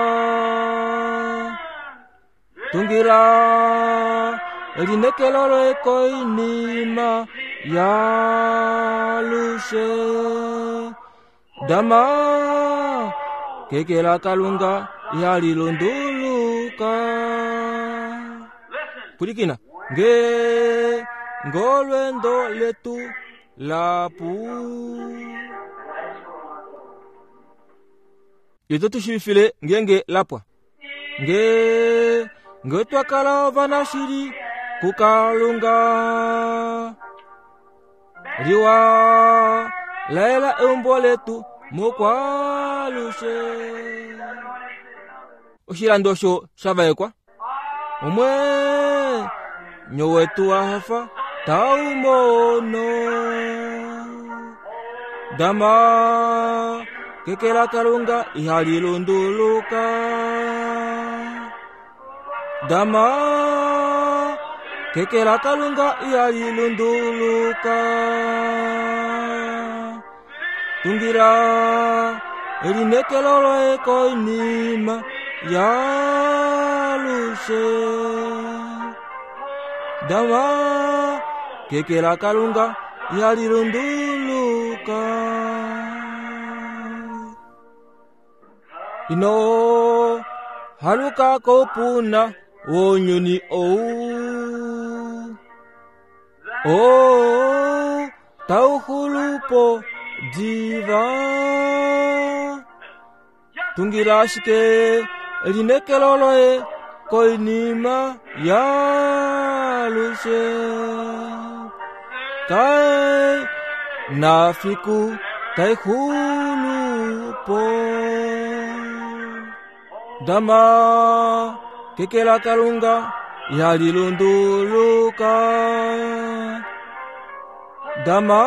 Tungila elineekelo loye koinima yaalushe. Dama keke laKalunga ihali lunduluka. Pwilikina nge ngolwendo letu lapu. Ye to tu shiivifile ngeenge la pwa. Nge nge twa kala ovanashili kuKalunga. Liwa laela eumbo letu mokwalushe. Oshilando osho sha vaekwa omwenyo wetu wa hafa tau mono. Dama keke laKalunga ihali lunduluka. Dama keke laKalunga ihali lunduluka. Tungira elineekelo loye koinima yaalushe. Dama keke laKalunga ihali lunduluka. Ino haluka koupuna wounyuni ou. Oo tau xulupo diva. Tungila ashike elineekelo loye koinima yaalushe. Kai na fiku tai xulupo. Dama keke laKalunga ihali lunduluka. Dama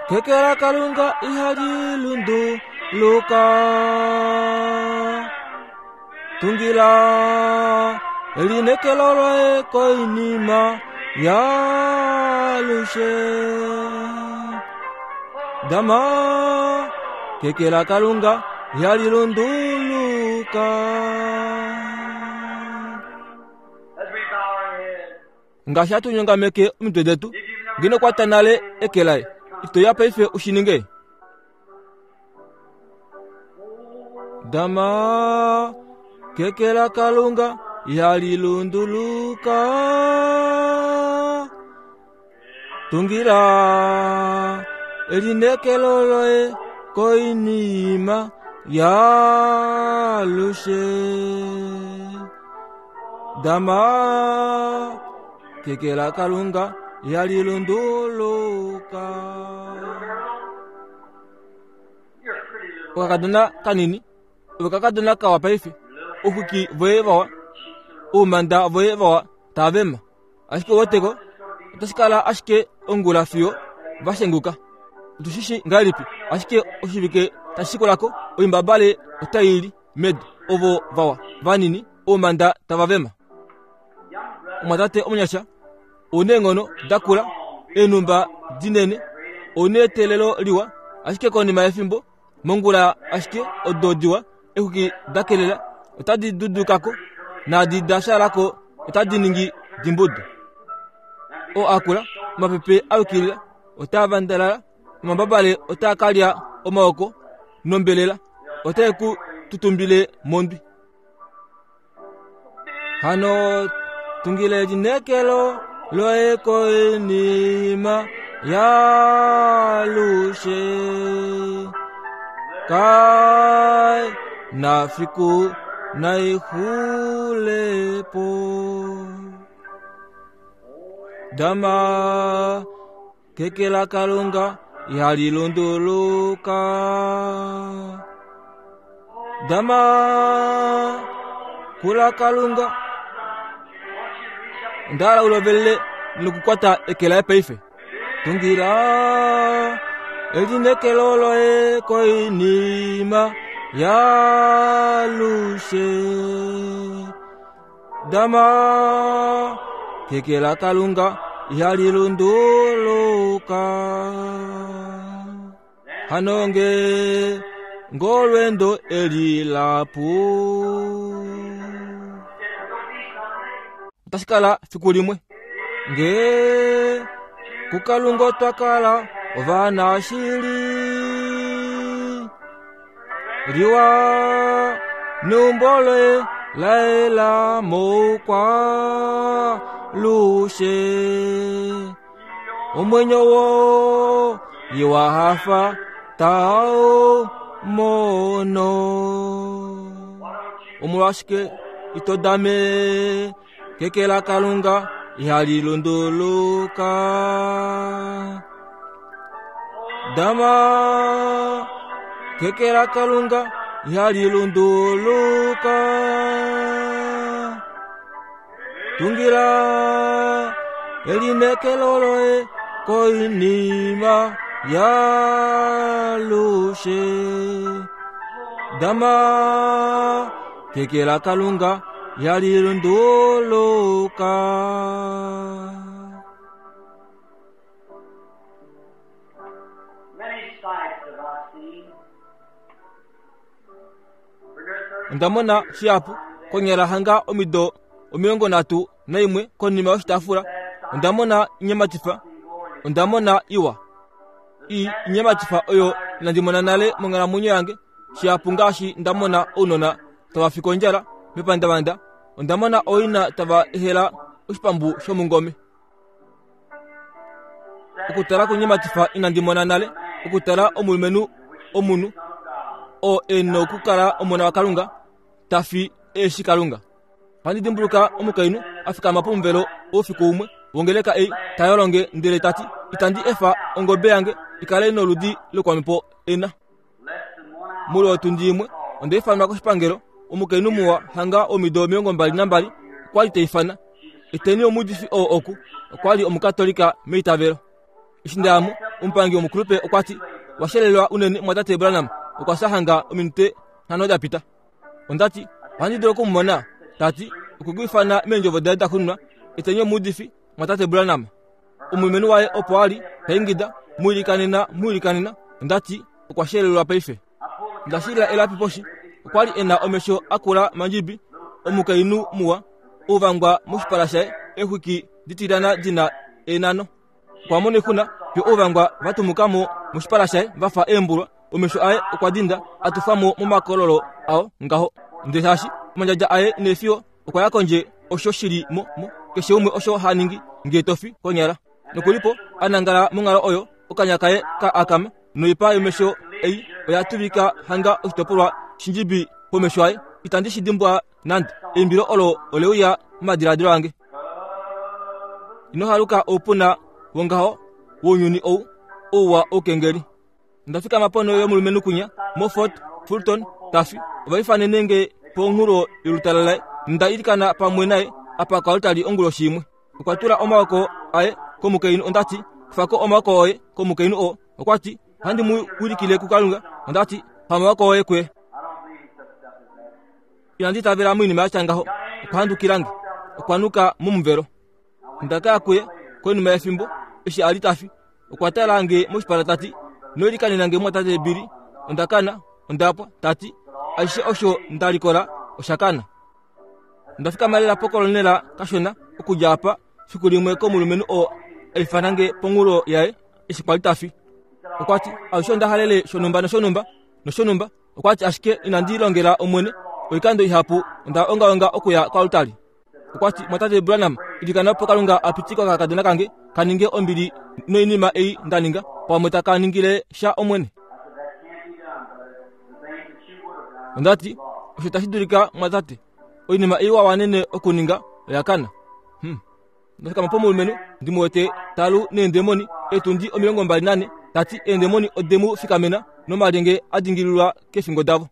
keke laKalunga ihali lunduluka. Tungila elineekelo loye koinima yaalushe. Dama keke laKalunga ihali lunduluka. As we bow our heads, Ngaashi hatu nyongameke omitwe detu, ngeno kwata nale eke laye, ito ya paife u shi ninge. Dama keke laKalunga ihali lunduluka. Tungila elineekelo loye koinima yaalushe. Dama keke laKalunga ihali lunduluka. you're a pretty little Okakadona kanini, okakadona kawa paife, ouxwiki voye vawa, oumanda voye vawa tava vema. Ashike ouweteko, otashi kala ashike ongula fiyo va shenguka. Otu shi shii ngahelipi, ashike oshivike tashi shikulako, oimbabale otai li medu, ovo vawa, vanini, oumanda tava vema. Omwatate omunyasha, ouna eenghono dakula, eenhumba dinene, ouna eteelelo liwa, ashike konima yefimbo, mongula ashike odo diwa, exwiki dakelela, otadi dudukako, naadi da fyaalako otadi ningi dimbudu. Oo akula, omapepe a yukilila, otaa vandalala, omambabale otaa ka lya omaoko nombelela, otae ku tutumbile mondwi. Hano tungile elineekelo loye koinima yaalushe. Kai na fiku naixulepo. Dama keke laKalunga ihali lunduluka. Dama kula Kalunga. Onda hala u lovelele nokukwata eke laye paife. Tungila elineekelo loye koinima yaalushe. Dama keke laKalunga ihali lunduluka. Hano nge ngolwendo eli lapu. Otashi kala fiku limwe nge kuKalunga otwa kala ovanashili. Liwa neumbo loye laela moukwa lushe. Omwenyo wo iwa hafa tau mono. Omolwashike ito dame Keke laKalunga ihali lunduluka. Dama keke laKalunga ihali lunduluka. Tungila elineekelo loye koinima yaalushe. Dama keke laKalunga ihali lunduluka. Many sights have I seen. For near 30 Onda mona shihapu konyala hanga omido 31 konima yoshitaafula. Onda mona inyematifa, onda mona iwa. I inyematifa oyo inandi mona nale monghalamwenyo yange, shihapu ngaashi nda mona ounona tava fi kondjala mepandavanda, onda mona ooina tava ehela oshipambu shomungome. Okutala kunyematifa inandi mona nale, okutala omulumenhu omunhu oo e nokukala omona waKalunga ta fi eshi Kalunga. Ohandi dimbuluka omukainhu a fikama pomuvelo oufiku umwe wongeleka ei ta yolonge ndele ta ti, Itandi efa ongobe yange i kale noludi lokwamhepo ena. Moule wotundi imwe onda ifanwa koshipangelo. Omukainhu muwa hanga womido 22 okwa li ta ifana, Eteni omuudifi oo oku. Okwa li Omukatolika meitavelo. Eshi nda ya mo, omupangi womukulupe okwa ti, Wa shelelwa unene, mumwatate Branham okwa fya hanga ominute nhano da pita. Onda ti, Ohandi dulu oku mu mona? Ta ti, Okwe ku ifana meendjovo daye da xunwa, Eteni omuudifi, mumwatate Branham. Omulumenhu waye opo a li, ta ingida, Mu ilikanena, mu ilikanena. Onda ti, Okwa shelelwa paife. Onda shilila elapi poshi. Okwa li e na omesho a kula mandjibi, omukainhu muwa, ouvangwa moshipala shaye, eexwiki ditilyana di na eenano. Okwa mona oixuna fiyo ouvangwa va tumuka mo moshipala shaye va fa eembulwa, omesho aye okwa dinda a tufa mo momakololo ao ngaho. Ndele shaashi omandjadja aye neefiyo okwa ya kondje osho shi li mo mo keshe umwe osho ha ningi ngee to fi konyala. Nokulipo a nangala monghalo oyo, okanya kaye ka akama noipa yomesho ei oya tuvika hanga oshitopolwa shindjibi pomesho aye. Itandi shi dimbwa nande. Eimbilo olo ole uya momadiladilo ange. Ino haluka oupuna wongaho wounyuni ou, ouwa oukengeli. Onda fikama ponho yomulumenhu kwinya moFort Fulton ta fi. Ova ifanene nge ponghulo yolutala laye nonda ilikana pamwe naye apa koaltari onguloshi imwe. Okwa tula omaoko aye komukainhu. Onda ti, Kufa ko omaoko oye komukainhu oo. Okwa ti, Ohandi mu wilikile kuKalunga. Onda ti, Pa omaoko oye kuye. Inandi itavela moinima ya tya ngaho. Okwa handukila nge. Okwa nuka momuvelo. Onda ka ya kuye konima yefimbo eshi a li ta fi. Okwa tala nge moshipala ta ti, Ino ilikanena nge mumwatate Billy. Onda kana. Onda pwa. Ta ti, Ashishe osho nda likola osha kana. Onda fikama lela pokolonela kashona okudja apa fiku limwe komulumenhu oo a ifana nge ponghulo yaye eshi kwa li ta fi. Okwa ti, Alushe onda halele shonhumba noshonhumba noshonhumba. Okwa ti, Ashike inandi longela Omwene oikando ihapu onda ongaonga okuya koaltari. Okwa ti, Mwatate Branham, ilikana opo Kalunga a pitike okakadona kange ka ninge ombili noinima ei nda ninga, pamwe taka ningile sha Omwene. Onda ti, Osho tashi dulika, mwatate. Oinima ei wa wanene okuninga oya kana. Hmm. Onda fikama pomulumenhu ndi mu wete ta lu neendemoni eetundi 24, ta ti eendemoni ode mu fikamena nomalyenge a dingililwa keefingo davo.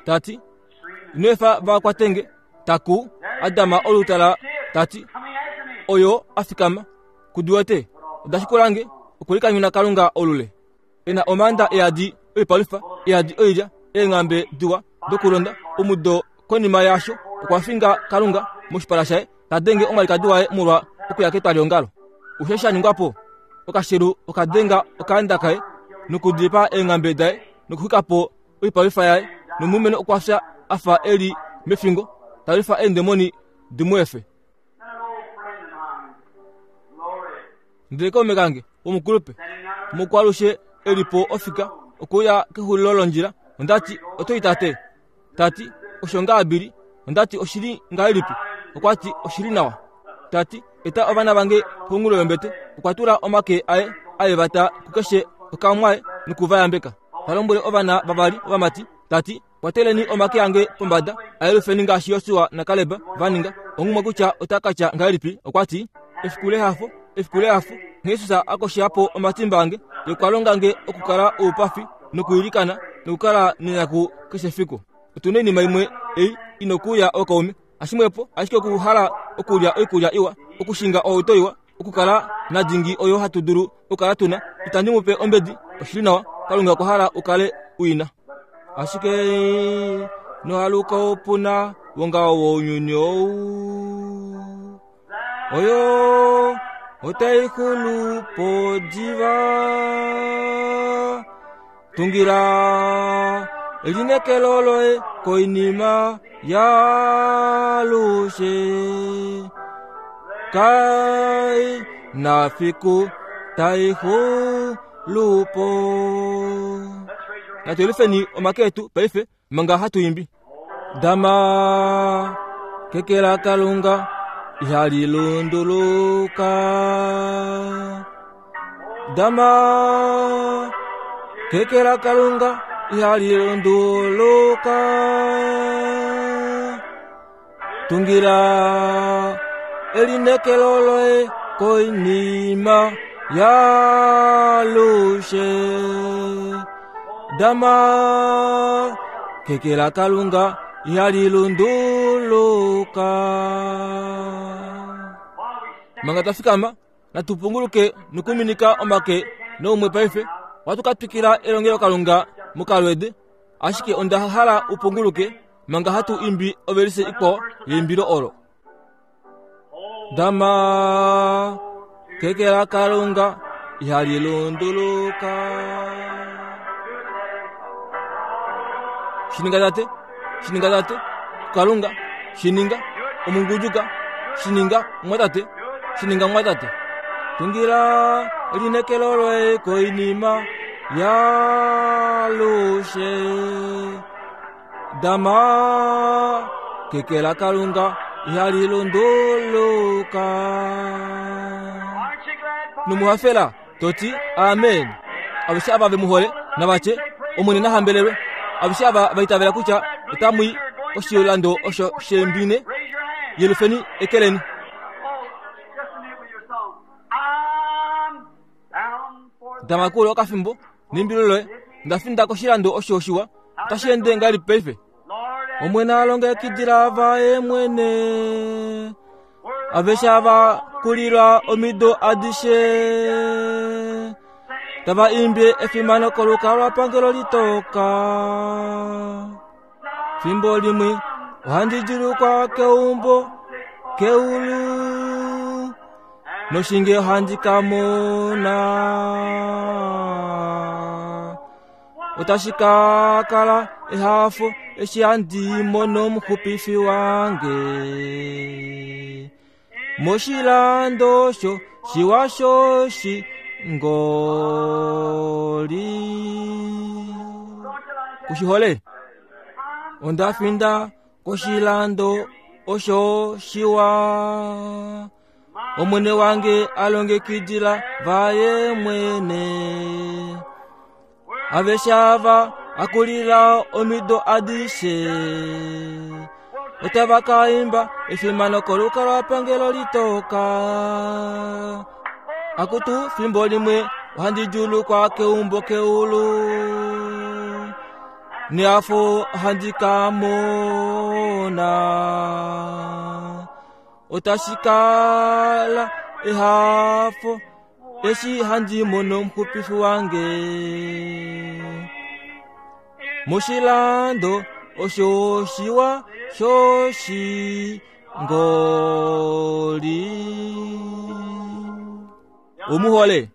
Ta ti, Ino efa va kwate nge. Ta kuu, a dama olutala, ta ti, Oyo a fikama. Ku di wete? Oda shikula nge, okulikanyuna Kalunga olule. E na omaanda e yadi oipalwifa, e yadi oilya, eenghambe diwa dokulonda. Omudo konima yaasho, okwa finga Kalunga moshipala shaye, ta denge omwalikadi waye molwa okuya ketwaliongalo. Osho sha ningwa po, okashelu oka denga okaanda kaye nokudipaa eenghambe daye nokuxwika po oipalwifa yaye, nomulumenhu okwa fya a fa e li mefingo, ta lwifa eendemoni di mu efe. Ndele kaume kange womukulupe mukwalushe e li po ofika okuya kexulilo londjila, onda ti, Oto i tate? Ta ti, Osho ngaa Billy. Onda ti, Oshili ngahelipi? Okwa ti, Oshili nawa. Ta ti, Eta ovana vange ponghulo yombete. Okwa tula omake aye a yevata kukeshe okamwaye noku va yambeka. Ta lombwele ovana vavali ovamati, ta ti. Kwateleni omake ange pombada, ayelufeni ngaashi Josua naKaleb va ninga. Onghumwe kutya ota ka tya ngahelipi, okwa ti, Efiku lehafo, efiku lehafo, Jesus a kosha po omatimba ange, ye okwa longa nge okukala oupafi nokwiilikana nokukala nenyaku keshe efiku. Otu na oinima imwe ei i nokuuya ookaume, hashimwepo ashike okuhala okulya oikulya iwa, okushinga ohauto iwa, okukala nadingi oyo hatu dulu okukala tu na. Itandi mu pe ombedi, oshili nawa, Kalunga okwa hala u kale u i na. Ashike nohaluka opu na wongaho wounyuni ou. Oyo otai xulu po diva. Tungila elinekelo loye koinima yaalushe. Kai na fiku tai xulu po. Natu yelifeni omake etu paife manga hatu imbi. Dama keke la Kalunga ihali lunduluka. Dama keke la Kalunga ihali lunduluka. Tungila elinekelo loye koinima yaalushe. Dama keke la Kalunga ihali lunduluka. Manga twa fikama natu punguluke nokuminika omake noumwe paife. Ohatu ka twikila elongelokalunga mokalweede, ashike onda hala u punguluke manga hatu imbi ovelise ikwao yeimbilo olo. Dama keke la Kalunga ihali lunduluka. Shininga tate, shininga tate, Kalunga, shininga, omungujuka, shininga, mwatate, shininga mwatate. Tungila elinekelo loye koinima yaalushe. Dama keke la Kalunga ihali lunduluka. Nomuhafela to ti amen. Aveshe ava ve mu hole nava tye, Omwene na hambelelwe. Aveshe ava va itavela kutya otamu i koshilando osho sheembine, yelufeni eke leni. Dama kuule okafimbo neimbilo loye, nda finda koshilando osho shiwa, otashi ende ngahelipi paife? Omwene a longekidila vaye mwene, aveshe ava kulilwa omido adishe, tava imbi efimano kolukalwapangelo litoka. Fimbo limwe ohandi djulukwa keumbo keulu noshinge ohandi ka mona otashi ka kala ehafo eshi handi mono omuxupifi wange moshilando sho shiwa shoshi ngoli kushihole onda finda koshilando osho shiwa Omwene wange a longekidila vaye mwene. Aveshe ava a kulila omido adishe otava ka imba efimano kolukalwapangelo litoka. Akutu fimbo limwe ohandi djuulukwa keumbo keulu neafo ohandi ka mona. Otashi kala ehafo eshi handi mono omuxupifi wange moshilando osho shiwa shoshingoli. Omuhole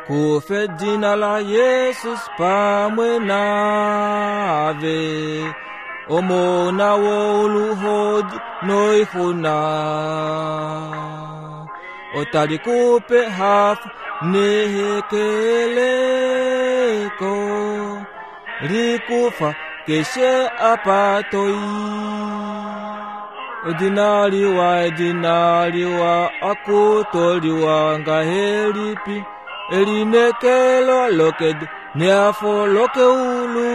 Kufa edina la Jesus pamwe naave, omona woluhodi noixuna. Otali kupe hafo nehekeleko, likufa keshe apa toi. Edina liwa, edina liwa, akutoliwa ngahelipi, elinekelo lokedu Nehafo lokeulu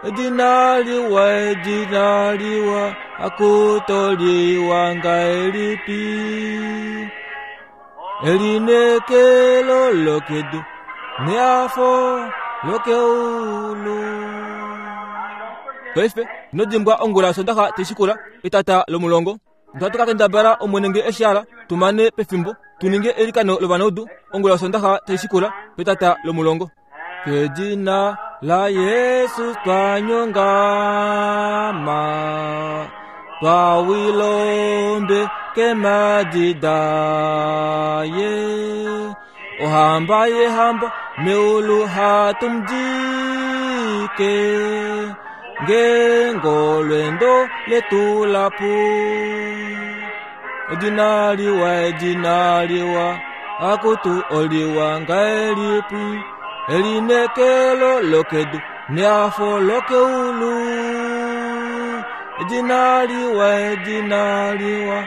Edina liwa, edina liwa Akutoliwa ngahelipi Elinekelo lokedu Nehafo lokeulu Paife, ino dimbwa ongula yOsondaxa tai shikula, etata lomulongo. Ohatu ka kendabala Omwene nge eshi hala tu mane pefimbo tu ninge eilikano lovanaudu ongula yOsondaxa tai shikula petata lomulongo. Kedina laJesus twa nyongama, twa wilombe kemadi daye. Ohamba yehamba meulu hatu mudike, ngeenge olweendo letu la pu. Edina liwa, edina liwa, akutu oliwa ngahelipi, elinekelo lokedu nehafo lokeulu. Edina liwa, edina liwa,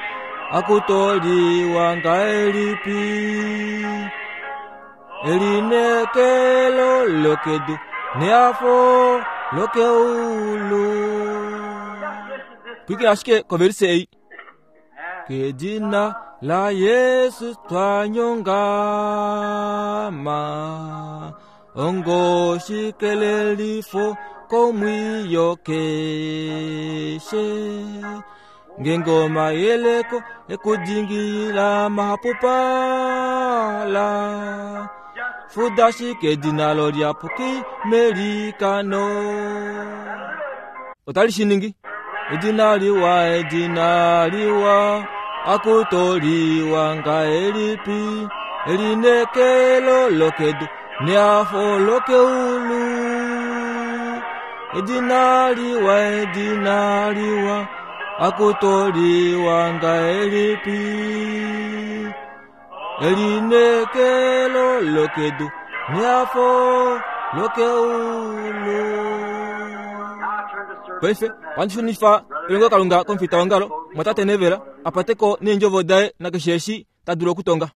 akutu oliwa ngahelipi, elinekelo lokedu nehafo lokeulu. Pwikina ashike kovelise ei. Kedina laJesus twa nyongama, ongoshikelelifo komwiyo keshe. Ngeenge omayeleko ekudingilila mahapupala, fuda ashike edina lo liyapuki melikano. Otali shi ningi. Edina liwa, edina liwa, akuto liwa ngahelipi, elinekelo lokedu nehafo lokeulu. Edina liwa, edina liwa, akuto liwa ngahelipi, elinekelo lokedu nehafo lokeulu. Paife, ohandi shunifa elongelokalunga komufitaongalo, mwatate Neville, a pate ko neendjovo daye nakeshe eshi ta dulu okutonga.